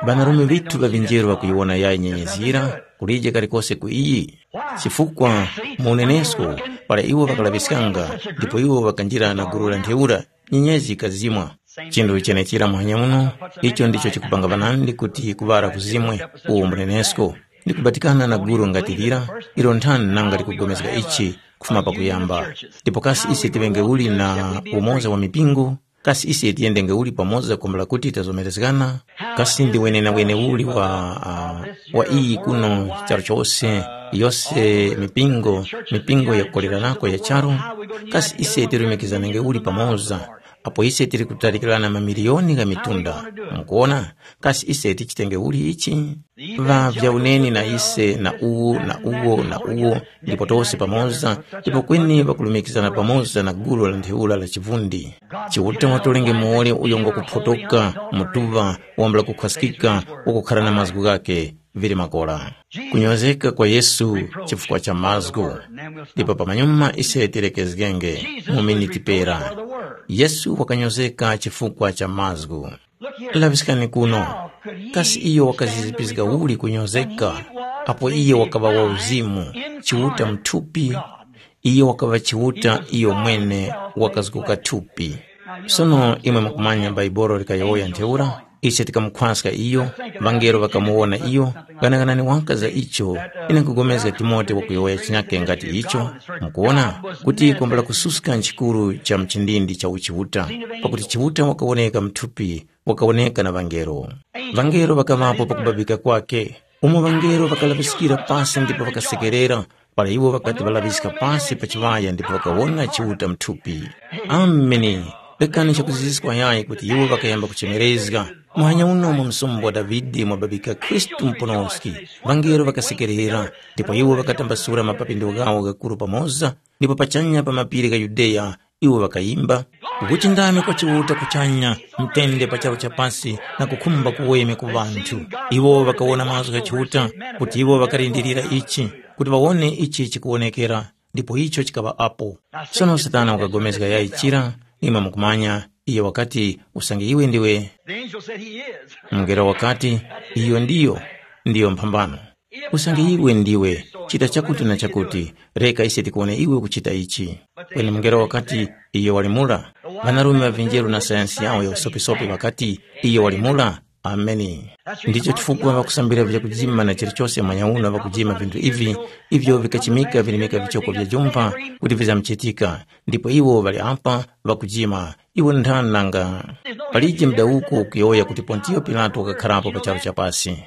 Ŵanarume ŵithu ŵa vinjeru ŵakuyiwona yayi nyenyezi yira, kulije kalikose ku iyi. Chifukwa mu unenesko, para iwo ŵakalaŵiskanga, ndipo iwo ŵakanjira na gulu la ntheura, nyenyezi yikazimwa. Chinthu chenechira muhanya muno, icho ndicho chikupanga ŵanandi kuti kuŵala kuzimwe, uwo mbunenesko. Ndi kubatikana na gulu ngati lira, ilo nthani nanga likugomezga ichi kufuma pakuyamba. Ndipo kasi ise tiŵenge uli na umoza wa mipingo? Kasi ise tiyendenge uli pamoza kumbula kuti tazomerezgana? Kasi ndi wenenawene uli wa, uh, wa iyi kuno charu chose, yose mipingo, mipingo yakukoleranako ya charu? Kasi ise tirumikizanenge uli pamoza, apo ise tiri kutalikirana mamiliyoni gha mitunda? Mukuona? Kasi ise tichitenge uli ichi? Ŵa vyauneni na ise na uwu na uwo na uwo, ndipo tose pamoza, ndipo kweni ŵakulumikizana pamoza na gulu la ntheura la chivundi. Chiuta watolenge muwoli uyo ngwakuphotoka mutuŵa, wambula kukhwaskika, wakukhara na mazgu ghakhe, vili makora. Kunyozeka kwa Yesu chifukwa cha mazgu. Ndipo pamanyuma ise tilekezgenge mu miniti pera. Yesu wakanyozeka chifukwa cha mazgu. Laŵiskani kuno. Kasi iyo wakazizipizga uli kunyozeka, apo iyo wakaŵa wa uzimu, Chiuta muthupi? Iyo wakaŵa Chiuta iyo mwene wakazguka thupi. Sono imwe mukumanya Baibolo likayowoya ntheura, ise tikamukhwaska iyo, ŵangelo ŵakamuwona iyo, ghanaghanani waka za icho, ine nkupulikana Timote wakuyowoya chinyake ngati icho, mukuwona, kuti kwambula kususka nchikuru cha mchindindi cha uchiuta, pakuti Chiuta wakawoneka mthupi, wakawoneka na ŵangelo. Ŵangelo ŵakaŵapo pakubabika kwake, umo ŵangelo ŵakalaŵiskira pasi ndipo ŵakasekerera, para iwo ŵakati ŵalaŵiska pasi pa chiŵaya ndipo ŵakawona Chiuta mthupi. Ameni! Rekani chakuziziska yayi kuti iwo ŵakayamba kuchemerezga. Muhanya uno mu msumba wa Davide mwababika Khristu muponoski. Ŵangelo ŵakasekerera, ndipo iwo ŵakatambasula mapapindo ghawo ghakuru pamoza, ndipo pachanya pa mapiri gha Yudeya iwo ŵakayimba, kukuchindami kwa Chiuta kuchanya, mtende pa charu cha pasi na kukhumba kuweme ku ŵanthu. Iwo ŵakawona mazgu gha Chiuta, kuti iwo ŵakalindirira ichi, kuti ŵawone ichi chikuwonekera, ndipo icho chikaŵa apo. Sono Satana wakagomezga yayi chira, imwe mukumanya, iyo wakati, usange iwe ndiwe. The angel said he is. Mngelo wakati, iyo ndiyo, ndiyo mphambano. Usange iwe ndiwe, chita chakuti na chakuti, reka ise tikuwone iwe ukuchita ichi. Kweni mngelo wakati, iyo wali mura. Ŵanarume ŵa vinjeru na sayansi yawo ya usopisopi ŵakati, iyo wali mura. Ameni. Ndicho chifukwa ŵakusambira vyakujima na chilichose manyauno ŵakujima vinthu ivi, ivyo vikachimika vilimika vichoko vya jumpha kuti vizamchitika, ndipo iwo ŵali apa ŵakujima. Iwo nthani nanga? Palije mdawuko ukuyowoya kuti Pontiyo Pilato wakakharapo pa charu cha pasi.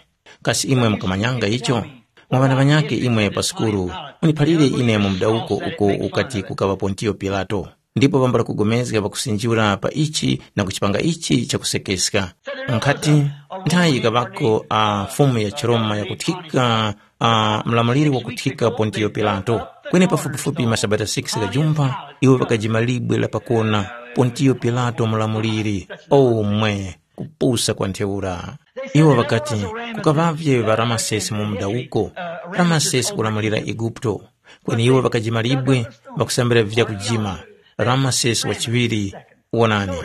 Kasi imwe mukamanyanga icho? Mwa ŵana ŵanyakhe imwe pa sukulu, muniphalire ine mu mdawuko uko ukati kukaŵa Pontiyo Pilato. Ndipo pambula kugomezga pakusinjula pa ichi na kuchipanga ichi chakusekeska. Nkhati, nthayi yikaŵako a fumu ya chiRoma yakuthika, a mlamuliri wakuthika Pontiyo Pilato. Kweni pafupifupi masabata six ghajumpha, iwo ŵakajima libwe la pakona, Pontiyo Pilato mlamuliri. Omwe, kupusa kwa ntheura. Iwo ŵakati, kukaŵavye ŵa Ramasesi mu munda uko, Ramasesi kulamulira Eguputo. Kweni iwo ŵakajima libwe, ŵakusambira vyakujima, Ramasesi wa chiŵiri, wonani.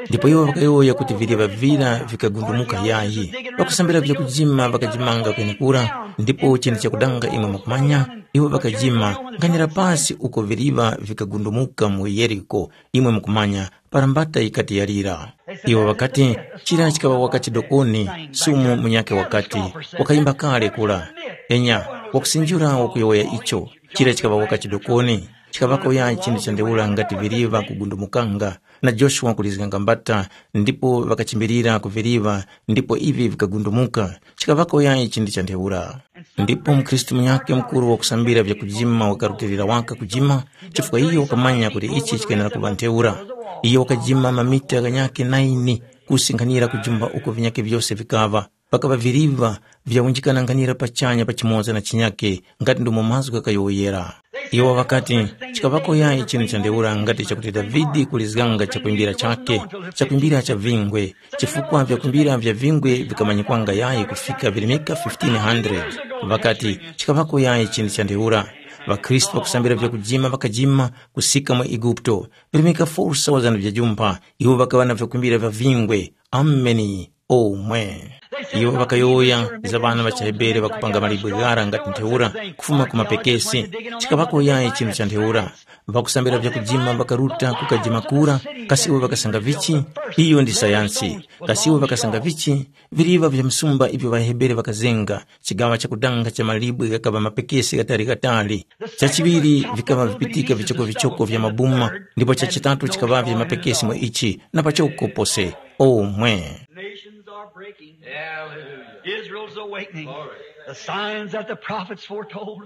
Ndipo iwo ŵakayowoya kuti viliva vira vikagundumuka yayi, ŵakusambira vyakujima ŵakajimanga kwenekura, ndipo chinthu chakudanga imwe mukumanya, iwo ŵakajima nkhanira pasi uko viliva vikagundumuka mu Yeriko, imwe mukumanya, para mbata yikati yalira. Iwo ŵakati, chira chikaŵa waka chidokoni, sumu munyakhe wakati, wakayimba kale kura. Enya, wakusinjira wakuyowoya icho, chira chikaŵa waka chidokoni, chikaŵako yayi chinthu cha ntheura ngati viriva kugundumukanga, na Joshua kulizganga mbata, ndipo ŵakachimbirira ku viriva, ndipo ivi vikagundumuka, chikaŵako yayi chinthu cha ntheura. Ndipo mukhristu munyakhe mukuru wakusambira vyakujima wakarutilira waka kujima, chifukwa iyo wakamanya kuti ichi chikwenera kuŵa ntheura. Iyo wakajima mamita ghanyakhe naini kusinkhanira kujumba uko vinyakhe vyose vikaŵa. Pakaŵa viriva vyawunjikananganira pachanya pa chimoza na chinyakhe, ngati ndomo mazgu ghakayowoyera. Iwo ŵakati, chikaŵako yayi chinthu cha ntheura ngati chakuti Davide kulizganga chakwimbira chakhe, chakwimbira cha vingwe, chifukwa vyakwimbira vya vingwe vikamanyikwanga yayi kufika virimika fifteen hundred. Ŵakati, chikaŵako yayi chinthu cha ntheura. །Ŵakhristu ŵakusambira vyakujima ŵakajima kusika mu Eguputo, virimika four thousand vya jumpha, iwo ŵakaŵa na vyakwimbira vya vingwe. Ameni. Omwe. Iwo ŵakayowoya za ŵana ŵa chiHebere ŵakupanga malibwe ghara ngati ntheura kufuma ku mapekesi. Chikaŵako yayi chinthu cha ntheura. Ŵakusambira vyakujima ŵakaruta kukajima kura, kasi iwo ŵakasanga vichi? Iyo ndi sayansi. Kasi iwo ŵakasanga vichi? Viriva vya msumba ivyo ŵaHebere ŵakazenga, chigaŵa chakudanga cha malibwe ghakaŵa mapekesi ghatali-ghatali. Chachiŵiri vikaŵa vipitika vichoko-vichoko vya mabuma, ndipo chachitatu chikaŵavye mapekesi mwa ichi na pachoko pose. Omwe. Nations are breaking. Israel's awakening. The signs that the prophets foretold.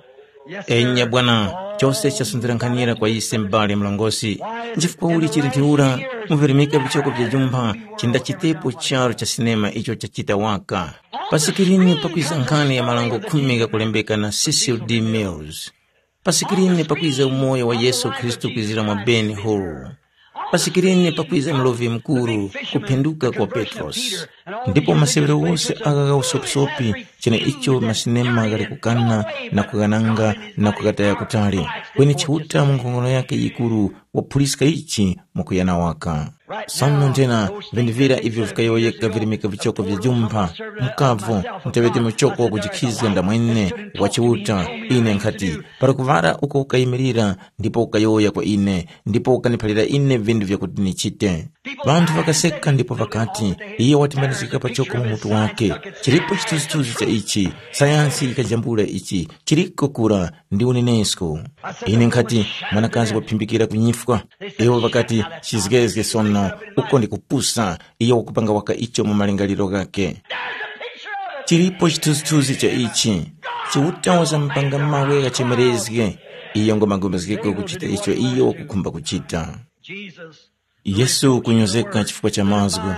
Yes, sir. Enya bwana, chose chasundira nkhanira kwa ise m'bale mlongosi. Nchifukwa uli chili ntheura, muvirimika vichoko vya jumpha, chindachitepo charu cha sinema icho chachita waka. Pa sikirini pakwiza nkhani ya marango khumi ghakulembeka na Cecil D. Mills. Pa sikirini pakwiza umoyo wa Yesu Khristu kwizira mwa Ben Hur. Pa sikirini pakwiza mulovi mukuru, kuphenduka kwa Petrosi. Ndipo masewero wose agha gha usopisopi, cheneicho masinema ghali kukana na kughananga na kughataya kutali, kweni Chiuta mu nkhongono yakhe yikuru waphuliska ichi mukuyana waka. Sono nthena, vinthu vira ivyo vikayowoyeka virimika vichoko vya jumpha, mukavo, nteŵete muchoko wakujikhizga ndamwene wa Chiuta, ine nkhati, para kuŵala uko ukayimirira, ndipo ukayowoya kwa ine, ndipo ukaniphalira ine vinthu vyakuti nichite. Ŵanthu ŵakaseka ndipo ŵakati, iye watimbanizgika pachoko mu mutu wake. Chilipo chithunzithunzi cha ichi, sayansi yikajambula ichi, chiriko kura ndi unenesko. Ine nkhati, mwanakazi waphimbikira kunyifwa. Iwo ŵakati, chizgezge sono, uko ndi kupusa, iyo wakupanga waka icho mu malingaliro ghakhe. Chilipo chithunzithunzi cha ichi, Chiuta wazamupanga mawe ghachemerezge, iyo ngomagomezgeko kuchita icho iyo wakukhumba kuchita. Jesus Yesu kunyozeka chifukwa cha mazgu,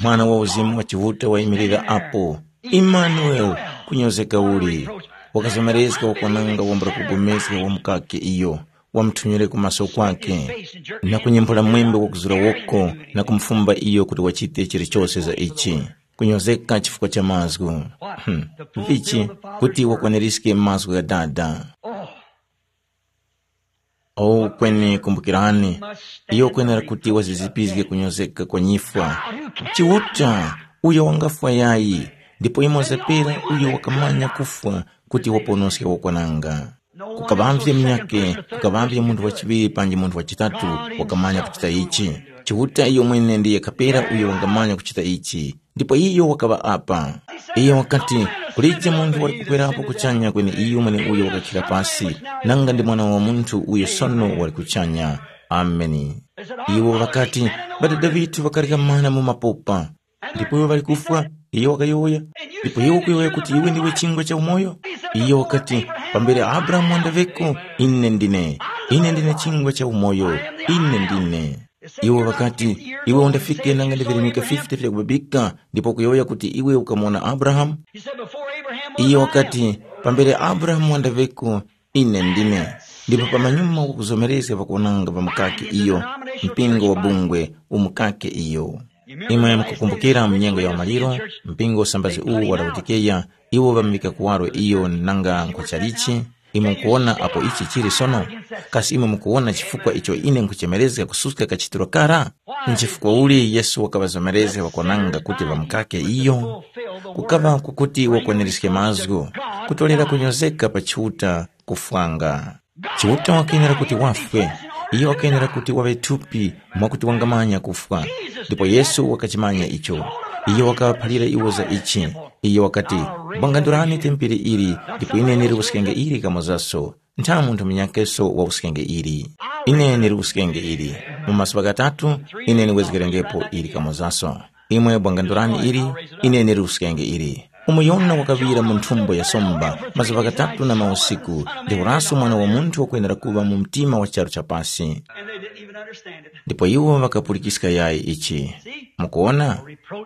mwana wa uzimu wa Chiuta wayimirira apo. Imanueli, kunyozeka uli. Wakazomerezga wakwananga wambula kugomezga wa mukake iyo, wamuthunyire ku maso kwake, na kunyemphula mwembe wakuzura woko, na kumufumba iyo kuti wachite chilichose za ichi. Kunyozeka chifukwa cha mazgu. Hmm. Vichi, kuti wakwaniriske mazgu gha Dada. Oh, kweni kumbukirani, iyo kwenera kuti wazizipizge kunyozeka kwa nyifwa. Chiuta, uyo wangafwa yayi, ndipo imo zapera uyo wakamanya kufwa kuti waponoske wakwananga. Kukaŵamvye munyakhe, kukaŵamvye munthu wachiŵiri panji munthu wachitatu wakamanya kuchita ichi. Chiuta iyo mwene ndiye kapera uyo wangamanya kuchita ichi. Ndipo iyo wakaŵa apa. Iyo wakati, kulije munthu wali kukwerapo kuchanya kweni iyo mweneuyo wakakhira pasi, nanga ndi Mwana wa Munthu uyo sono wali kuchanya. Ameni. Iwo ŵakati, ŵadada ŵithu ŵakarya mana mu mapopa, ndipo iwo ŵali kufwa. Iyo wakayowoya, ndipo iwe ukuyowoya kuti iwe ndiwe chingwa cha umoyo? Iyo wakati, pambere Abrahamu wandaŵeko, ine ndine. Ine ndine chingwa cha umoyo. Ine ndine. Iwo ŵakati, iwe undafike nanga ndi virimika fifty vya kubabika, ndipo kuyowoya kuti iwe ukamuwona Abrahamu? Iyo wakati, pambere Abrahamu wandaŵeko, ine ndine. Ndipo pamanyuma kukuzomerezga pakuwonanga pa mukaki iyo, mpingo wa bungwe umukake iyo. Imwe mukukumbukira mu nyengo ya umaliro, mpingo usambazi uwu wa Laodikeya, iwo ŵamuvika kuwaro iyo nanga nkhwa chalichi. Imwe mukuwona apo ichi chili sono? Kasi imwe mukuwona chifukwa icho ine nkhuchemerezga kususka kachitiro kara? Nchifukwa uli Yesu wakaŵazomerezga ŵakwananga kuti ŵamukake iyo? Kukaŵa kukuti wakwanirizge mazgu, kutolera kunyozeka pa Chiuta kufwanga. Chiuta wakenera kuti wafwe, iyo wakenera kuti waŵe thupi mwakuti wangamanya kufwa. Ndipo Yesu wakachimanya icho. Iyo wakaŵaphalira iwo za ichi. Iyo wakati, bwangandurani tempere ili, ndipo ine niliwuskenge ili kamozaso. Ntha munthu munyakeso wawuskenge ili. Ine niliwuskenge ili. Mu mazuŵa ghatatu, ine niwezgerengepo ili kamozaso. Imwe bwangandurani ili, ine niliwuskenge ili. Umo Yona wakaŵira mu nthumbo ya somba mazuŵa ghatatu na mausiku, ntheuraso Mwana wa Munthu wakwenera kuŵa mu mtima wa charu cha pasi. Ndipo iwo ŵakapulikiska yayi ichi. Mukuwona?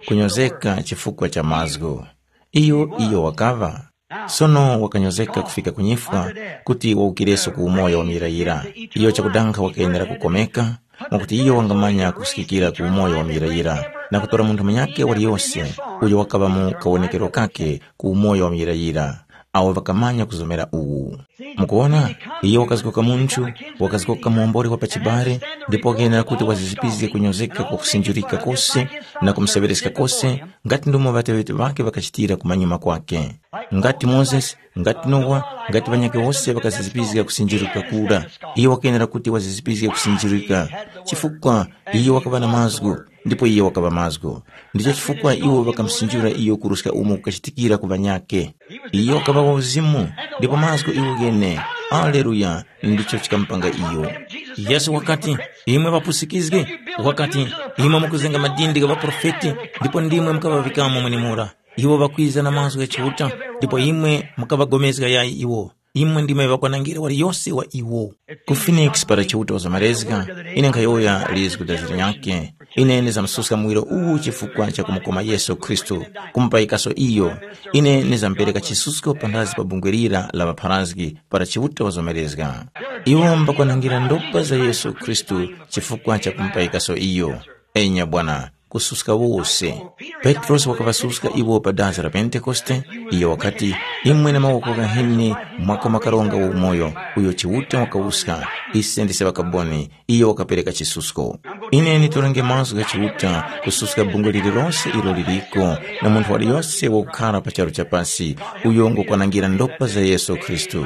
Kunyozeka chifukwa cha mazgu. Iyo iyo wakaŵa. Sono wakanyozeka kufika ku nyifwa kuti wawukireso ku umoyo wa muyirayira. Iyo chakudanga wakenera kukomeka, mwakuti iyo wangamanya kusikikira ku umoyo wa muyirayira, na kutora munthu munyakhe waliyose uyo wakaŵa mu kawonekero kakhe ku umoyo wa muyirayira, awo ŵakamanya kuzomera uwu. Mukuwona, iyo wakazgoka munthu, wakazgoka muomboli wa pachibale, ndipo wakenera kuti wazizipizge kunyozeka kwa kusinjurika kose na kumuseŵereska kose, ngati ndomo ŵateŵeti ŵakhe ŵakachitira kumanyuma kwakhe. Ngati Mozesi, ngati Nowa, ngati ŵanyakhe wose ŵakazizipizga kusinjirika kura, iyo wakenera kuti wazizipizge kusinjirika, chifukwa iyo wakaŵa na mazgu, ndipo iyo wakaŵa mazgu. Ndicho chifukwa iwo ŵakamusinjura iyo kuruska umo kukachitikira ku ŵanyakhe. Iyo wakaŵa wa uzimu, ndipo mazgu iwo ghene. Aleluya! Ndicho chikamupanga iyo. Yesu wakati, imwe ŵapusikizgi, wakati, imwe mukuzenga madindi gha ŵaprofeti, ndipo ndimwe mukaŵaŵikamo mwenemura. Iwo ŵakwiza na mazgu gha Chiuta, ndipo imwe mukaŵagomezga yayi iwo. Imwe ndimwe ŵakwanangire waliyose wa iwo. Ku Phoenix para Chiuta wazamalezga, ine nkhayowoya lizgu da zira nyakhe. Ine ndizamsuska muwiro uwu chifukwa cha kumukoma Yesu Khristu, kumupayikaso iyo. Ine ndizampereka chisusko panthazi pa bungwe lira la ŵapharazgi para Chiuta wazamalezga. Iwo mbakwanangira ndopa za Yesu Khristu chifukwa cha kumupayikaso iyo. Enya bwana, kususka wose. Petrosi wakaŵasuska iwo pa dazi la Pentekoste. Iyo wakati, imwe na mawoko ghaheni mwakoma karonga wa umoyo, uyo Chiuta wakawuska. Ise ndise ŵakaboni. Iyo wakapereka chisusko. Ine nditorenge mazgu gha Chiuta kususka bungwe lililose ilo liliko, na munthu waliyose wakukhara pa charu cha pasi, uyo ngukwanangira ndopa za Yesu Khristu.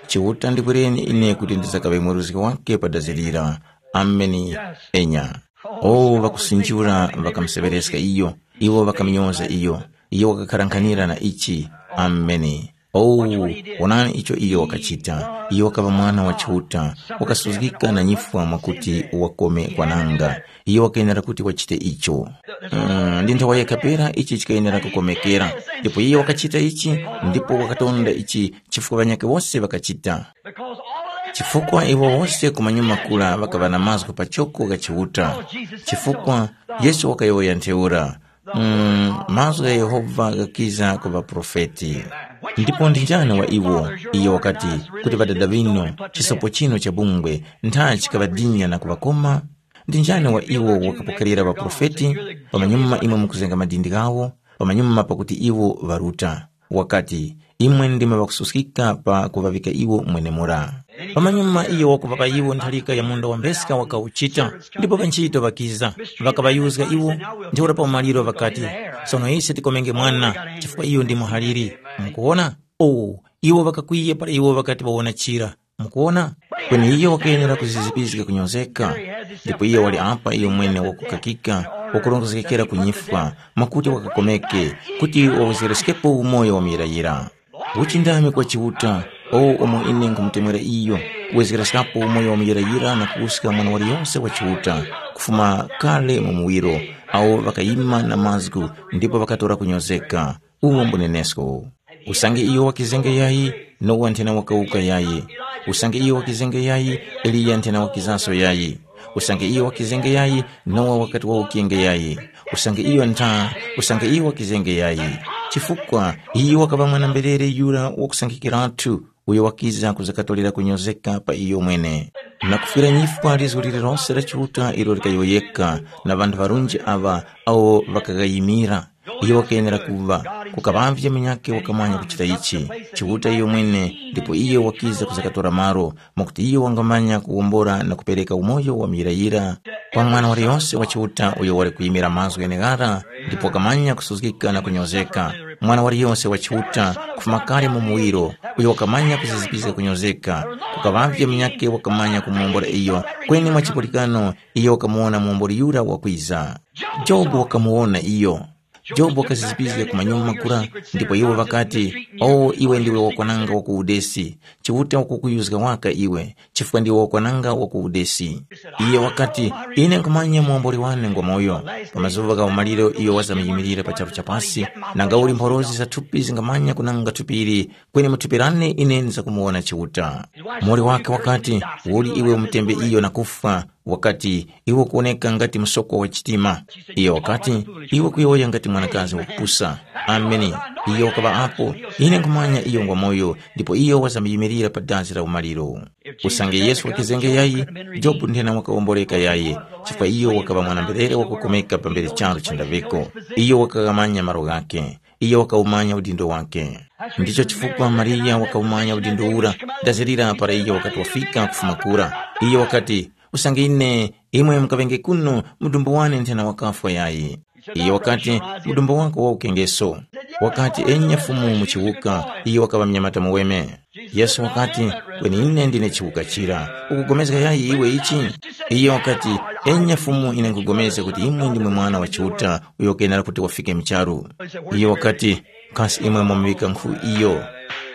Chiuta ndikwereni ine kuti ndizakaŵe mweruzgi wake pa dazi lira. Ameni. Enya. O, ŵakusinjula ŵakamuseŵereska iyo, iwo ŵakamunyoza iyo, iyo wakakharankhanira na ichi. Ameni. O, wonani icho iyo wakachita. Iyo wakaŵa mwana wa Chiuta, wakasuzgika na nyifwa mwakuti wakome kwananga. Iyo wakayenera kuti wachite icho. Mm, ndi nthawa yekha pera ichi chikayenera kukomekera. Ndipo iye wakachita ichi, ndipo wakatonda ichi chifukwa ŵanyakhe wose ŵakachita. Chifukwa iwo wose kumanyuma kura ŵakaŵa na mazgu pachoko gha Chiuta, chifukwa Yesu wakayowoya ntheura, mm, mazgu gha Yehova ghakiza ku ŵaprofeti. Ndipo ndi njani wa iwo, iyo wakati, kuti ŵadada ŵinu, chisopo chinu cha bungwe, ntha chikaŵadinya na kuŵakoma? Ndi njani wa iwo wakapokerera ŵaprofeti? Pamanyuma imwe mukuzenga madindi ghawo, pamanyuma pakuti iwo ŵaruta. Wakati, imwe ndimwe ŵakususkika pa kuŵaŵika iwo mwenemura. Pamanyuma iyo wakuŵapa iwo ntharika ya munda wa mbeska wakauchita, ndipo ŵanchito ŵakiza, ŵakaŵayuzga iwo, ntheura pa umaliro ŵakati, sono ise tikomenge mwana, chifukwa iyo ndi muhaliri. Mukuwona? Owu, iwo ŵakakwiya para iwo ŵakati ŵawona chira. Mukuwona? Kweni iyo wakayenera kuzizipizga kunyozeka. Ndipo iyo wali apa iyo mwene wakukakika, wakurongozgekera ku nyifwa, mwakuti wakakomeke, kuti wawezgereskepo umoyo wa muyirayira. Uchindami kwa Chiuta, o umo ine nkhumutemwera iyo, kuwezgereskapo umoyo wa muyirayira na kuwuska mwana waliyonse wa Chiuta, kufuma kale mu muwiro, awo ŵakayima na mazgu ndipo ŵakatora kunyozeka. Uwo mbunenesko. Usange iyo wakizenga yayi, Nowa nthena wakawuka yayi. Usange iyo wakizenga yayi, Eliya nthena wakizaso yayi. Usange iyo wakizenga yayi, Nowa wakati wawukenga yayi. Usange iyo ntha, usange iyo wakizenga yayi. Chifukwa iyo wakaŵa mwana-mberere yura wakusankhikiratu, uyo wakiza kuzakatorera kunyozeka pa iyo mwene. Na kufwira nyifwa lizgu lililose la Chiuta ilo likayowoyeka na ŵanthu ŵarunji aŵa awo ŵakaghayimira. Iyo wakayenera kuŵa, kukaŵavye munyakhe wakamanya kuchita ichi, Chiuta iyo mwene, ndipo iyo wakiza kuzakatora malo, mwakuti iyo wangamanya kuwombora na kupereka umoyo wa muyirayira kwa mwana waliyonse wa Chiuta uyo wali kuyimira mazgu gheneghara, ndipo wakamanya kusuzgika na kunyozeka. Mwana waliyonse wa Chiuta, kufuma kale mu muwiro, uyo wakamanya kuzizipizga kunyozeka, kukaŵavye munyakhe wakamanya kumuwombora iyo, kweni mwa chipulikano iyo wakamuwona muwombori yura wakwiza. Jobu wakamuwona iyo. Jobu wakazizipizga ku manyuma kura, ndipo iwo ŵakati, “O iwe ndiwe wakwananga wa ku udesi, Chiuta wakukuyuzga waka iwe, chifukwa ndiwe wakwananga wa ku udesi.” Iyo wakati, “Ine nkhumanya muwomboli wane ngwamoyo.” Pa mazuŵa gha umaliro iyo wazamyimirira pa charu cha pasi, nanga uli mphorozi za thupi zingamanya kunanga thupi ili, kweni mu thupi lane ine nzakumuwona Chiuta. Muwoli wakhe wakati, “Uli iwe umutembe iyo na kufwa?” Wakati, “Iwe ukuwoneka ngati msokwa wa chitima.” Iyo wakati, “Iwe kuyowoya ngati mwanakazi wakupusa.” Ameni. Iyo wakaŵa apo, ine nkhumanya iyo ngwamoyo, ndipo iyo wazambiyimirira pa dazi la umaliro. Usange Yesu wakizenga yayi, Jobu nthena wakawomboleka yayi, chifukwa iyo wakaŵa mwana-mberere wakukomeka pambere charu cha Daviko. Iyo wakaghamanya malo ghakhe. Iyo wakawumanya udindo wakhe. Ndicho chifukwa Mariya wakawumanya udindo ura, ndazirira para iyo wakati wafika kufuma kura. Iyo wakati, “Usange ine, imwe mukaŵenge kuno, mudumbu wane nthena wakafwa yayi.” Iyo wakati, “Mudumbu wako waukengeso.” Wakati, “Enya Fumu muchiwuka.” Iyo wakaŵa mnyamata muweme. Yesu wakati, “Kweni ine ndine chiwuka chira. Ukugomezga yayi iwe ichi?” Iyo wakati, “Enya Fumu, ine nkupulikana kuti imwe ndimwe Mwana wa Chiuta uyo kenera kuti wafike mu charu.” Iyo wakati, “Kasi imwe mwamuŵika nkhu iyo?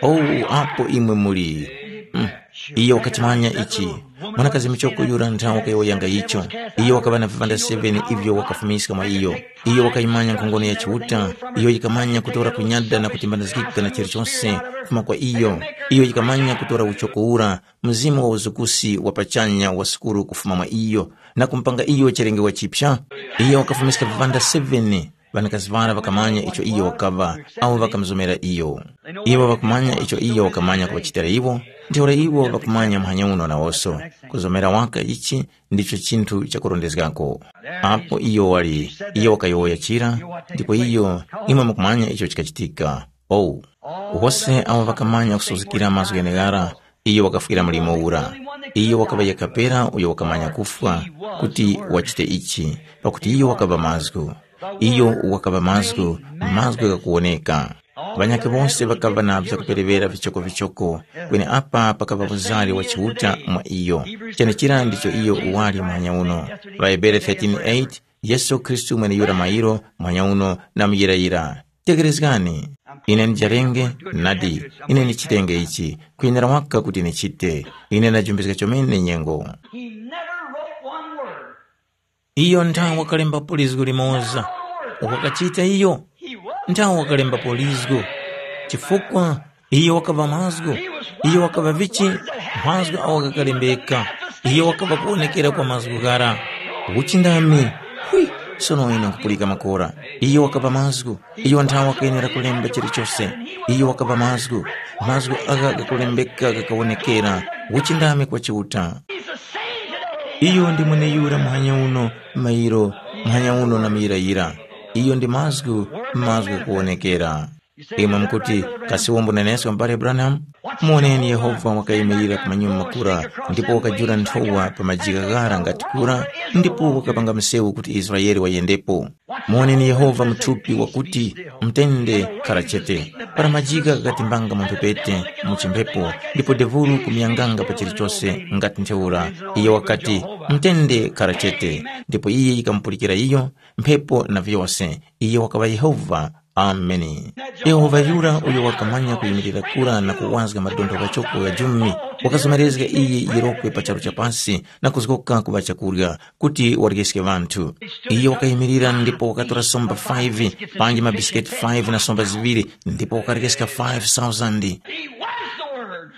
Owu apo imwe muli.” Mm. Iyo wakachimanya ichi. Mwanakazi muchoko yura nthawi wakayowoyanga icho. Iyo wakaŵa na vivanda seven ivyo wakafumiska mwa iyo. Iyo wakayimanya nkhongono ya Chiuta, iyo yikamanya kutora kunyada na kutimbanizgika na chilichonse kufuma kwa iyo. Iyo yikamanya kutora uchoko ura, mzimu wa uzukusi wa pachanya wa sukuru kufuma mwa iyo, na kumupanga iyo chilengewa chipya. Iyo wakafumiska vivanda seven. Ŵanakazi ŵara ŵakamanya icho iyo wakaŵa, awo ŵakamuzomera iyo. Iwo ŵakumanya icho iyo wakamanya kuŵachitira iwo, ntheura iwo ŵakumanya muhanya uno nawonso. Kuzomera waka ichi ndicho chinthu chakurondezgako. Apo iyo wali, iyo wakayowoya chira, ndipo iyo, imwe mukumanya icho chikachitika. Oh, wose awo ŵakamanya kusuzgikira mazgu gheneghara, iyo wakafwira mlimo ura. Iyo wakaŵa yekha pera uyo wakamanya kufwa kuti wachite ichi, pakuti iyo wakaŵa mazgu. Iyo wakaŵa mazgu, mazgu ghakuwoneka. Ŵanyakhe wose ŵakaŵa na vyakupereŵera vichokovichoko, kweni apa pakaŵa uzari wa Chiuta mwa iyo. Chenechira ndicho iyo uwali muhanya uno. ŴaHebere thirteen eight, Yesu Khristu mweneyura mairo, muhanya uno, na muyirayira. Tegherezgani. Ine ndijarenge, nadi, ine ndichitenge ichi, kwenera waka kuti ndichite. Ine ndajumbizga chomene nyengo. He never wrote one word. Iyo nthawe wakalembapo lizgu limoza. Wakachita iyo, nthawe wakalembapo lizgu. Chifukwa iyo wakaŵa mazgu, iyo wakaŵa vichi, Mazgu awo ghakalembeka. Iyo wakapa kuwonekera kwa mazgu ghara. Uchindami. Hwi, sono ine nkupulika makora. Iyo wakapa mazgu. Iyo nthawa wakayenera kulemba chilichose. Iyo wakapa mazgu. Mazgu agha ghakulembeka ghakawonekera. Uchindami kwa Chiuta. Iyo ndi mweneyura muhanya uno, mairo, muhanya uno na muyirayira. Iyo ndi mazgu, mazgu ghakuwonekera. Imwe mukuti, kasi wombo nenesko m'bale Branham? Muwoneni Yehova wakayimirira ku manyuma makura, ndipo wakajula nthowa pa majigha ghara ngati kura, ndipo wakapanga msewu kuti Israele wayendepo. Muwoneni Yehova muthupi wakuti, mutende khara chete. Para majigha ghakatimbanga mu mphepete mu chimphepo, ndipo devulu kumuyanganga pa chilichose ngati ntheura, iye wakati, mutende khara chete, ndipo iye yikamupulikira iyo, mphepo na vyose. Iye wakaŵa Yehova. Ameni. Yehova yura uyo wakamanya kuyimirira kura na kuwazga madontho ghachoko gha jumi, wakazomerezga iyi yirokwe pa charu cha pasi na kuzgoka kuŵa chakurya kuti waryeske ŵanthu. Iye wakayimirira ndipo wakatora somba five, panji mabisiketi five na somba ziŵiri, ndipo wakaryeska five thousand. He was the Word.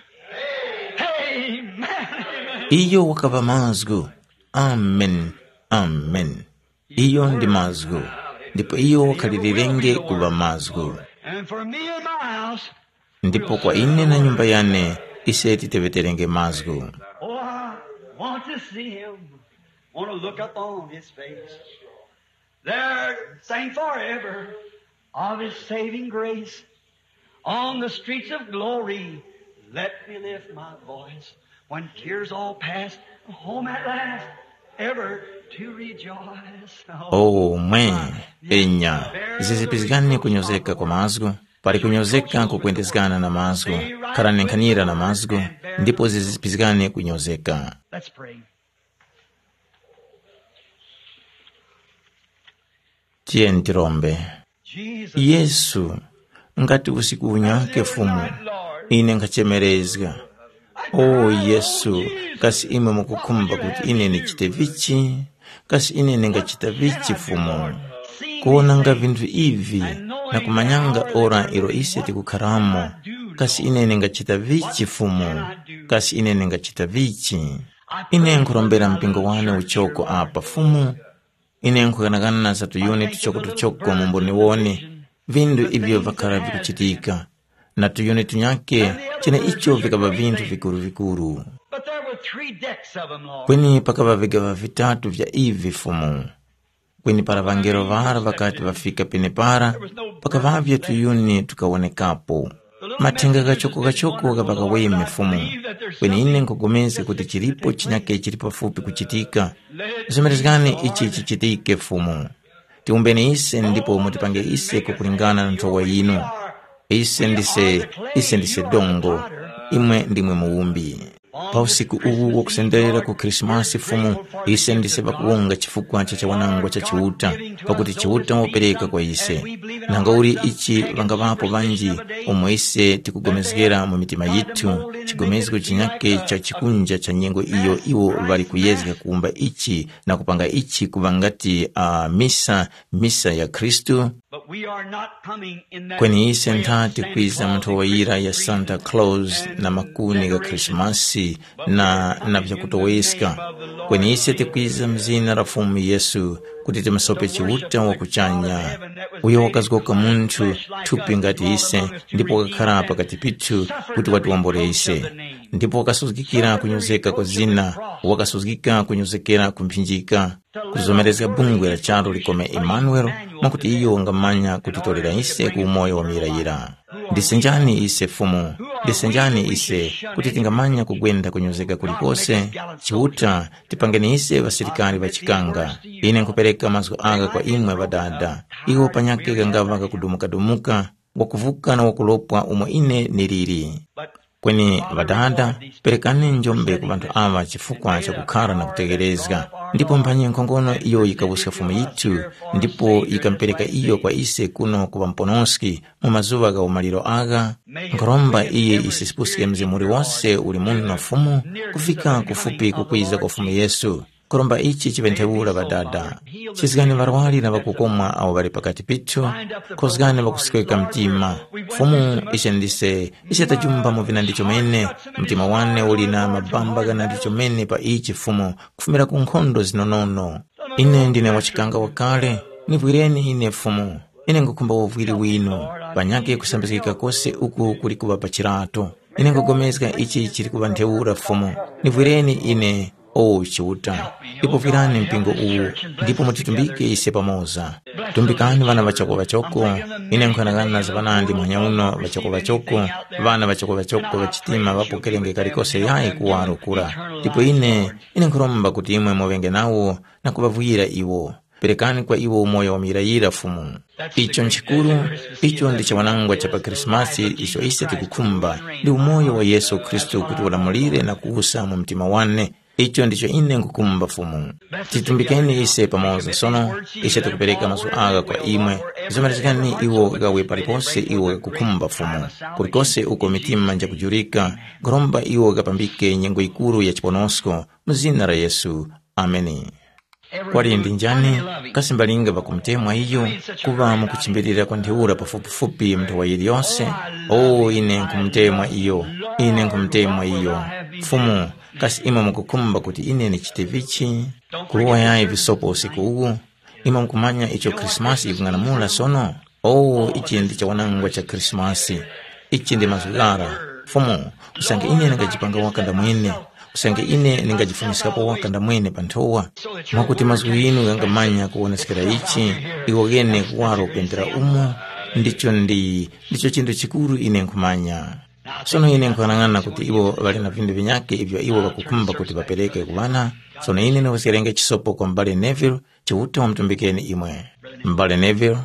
Amen. Iyo wakaŵa mazgu. Amen. Amen. Iyo ndi mazgu, ndipo iyo wakhalilirenge kuŵa mazgu. And for me and my house, ndipo kwa ine na nyumba yane, ise titeŵeterenge mazgu. Oh, I want to see him. Want to look up on his face. There, sing forever of his saving grace. On the streets of glory, let me lift my voice. When tears all pass, home at last, ever to rejoice. Oh, mwe, enya, zizipizgani kunyozeka kwa mazgu, pali kunyozeka kukwendezgana na mazgu, kharani nkhanira na mazgu, ndipo zizipizgani kunyozeka. Let's pray. Tiyeni tirombe. Jesus, Yesu, ngati usiku unyake Fumu, ine nkhachemerezga. O Yesu, kasi imwe mukukhumba kuti ine ndichite vichi? Kasi ine ndingachita vichi Fumu? Kuwonanga vinthu ivi na kumanyanga ora ilo ise tikukharamo, kasi ine ndingachita vichi Fumu? Kasi ine ndingachita vichi? Ine nkhurombera mpingo wane uchoko apa Fumu. Ine nkhughanaghana za tuyuni tuchokotuchoko mu mboniwoni, vindu ivyo vakara vikuchitika, na tuyuni tunyakhe, cheneicho vikaŵa vinthu vikuru-vikuru. But there were three decks of them, Lord. Kweni pakaŵa vigaŵa vitatu vya ivi Fumu. Kweni para ŵangelo ŵara ŵakati ŵafika penepara, pakaŵavye tuyuni tukawonekapo. Mathenga ghachoko-ghachoko ghapakaweme Fumu. Kweni ine nkhupulikana kuti chilipo chinyakhe chili pafupi kuchitika. Zemerezgani ichi chichitike Fumu. Tiwumbeni ise ndipo mutipange ise kukulingana na nthowa yinu. Ise ndise, ise ndise dongo, imwe ndimwe muwumbi. Pa usiku uwu wakusenderera ku Khrisimasi Fumu, ise ndise pakuwonga chifukwa cha chawanangwa cha Chiuta, pakuti Chiuta wapereka kwa ise. Nanga uli ichi ŵangaŵapo ŵanji umo ise tikugomezgera mu mitima yithu, chigomezgo chinyakhe cha chikunja cha nyengo iyo iwo ŵali kuyezga kuwumba ichi na kupanga ichi kuŵa ngati uh, misa, misa ya Khristu. But we are not coming in that Kweni ise ntha tikwiza mu nthowa yira ya Santa Claus na makuni gha Khrisimasi na na vyakutoweska. Kweni ise tikwiza mu zina la Fumu Yesu kuti timusope Chiuta wa kuchanya, uyo wakazgoka munthu thupi ngati ise ndipo wakakhara pakati pithu kuti watiwombole ise. Ndipo wakasuzgikira kunyozeka kwa zina, wakasuzgika kunyozekera ku mphinjika. Kuzomerezga bungwe la charu likome Emanuele, mwakuti iyo wangamanya kutitorera ise ku umoyo wa muyirayira. Ndise njani ise Fumu? Ndise njani ise kuti tingamanya kugwenda kunyozeka kulikose? Chiuta, tipangeni ise ŵasilikari ŵa chikanga. Ine nkhupereka mazgu agha kwa imwe Ŵadada. Iwo panyakhe ghangaŵa ghakudumuka-dumuka, wakuvuka na wakulopwa umo ine niliri. Kweni Ŵadada, perekani njombe ku ŵanthu aŵa chifukwa cha kukhara na kutegherezga. Ndipo mphanyi nkhongono iyo yikawuska Fumu yithu, ndipo yikamupereka iyo kwa ise kuno ku ŵamuponoski mu mazuŵa gha umaliro agha. Nkhuromba iye yisisipuske mzimu uliwose uli muno Fumu, kufika kufupi kukwiza kwa Fumu Yesu. Kuromba ichi chiŵe ntheura Ŵadada. Chizgani ŵarwari na ŵakukomwa awo ŵali pakati pithu, khozgani ŵakusweka mtima. Fumu, ise ndise, ise tajumba mu vinandi chomene. Mtima wane uli na mabamba ghanandi chomene pa ichi Fumu, kufumira ku nkhondo zinonono. Ine ndine wachikanga wakale, nivwireni ine Fumu. Ine ngukhumba uvwiri winu, panyakhe kusambizgika kose uku kuli kuŵa pa chirato. Ine ngugomezga ichi chili kuŵa ntheura Fumu. Nivwireni ine, o Chiuta, ndipo vwirani mpingo uwu, ndipo mutitumbike ise pamoza. Tumbikani ŵana ŵachoko ŵachoko. Ine nkhanang'ana za ŵanandi muhanya uno ŵachoko ŵachoko, ŵana ŵachoko ŵachoko ŵachitima ŵapokerenge kalikose yayi kuwaro kura. Ndipo ine, ine nkhuromba kuti imwe muŵenge nawo na kuŵavwira iwo. Perekani kwa iwo umoyo wa muyirayira Fumu. Icho nchikuru, icho ndi chiwanangwa cha pa Krismasi icho ise tikukhumba, ndi umoyo wa Yesu Khristu kuti ulamulire na kuwusa mu mtima wane. Icho ndicho ine nkukhumba Fumu. Titumbikeni ise pamoza sono, ise tikupereka mazu agha kwa imwe. Zomerezgani iwo ghawe palipose iwo ghakukhumba Fumu. Kulikose uko mitima njakujurika, nkhuromba iwo ghapambike nyengo yikuru ya chiponosko, mu zina la Yesu. Ameni. Kwali ndi njani? Kasi mbalinga ŵakumutemwa iyo kuŵa mukuchimbilira kwa ntheura pafupifupi nthowa yiliyose? O ine nkhumutemwa iyo, ine nkhumutemwa iyo. Fumu, kasi imwe mukukhumba kuti ine ndichite vichi? Kuruwa yayi visopo usiku uwu. Imwe mukumanya icho Khrisimasi yikung'anamula sono? O ichi ndi chawanangwa cha Khrisimasi. Ichi ndi mazgu ghara. Fumu, usange ine ndingajipanga waka ndamwene, usange ine ndingajifumiskapo waka ndamwene pa nthowa, mwakuti mazgu ghinu ghangamanya kuwoneskera ichi, iwo ghene kuwaro kwendera umo, ndicho ndi ndicho chinthu chikuru ine nkhumanya. Sono ine nkhanang'ana kuti iwo ŵali na vindu vinyakhe ivyo iwo ŵakukhumba kuti ŵapereke ku ŵana. Sono ine ndiwezgerenge chisopo kwa m'bale Neville, Chiuta wamutumbikeni imwe. M'bale Neville,